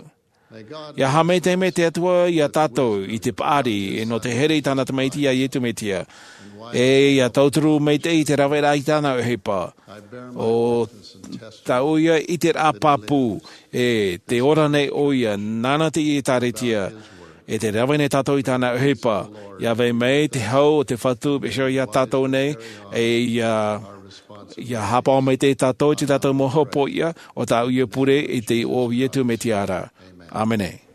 Ia haʻamaitaʻi mai te Atua iā tātou i te paʻari, e nō te here i tāna Tamaiti iā Iesu Mesia. E ia tauturu maitaʻi i te raveraʻa i tāna ʻohipa. ʻO tāʻu ia ʻiteraʻa pāpū, e tē ora nei ʻoia, nāna te ʻĒtārētia, e tē rave nei tātou i tāna ʻohipa. Ia vai mai te hau o te Fatu, Iehova iā tātou nei, e ia, ia haʻapaʻo maitaʻi tātou i tā tātou mau hopoiʻa, ʻo tāʻu ia pure i te iʻoa o Iesu Mesia ra. ʻĀmene.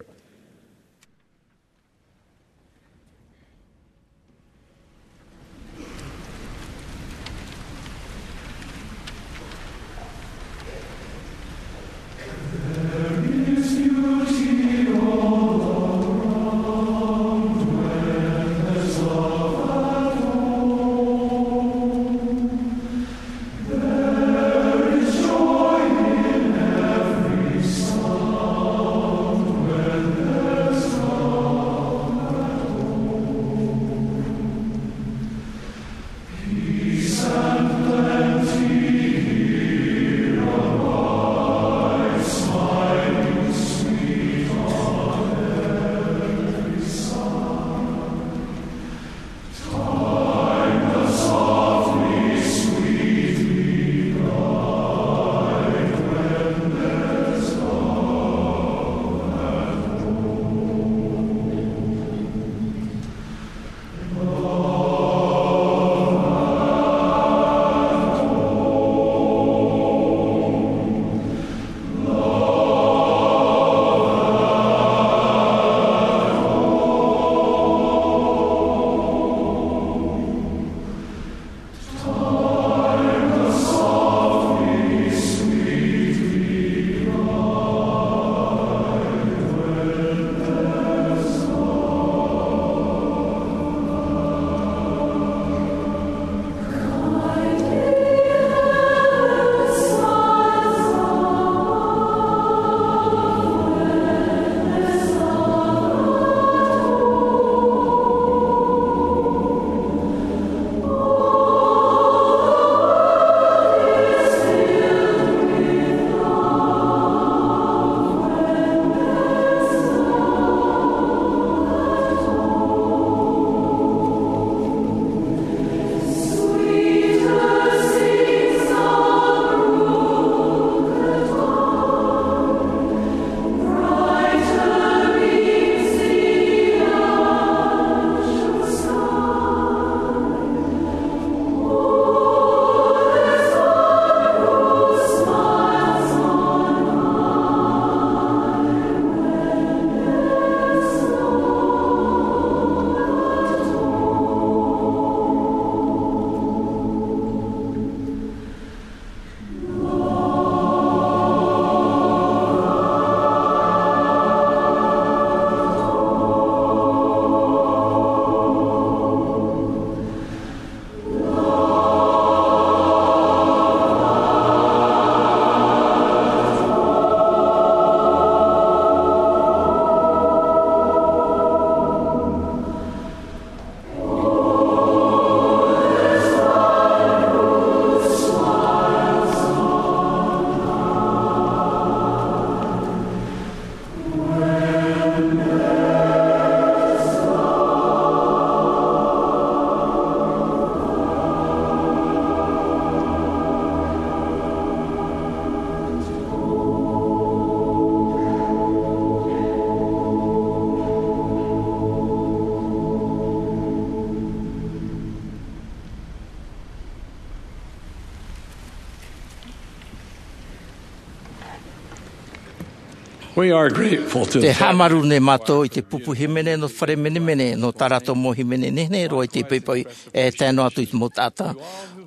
We are grateful to Te haʻamaru nei mātou i te pupu hīmene nō te fare menemene, nō tā rātou mau hīmene nehenehe roa i te poʻipoʻi, e tae noa atu i te mau taʻata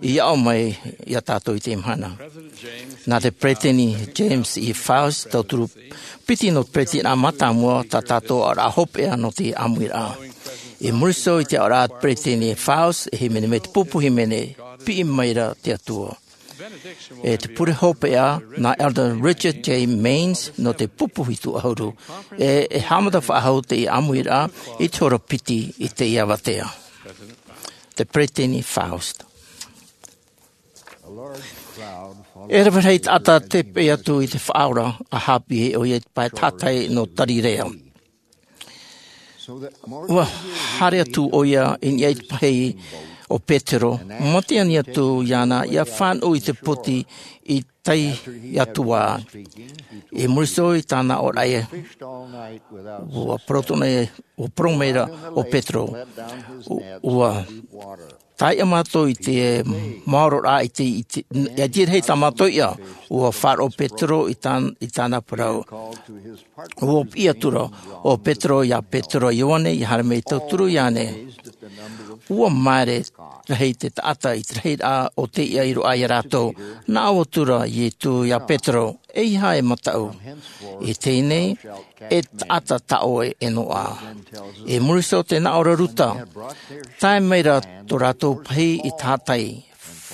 i aʻo mai iā tātou i teie mahana. Nā te peresideni James E. Faust, tauturu piti nō te peresideni mātāmua, tā tātou aʻoraʻa hopeʻa nō te ʻāmuiraʻa. I muri iho i te aʻoraʻa a te peresideni Faust, e hīmene mai te pupu hīmene, piʻi maira te Atua. E te pure hopeʻa, nā Elder Richard J. Maynes, nō te pupu hitu ʻahuru, e, e haʻamata faʻahou teie ʻāmuiraʻa i te hora piti i teie avatea. Te peresideni Faust. E rave rahi taʻata tē peʻe atu i te Faʻaora, ʻa haʻapiʻi ʻoia i te pae tātaʻi nō Tarirea. ʻUa haere atu ʻoia i niʻa i te pahī o Petero, mate ani atu iāna ʻia fānaʻo i te poti i tae atu ā. I muri iho i tāna aʻoraʻa, ʻua parau atoʻa, ʻua parau maira ʻo Petero, ʻua, ʻua tae ā mātou i te maororaʻa i te, i te, ʻia tīaʻi tā mātou iʻa, ʻua faʻaroʻo Petero i tān-, i tāna parau. ʻUa piʻi atu ra ʻo Petero iā Petero, Ioane, ʻia haere mai ʻia tauturu iāna. ʻUa māere rahi te taʻata i te rahiraʻa o te iʻa i roaʻa iā rātou. Nā ʻō atu ra Ietu iā Petero, ʻEiaha e mataʻu. I teie nei, e taʻata tā ʻoe e noaʻa. I muri iho i te nā ʻō ra Ruta, tae maira tō rātou pahī i tātaʻi.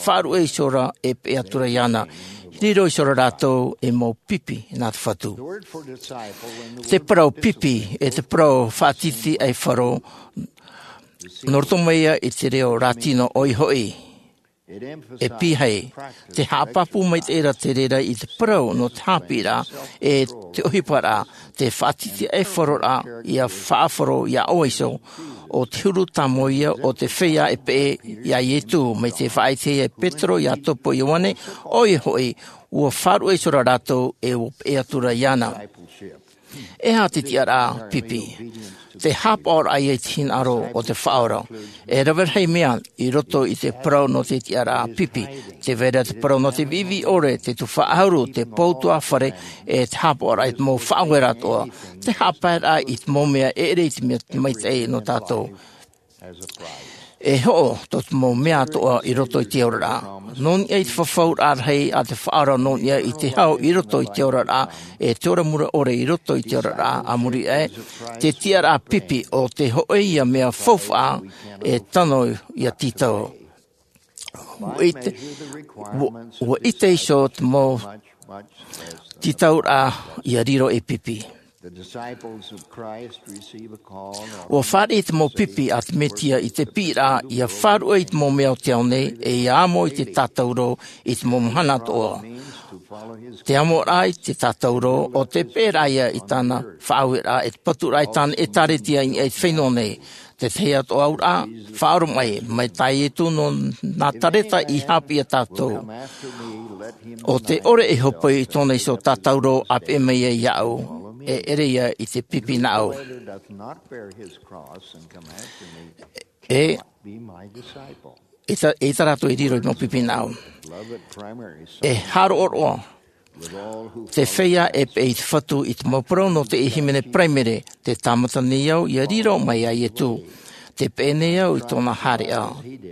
Faʻaruʻe iho ra e peʻe atu ra iāna. Riro iho ra rātou ei mau pipi nā te Fatu. Te parau pipi, e te parau faʻatītīʻaifaro, nō roto mai ia i te reo Rātino ʻoia hoʻi. E pīhaʻi, tē haʻapāpū maitaʻi ra te reira i te parau nō te haʻapiʻiraʻa, e te ʻohiparaʻa, te faʻatītīʻaifaroraʻa, ʻia faʻafaro iā ʻoe iho, ʻo te huru tāmau ia o te feiā e peʻe iā Ietu, mai te faʻaʻitehia e Petero, Iakopo, Ioane, ʻoia hoʻi, ʻua faʻaruʻe iho ra rātou, e ʻua peʻe atu ra iāna. E aha te tiʻaraʻa pipi? Te haʻapaʻoraʻa ia i te hinaʻaro o te Faʻaora. E rave rahi mea i roto i te parau nō te tiʻaraʻa pipi. Tē vai ra te parau nō te viʻiviʻi ʻore, te tuhaʻa ʻahuru, te pou utuafare, e te haʻapaʻoraʻa i te mau faʻaueraʻa atoʻa. Te haʻapaeraʻa i te mau mea e ʻere i te mea maitaʻi nō tātou. E hoʻo tō te mau mea atoʻa i roto i te oraraʻa. Nō niʻa i te fafauraʻa rahi a te Faʻaora, nō niʻa i te hau i roto i te oraraʻa, e te ora mure ʻore i roto i te oraraʻa, a muri aʻe, te tiʻaraʻa pipi ʻo te hōʻē ia mea faufaʻa e tano ʻia tītau. ʻUa ʻite, ʻua, ʻua ʻite iho te mau tītauraʻa ʻia riro ei pipi. The disciples of Christ receive a call. ʻUa fāriʻi te mau pipi a te Mesia i te piʻiraʻa ʻia faʻaruʻe i te mau mea o te ao nei, e ʻia amo i te tātauro i te mau mahana atoʻa. Te amoraʻa i te tātauro, ʻo te peʻeraʻa ia i tāna faʻaueraʻa, e te paturaʻa i tāna ʻēkālesia i niʻa i te fenua nei. Te tahi atoʻa auraʻa, faʻaoromaʻi, mai tā Ietu nō Nazareta i haʻapiʻi iā tātou. ʻO tē ʻore e hōpoi i tōna iho tātauro, ʻa peʻe mai ia iāʻu, e ʻere ia i te pipi nāʻu. E, e ʻita, e ʻita rātou e riro i te mau pipi nāʻu. E haʻaroʻo roa te feiā e peʻe i te Fatu i te mau parau nō te hīmene Paraimere, tē tāmata nei au ʻia riro mai iā Ietu. Tē peʻe nei au i tōna haereʻa.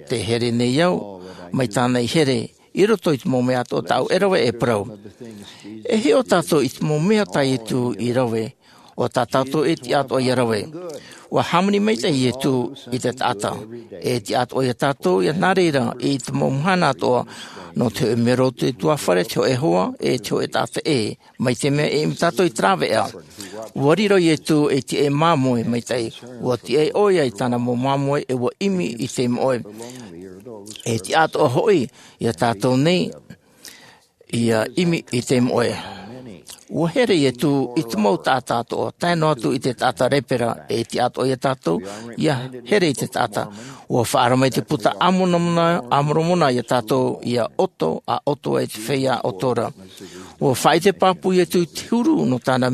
Tē here nei au mai tāna i here, i roto i te mau mea atoʻa tāʻu e rave e parau. E hiʻo tātou i te mau mea tā Ietu i rave, ʻo tā tātou e tiʻa atoʻa ʻia rave. ʻUa hāmani maitaʻi Ietu i te taʻata. E tiʻa atoʻa iā tātou ʻia nā reira i te mau mahana atoʻa, nō te hōʻē mero o te utuafare, te hōʻē hoa, e te hōʻē taʻata ʻē, mai te mea e ʻimi tātou i te rāveʻa. ʻUa riro Ietu ei tiʻa māmoe maitaʻi, ʻua tiʻa ʻoia i tāna mau māmoe, e ʻua ʻimi i te moʻe. E tiʻa atoʻa hoʻi iā tātou nei, ʻia ʻimi i te moʻe. ʻUa here Ietu i te mau taʻata atoʻa, tae noa atu i te taʻata lepera, e tiʻa atoʻa iā tātou ʻia here i te taʻata. ʻUa faʻaara mai te Buka a Moromona, a Moromona iā tātou ʻia ʻoto, ʻa ʻoto ai te feiā ʻoto ra. ʻUa faʻaʻite pāpū Ietu i te huru nō tāna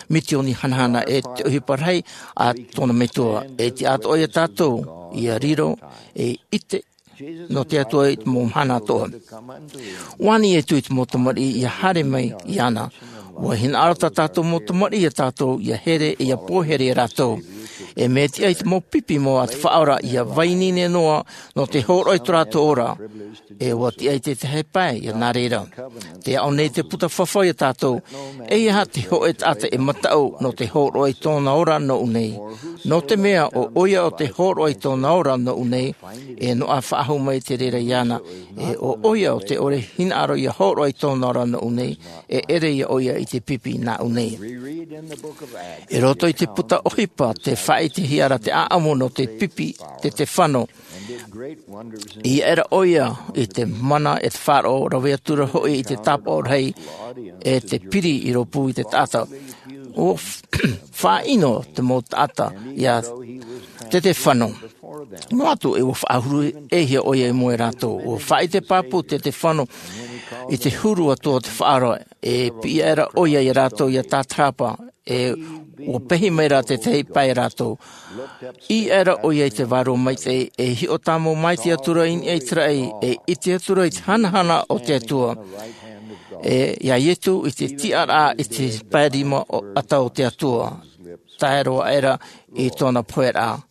misioni hanahana, e te ʻohipa rahi a tōna Metua. E tiʻa atoʻa iā tātou ʻia riro, e ʻite nō te Atua i te mau mahana atoʻa. ʻUa ani Ietu i te mau tamariʻi ʻia haere mai iāna. Ua hinaʻaro tā tātou mau tamariʻi ia tātou ia here ia pōhere ia rātou. E mea tiʻa i te mau pipi mau a te faʻaora ia vaiiho noa nō te hōroʻa i tō rātou ora. E ua tiʻa i te tahi pae ia nā reira. Te aʻo nei te puta fafau ia tātou, e ia te hoʻe taʻata e mataʻu nō te hōroʻa i tōna ora nō ʻunei, nō te mea o ʻoia o te hōroʻa i tōna ora nō ʻunei, e noʻa faʻahou mai te reira iāna. E o ʻoia o te ʻore hinaʻaro ia hōroʻa i tōna ora nō ʻunei, e ʻere ia ʻoia i te pipi nā ʻunei. I roto i te puta ʻohipa te faʻaʻitehia ra te ʻaʻamu nō te pipi te tefano. Ia ʻera ʻoia i te mana e te faʻaroʻo rave atu ra hoʻi i te tāpaʻo rahi e te piri i rōpū i te taʻata. Ua faʻaʻino te mau taʻata ia te tefano. Noa atu e ua faʻahuru ʻehia ʻoia i mua ia rātou. Ua faʻaʻite pāpū te tefano i te huru atu o te faʻaroʻo e piʻi ʻera ʻoia ia rātou ia tātarahapa. E ua pehi mai ra te tahi pae ia rātou. I ʻera ʻoia i te vārua maitaʻi e hiʻo tāmau maitaʻi atu ra i niʻa i te raʻi e ʻite atu ra i te hanahana o te atua. E ia iesu i te tiʻaraʻa i te pae rima ʻata o te atua. Tae roa ʻera i tōna pohe raʻa.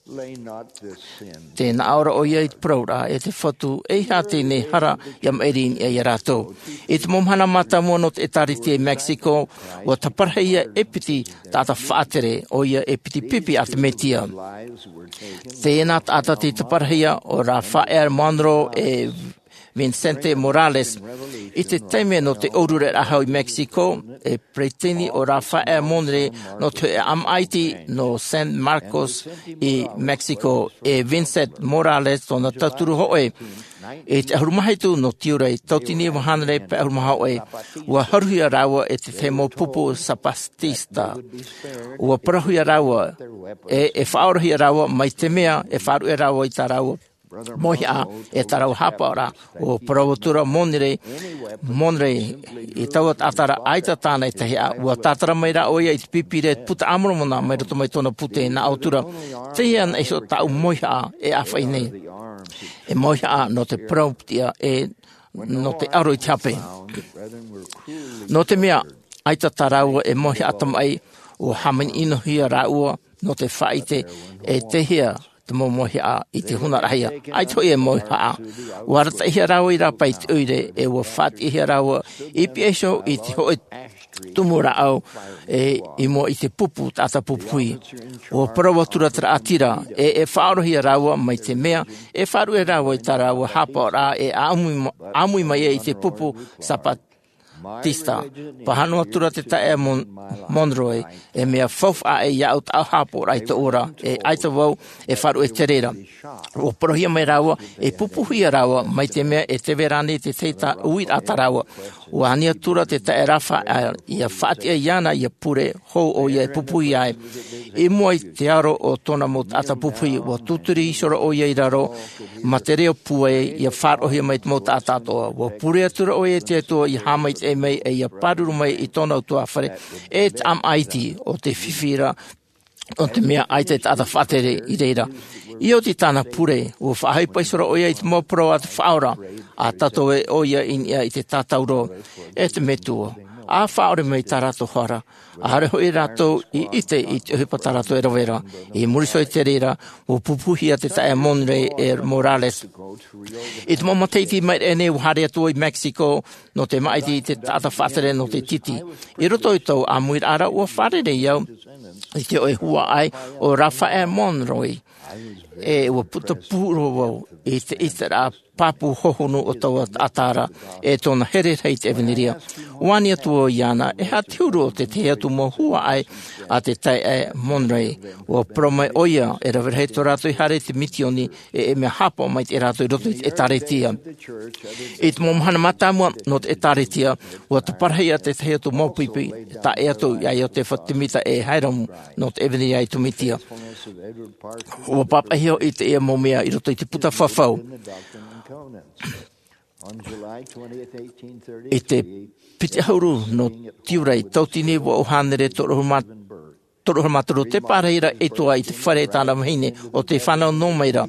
Te naʻo ra ʻoia i te parau ra e te fatu e ia teie nei hara ia maʻiri i niʻa ia rātou. I te mau mahana mātāmua nō te ʻēkālesia i mexico, ua taparahia e piti taʻata faʻatere ʻoia e piti pipi a te mesia. Teie nā taʻata tei taparahia o rāfaʻea monroe e vincente morales. I te taime nō te ʻōrureraʻa hau i mexico, e peresideni o rāfaʻea monroe nō te hoʻe ʻāmaʻa iti nō san marcos i mexico, e vincente morales tōna tauturu hoʻe. I te ʻahuru mā hitu nō tiurai tautini vahānere pae ʻahuru mā hoʻe, ua haruhia rāua e te tahi mau pupu zapatista. Ua parauhia rāua e e faʻaorahia rāua mai te mea e faʻaruʻe rāua i tā rāua mauhaʻa e tā rāua hāpaʻoraʻa. Ua parau atu ra monroe, monroe i taua taʻata ra ʻaita tāna e tahi ʻā. Ua tātara mai rā ʻoia i te pipi ra e te puta a moromona mai roto mai tōna pūtē nā ʻō atu ra, teie ana iho tāʻu mauhaʻa e ʻāfaʻi nei. E mauhaʻa nō te parau piti ʻā e nō te aro i te hape. Nō te mea ʻaita tā rāua e mauhaʻa tamaʻi, ua hāmani ʻino hia rāua nō te faʻaʻite e te hea te mau mauhaʻa i te huna rahi ʻā. ʻAita hoʻi e mauhaʻa. Ua arataʻihia rāua i rāpae i te ʻoire e ua faʻatiʻahia rāua i piʻa iho i te hoʻe tumu rāʻau e i mua i te pupu taʻata pupu hui. Ua parau atu ra te raʻatira e e faʻaorahia rāua mai te mea e faʻaruʻe rāua i tā rāua hāpaʻoraʻa e ʻāmui mai ai i te pupu zapatista. Pāhono atu ra te taeaʻe monroe, e mea faufaʻa ʻē iāʻu tāʻu hāpaʻoraʻa i tōʻu ora, e ʻaita vau e faʻaruʻe te reira. Ua parauhia mai rāua e pupuhia rāua mai te mea e teve rānei te tahi uiraʻa tā rāua. Ua ani atu ra te taeaʻe rāfaʻea ia faʻatiʻa iāna ia pure hou ʻoia e pupuhia ai. I mua i te aro o tōna mau taʻata pupuhi ua tūturi iho ra ʻoia i raro, mā te reo pūai ia faʻaroʻohia mai te mau taʻata atoʻa. Ua pure atu ra ʻoia i te atua ia haʻamaitaʻi mai e ia pāruru mai i tōna utuafare e te ʻāmaʻa iti o te fifi ra, nō te mea ʻaita e taʻata faʻatere i reira. I oti tāna pure ua faʻaʻohipa iho ra ʻoia i te mau parau a te faʻaora a tātou e ʻoia i niʻa i te tātauro e te metua. A faʻaore mai tā rātou hara, ʻaore hoʻi rātou i ʻite i te ʻohipa tā rātou e rave ra. I muri iho i te reira ua pupuhia te taeaʻe monroe e morales. I te mau matahiti mai raʻe nei ua haere atu vau i mexico nō te māʻiti i te taʻata faʻatere nō te titi. I roto i tōʻu ʻāmuiraʻa ra ua fārerei au i te hoʻe huaʻai o rāfaʻea monroe. E ua puta pū roa vau i te ʻiteraʻa pāpū hohonu o taua taʻata ra e tōna here rahi i te ʻevanelia. Ua ani atu vau iāna e aha te huru o te tahi atu mau huaʻai a te taeaʻe monroe. Ua parau mai ʻoia e rave rahi tō rātou i haere i te misioni e e mea hāpaʻo mai te rātou i roto i te ʻēkālesia. I te mau mahana mātāmua nō te ʻēkālesia ua taparahia te tahi atu mau pipi e taʻe atu iā iosepha semita e hyrum nō te ʻevanelia i tūmatia. Ua pāpaʻihia hoʻi teie mau mea i roto i te puta fafau. I te piti ʻahuru nō tiurai tautini vaʻu hānere toru ʻahuru mā toru ʻahuru mā toru te pārahi ra ʻetua i te fare e tāna vahine o te fānau nō mai ra.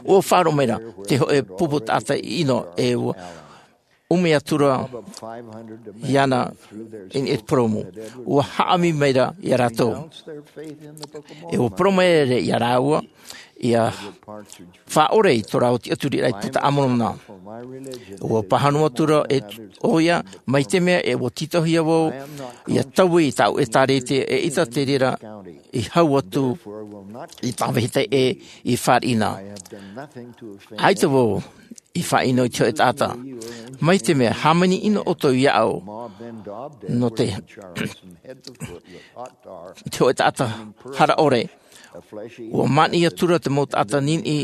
Ua faʻaroʻo mai ra te hoʻe pupu taʻata ʻino e ua ʻumi atu ra iāna i niʻa i te purōmu. Ua haʻamī mai ra iā rātou. E ua parau mai ra iā rāua, ʻia faʻaʻore i tō rāua tiʻaturiraʻa i te puta a Moromona. Ua pāhono atu ra ʻoia, mai te mea e ua tītauhia vau ʻia taui i tāʻu ʻētārētia, eʻita te reira i hau atu i tāvehita ʻē i fāriʻi na. ʻAita vau i faʻaʻino i te hōʻē taʻata. Mai te mea hāmani ʻino ʻoutou iāʻu nō te, te hōʻē taʻata hara ʻore. Ua māʻiti atu ra te mau taʻata niniʻi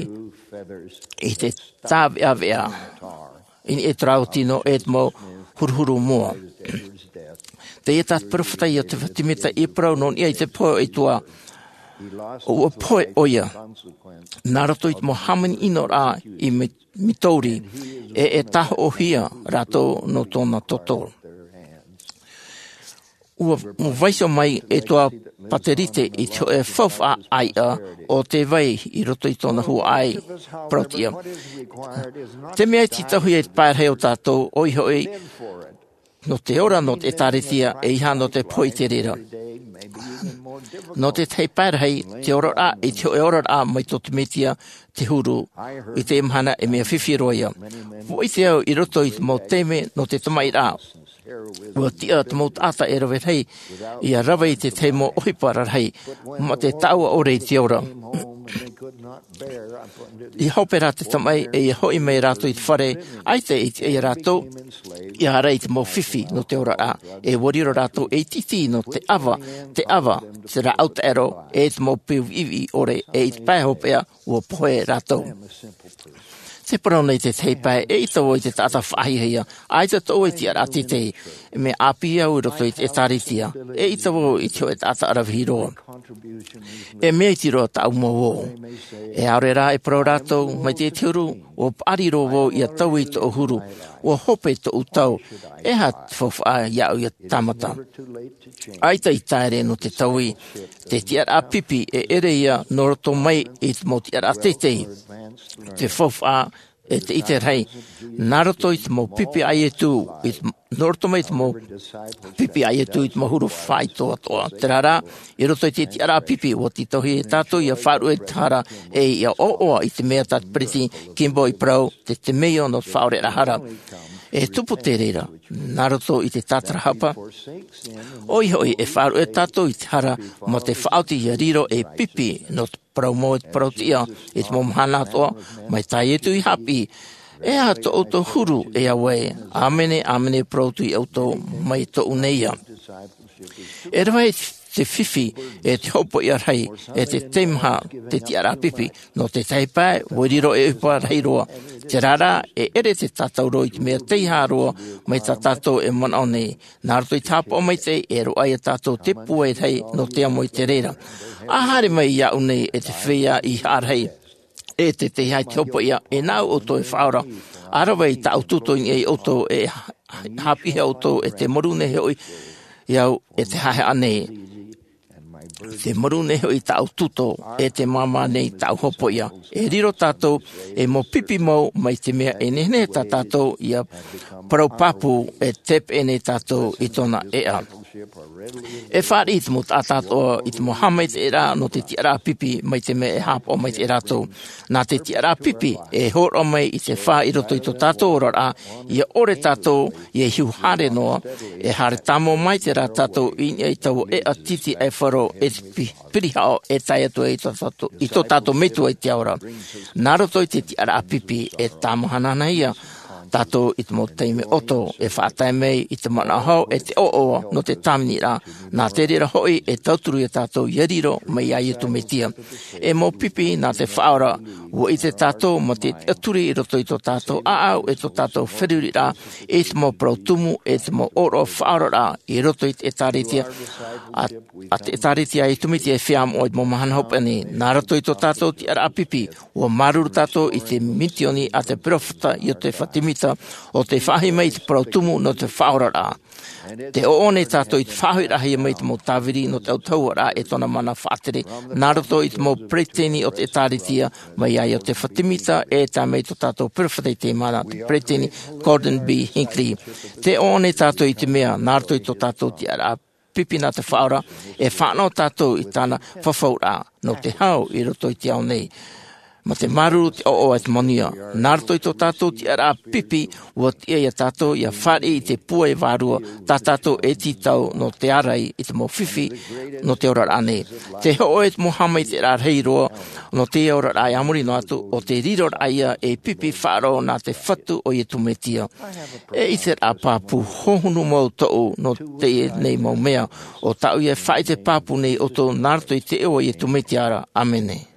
i te tāveʻaveʻa i niʻa i tō rāua tino e te mau huruhuru moa. Teie tā te peropheta Iotefa Semita i parau nō niʻa i te pohe ʻo Ietu. ʻUa pohe ʻoia nā roto i te mau hāmani ʻino rā i Mitouri, e e tāhoʻohia rātou nō tōna toto. ʻUa vaiiho mai e Ietu Paterite i te hōʻē faufaʻa ʻāiʻa o te vai i roto i tōna huaʻai parauʻtiʻa. Te mea e tītauhia i te pae rahi o tātou ʻoia hoʻi nō te ora nō te ʻētārētia, e ʻeiaha nō te pohe i te reira. Nō te tahi pae rahi, te oraraʻa i te hōʻē oraraʻa mai tō te Mesia te huru i te mahana e mea fifi roa ia. ʻUa ʻite au i roto i te mau taime nō te tamaʻi rā, ʻua tiʻa te mau taʻata e rave rahi ʻia rave i te tahi mau ʻohipa rarahi mā te taʻua ʻore i te ora. ʻIa hope rā te tamaʻi e ʻia hoʻi mai rātou i te fare, ʻaita i tiʻa iā rātou ʻia haere i te mau fifi nō te oraraʻa, e ʻua riro rātou ei tītī nō te ʻava, te ʻava, te rāʻau taʻero, e te mau peu viʻiviʻi ʻore, e i te pae hopeʻa ʻua pohe rātou. Te parau nei te tahi pae, eʻita vau i te taʻata faʻahiahia, ʻaita tōʻu e tiʻaraʻa teitei, e mea ʻāpī au i roto i te ʻētārētia, eʻita vau i te hōʻē taʻata ʻaravihi roa. E mea iti roa tāʻu mau ō. E ʻaore rā e parau rātou, mai te huru, ʻua paʻari roa vau ʻia taui i tōʻu huru, ʻua hope tōʻu tau, e aha te faufaʻa iāʻu ʻia tāmata. ʻAita i taere nō te taui, te tiʻaraʻa pipi e ʻere ia nō roto mai i te mau tiʻaraʻa teitei. Te faufaʻa e te ʻite rahi, nā roto i te mau pipi a Ietu, i te, nō roto mai i te mau pipi a Ietu i te mau huru faʻaitoatoa. Terā rā, i roto i te tiʻaraʻa pipi, ʻua tītauhia tātou ʻia faʻaruʻe i te hara, e ʻia ʻoaʻoa i te mea tā te peresideni Kimball i parau, te, te meio nō te faʻaʻoreraʻa hara. E tupu te reira, nā roto i te tātarahapa, ʻoia hoʻi e faʻaruʻe tātou i te hara, mā te faʻaoti ʻia riro ei pipi nō te parau mau e te parauʻtiʻa, i te mau mahana atoʻa, mai tā Ietu i haʻapiʻi, e aha tō ʻoutou huru, e Aue, ʻāmene, ʻāmene, parau atu iā ʻoutou, mai tōʻu nei ia. E rave te fifi, e te hopoiʻa rahi, e te teimaha, te tiʻaraʻa pipi, nō te tahi pae, ʻua riro ei ʻohipa rahi roa. Terā rā, e ʻere te tātauro i te mea teiaha roa, mai tā tātou e manaʻo nei. Nā roto i te haʻapaʻo maitaʻi, e roaʻa ia tātou te pūai rahi, nō te amo i te reira. ʻA haere mai iāʻu nei e te feiā i haʻarahi, e te teiaha i te hopoiʻa, e nāʻu ʻoutou e faʻaora. ʻA rave i tāʻu tūtō i niʻa iā ʻoutou, e ha-, haʻapiʻihia ʻoutou, e te maru nei hoʻi iāʻu, e te haʻehaʻa nei. Te maru nei hoʻi tāʻu tūtō, e te māmā nei tāʻu hopoiʻa. E riro tātou, e mau pipi mau, mai te mea e nehenehe tā tātou ʻia parau pāpū, e tepeʻe nei tātou i tōna ʻēʻa. E fāriʻi te mau taʻata atoʻa i te mau haʻamaitaʻiraʻa nō te tiʻaraʻa pipi, mai te mea e haʻapaʻo maitaʻi rātou. Nā te tiʻaraʻa pipi, e hōroʻa mai i te fā i roto i tō tātou oraraʻa, ʻia ʻore tātou, ʻia hiu haere noa, e haere tāmau maitaʻi rā tātou i niʻa i taua ʻēʻa tītī ʻaifaro, e te pi-, pirihaʻo, e tae atu ai i tō tātou, i tō tātou Metua i te ao ra. Nā roto i te tiʻaraʻa pipi, e tāmahanahana ia tātou i te mau taime ʻoto, e faʻatae mai i te manaʻo hau, e te ʻoaʻoa nō te tāviniraʻa, nā te reira hoʻi e tauturu ia tātou ʻia riro mai iā Iesu Mesia. E mau pipi nā te Faʻaora, ʻua ʻite tātou mā te tiʻaturi i roto i tō tātou ʻāʻau, e tō tātou feruriraʻa, e te mau parau tumu, e te mau ʻōroʻa faʻaoraraʻa, i roto i te ʻĒtārētia, ā, ā te ʻĒtārētia a Iesu Mesia e feiā moʻa i te mau mahana hopeʻa nei, nā roto i tō tātou tiʻaraʻa pipi, ʻua māuruuru tātou i te misioni a te peropheta Iotefa Semita. ʻo tē faʻaʻite mai i te parau tumu nō te faʻaoraraʻa. Tē ʻoʻona tātou i te faʻahoʻiraʻahia mai i te mau tāviri nō te autahuʻaraʻa e tōna mana faʻatere, nā roto i te mau peretiteni o te ʻĒtārētia, mai ia Iosepha Semita e tae mai tō tātou peropheta i teie mahana, te peretiteni Gordon B. Hinckley. Tē ʻoʻona tātou i te mea, nā roto i tō tātou tiʻaraʻa pipi nā te Faʻaora, e fānaʻo tātou i tāna fafauraʻa nō te hau i roto i te ao nei. Mā te māuruuru, te ʻoaʻoa e te manuia. Nā roto i tō tātou tiʻaraʻa pipi, ʻua tiʻa ia tātou ʻia fāriʻi i te pūai vārua, tā tātou e tītau nō te ārai i te mau fifi nō te oraraʻa nei. Tē hōʻē te mau haʻamaitaʻiraʻa rahi roa nō teie oraraʻa e a muri noa atu, ʻo te riroraʻa ia ei pipi faʻaroʻo nā te Fatu ʻo Iesu Mesia. E ʻiteraʻa pāpū hohonu mau tōʻu nō teie nei mau mea, ʻo tāʻu ia e faʻaʻite pāpū nei ʻoutou nā roto i te iʻoa o Iesu Mesia ra. ʻĀmene.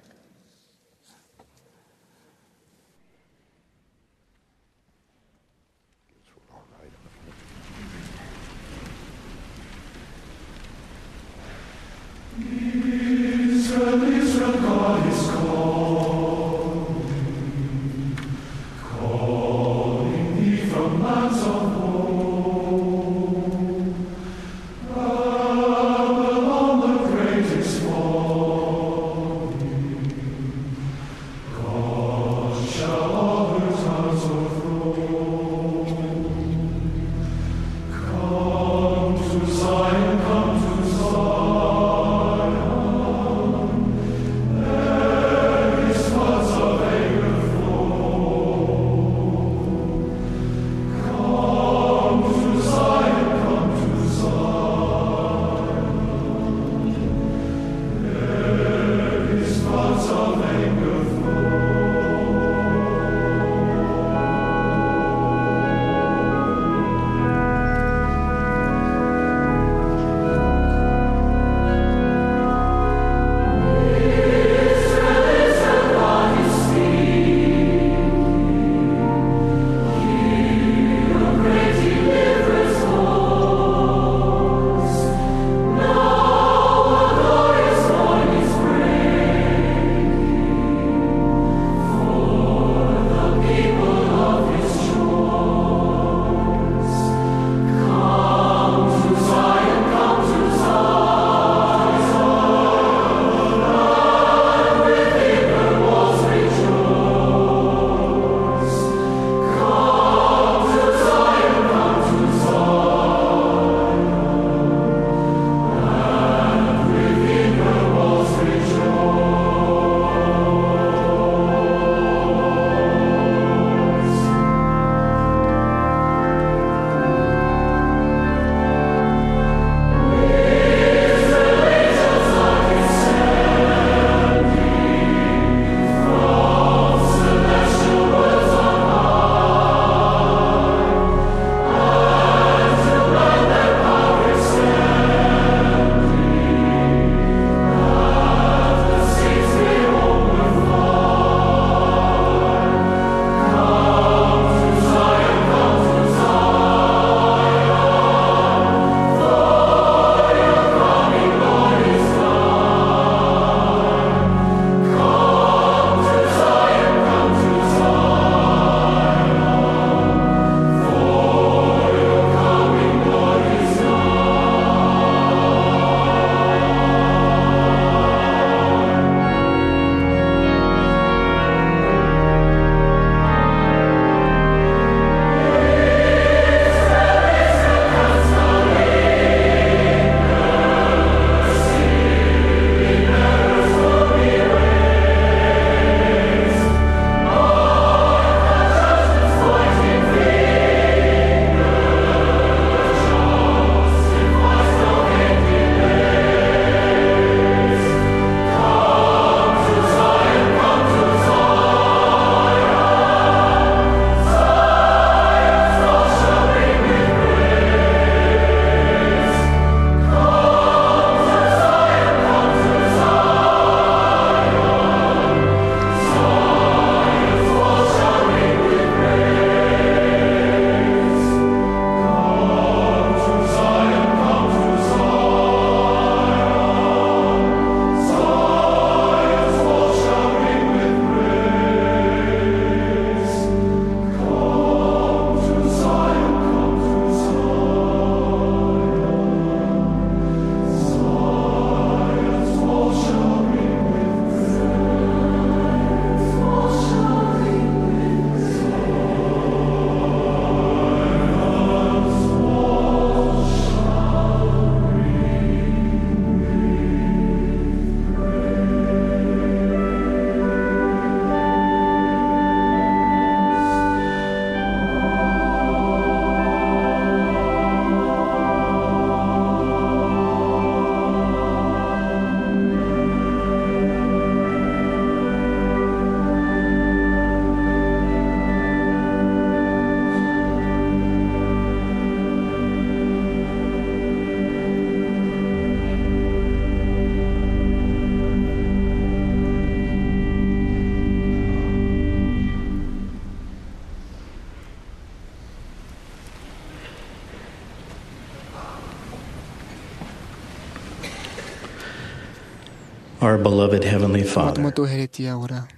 Our beloved Heavenly Father, Tō mātou Hereti ora.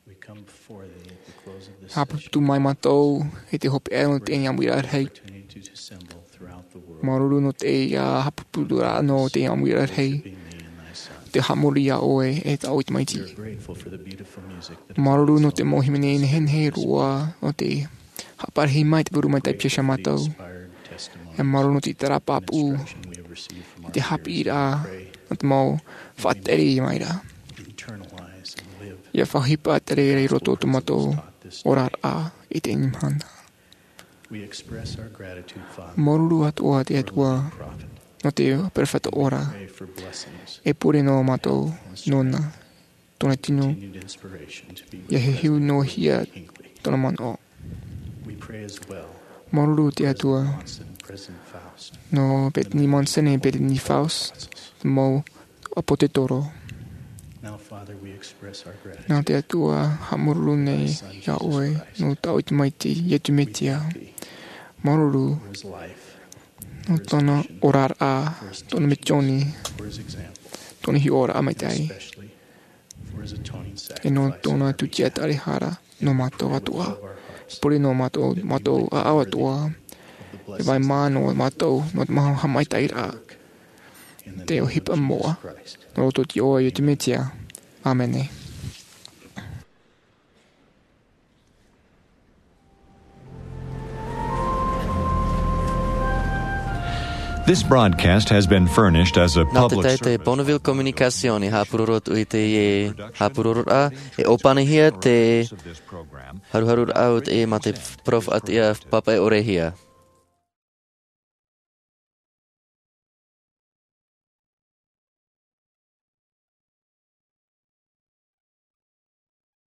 We come before thee at the close of this session. Haʻapāpū mai mātou i te hopeʻa nō teie ʻāmuiraʻa rahi. Opportunity to assemble throughout the world. Māuruuru nō teie haʻapāpūraʻa nō teie ʻāmuiraʻa rahi. Worshiping thee and thy Son. Te haʻamori iā ʻoe e tāʻu ʻoe Tamaiti. We are grateful for the beautiful music that Māuruuru nō te mau hīmene nehenehe roa, nō te haʻaparahi mai te purū maitaʻi i pihaʻi iā mātou. E māuruuru nō te ʻiteraʻa pāpū, i te haʻapiʻiraʻa, nō te mau faʻatere mai ra. ʻIa faʻaʻohipa tere i roto tō mātou oraraʻa i teie mahana. Māuruuru atoʻa te Atua, nō te peropheta ora. E pure noa mātou nōna. Tōna tino, ʻia hiʻohia noa tōna manaʻo. Māuruuru te Atua, nō Bethany Monson e Bethany Faust, te mau ʻāpōsetolo. Nā te Atua, haʻamāuruuru nei iā ʻoe, nō tāʻu ʻoe Tamaiti, Iesu Mesia. Māuruuru, nō tōna oraraʻa, tōna misioni, tōna hiʻoraʻa maitaʻi. E nō tōna tūtia taʻehara nō mātou atoʻa. Pure nō mātou, mātou ʻāʻau atoʻa. E vai mā nō mātou, nō te mau haʻamaitaʻiraʻa. Te ʻohipa moʻa, nō roto iā ʻoe Iesu Mesia. ʻĀmene. This broadcast has been furnished as a Nā te public tahi te service. Bonneville Communication i haʻapuroro atu i teie haʻapurororaʻa, e ʻōpanihia te haruharuraʻa o teie mā te peropheta Papa e ʻore hia.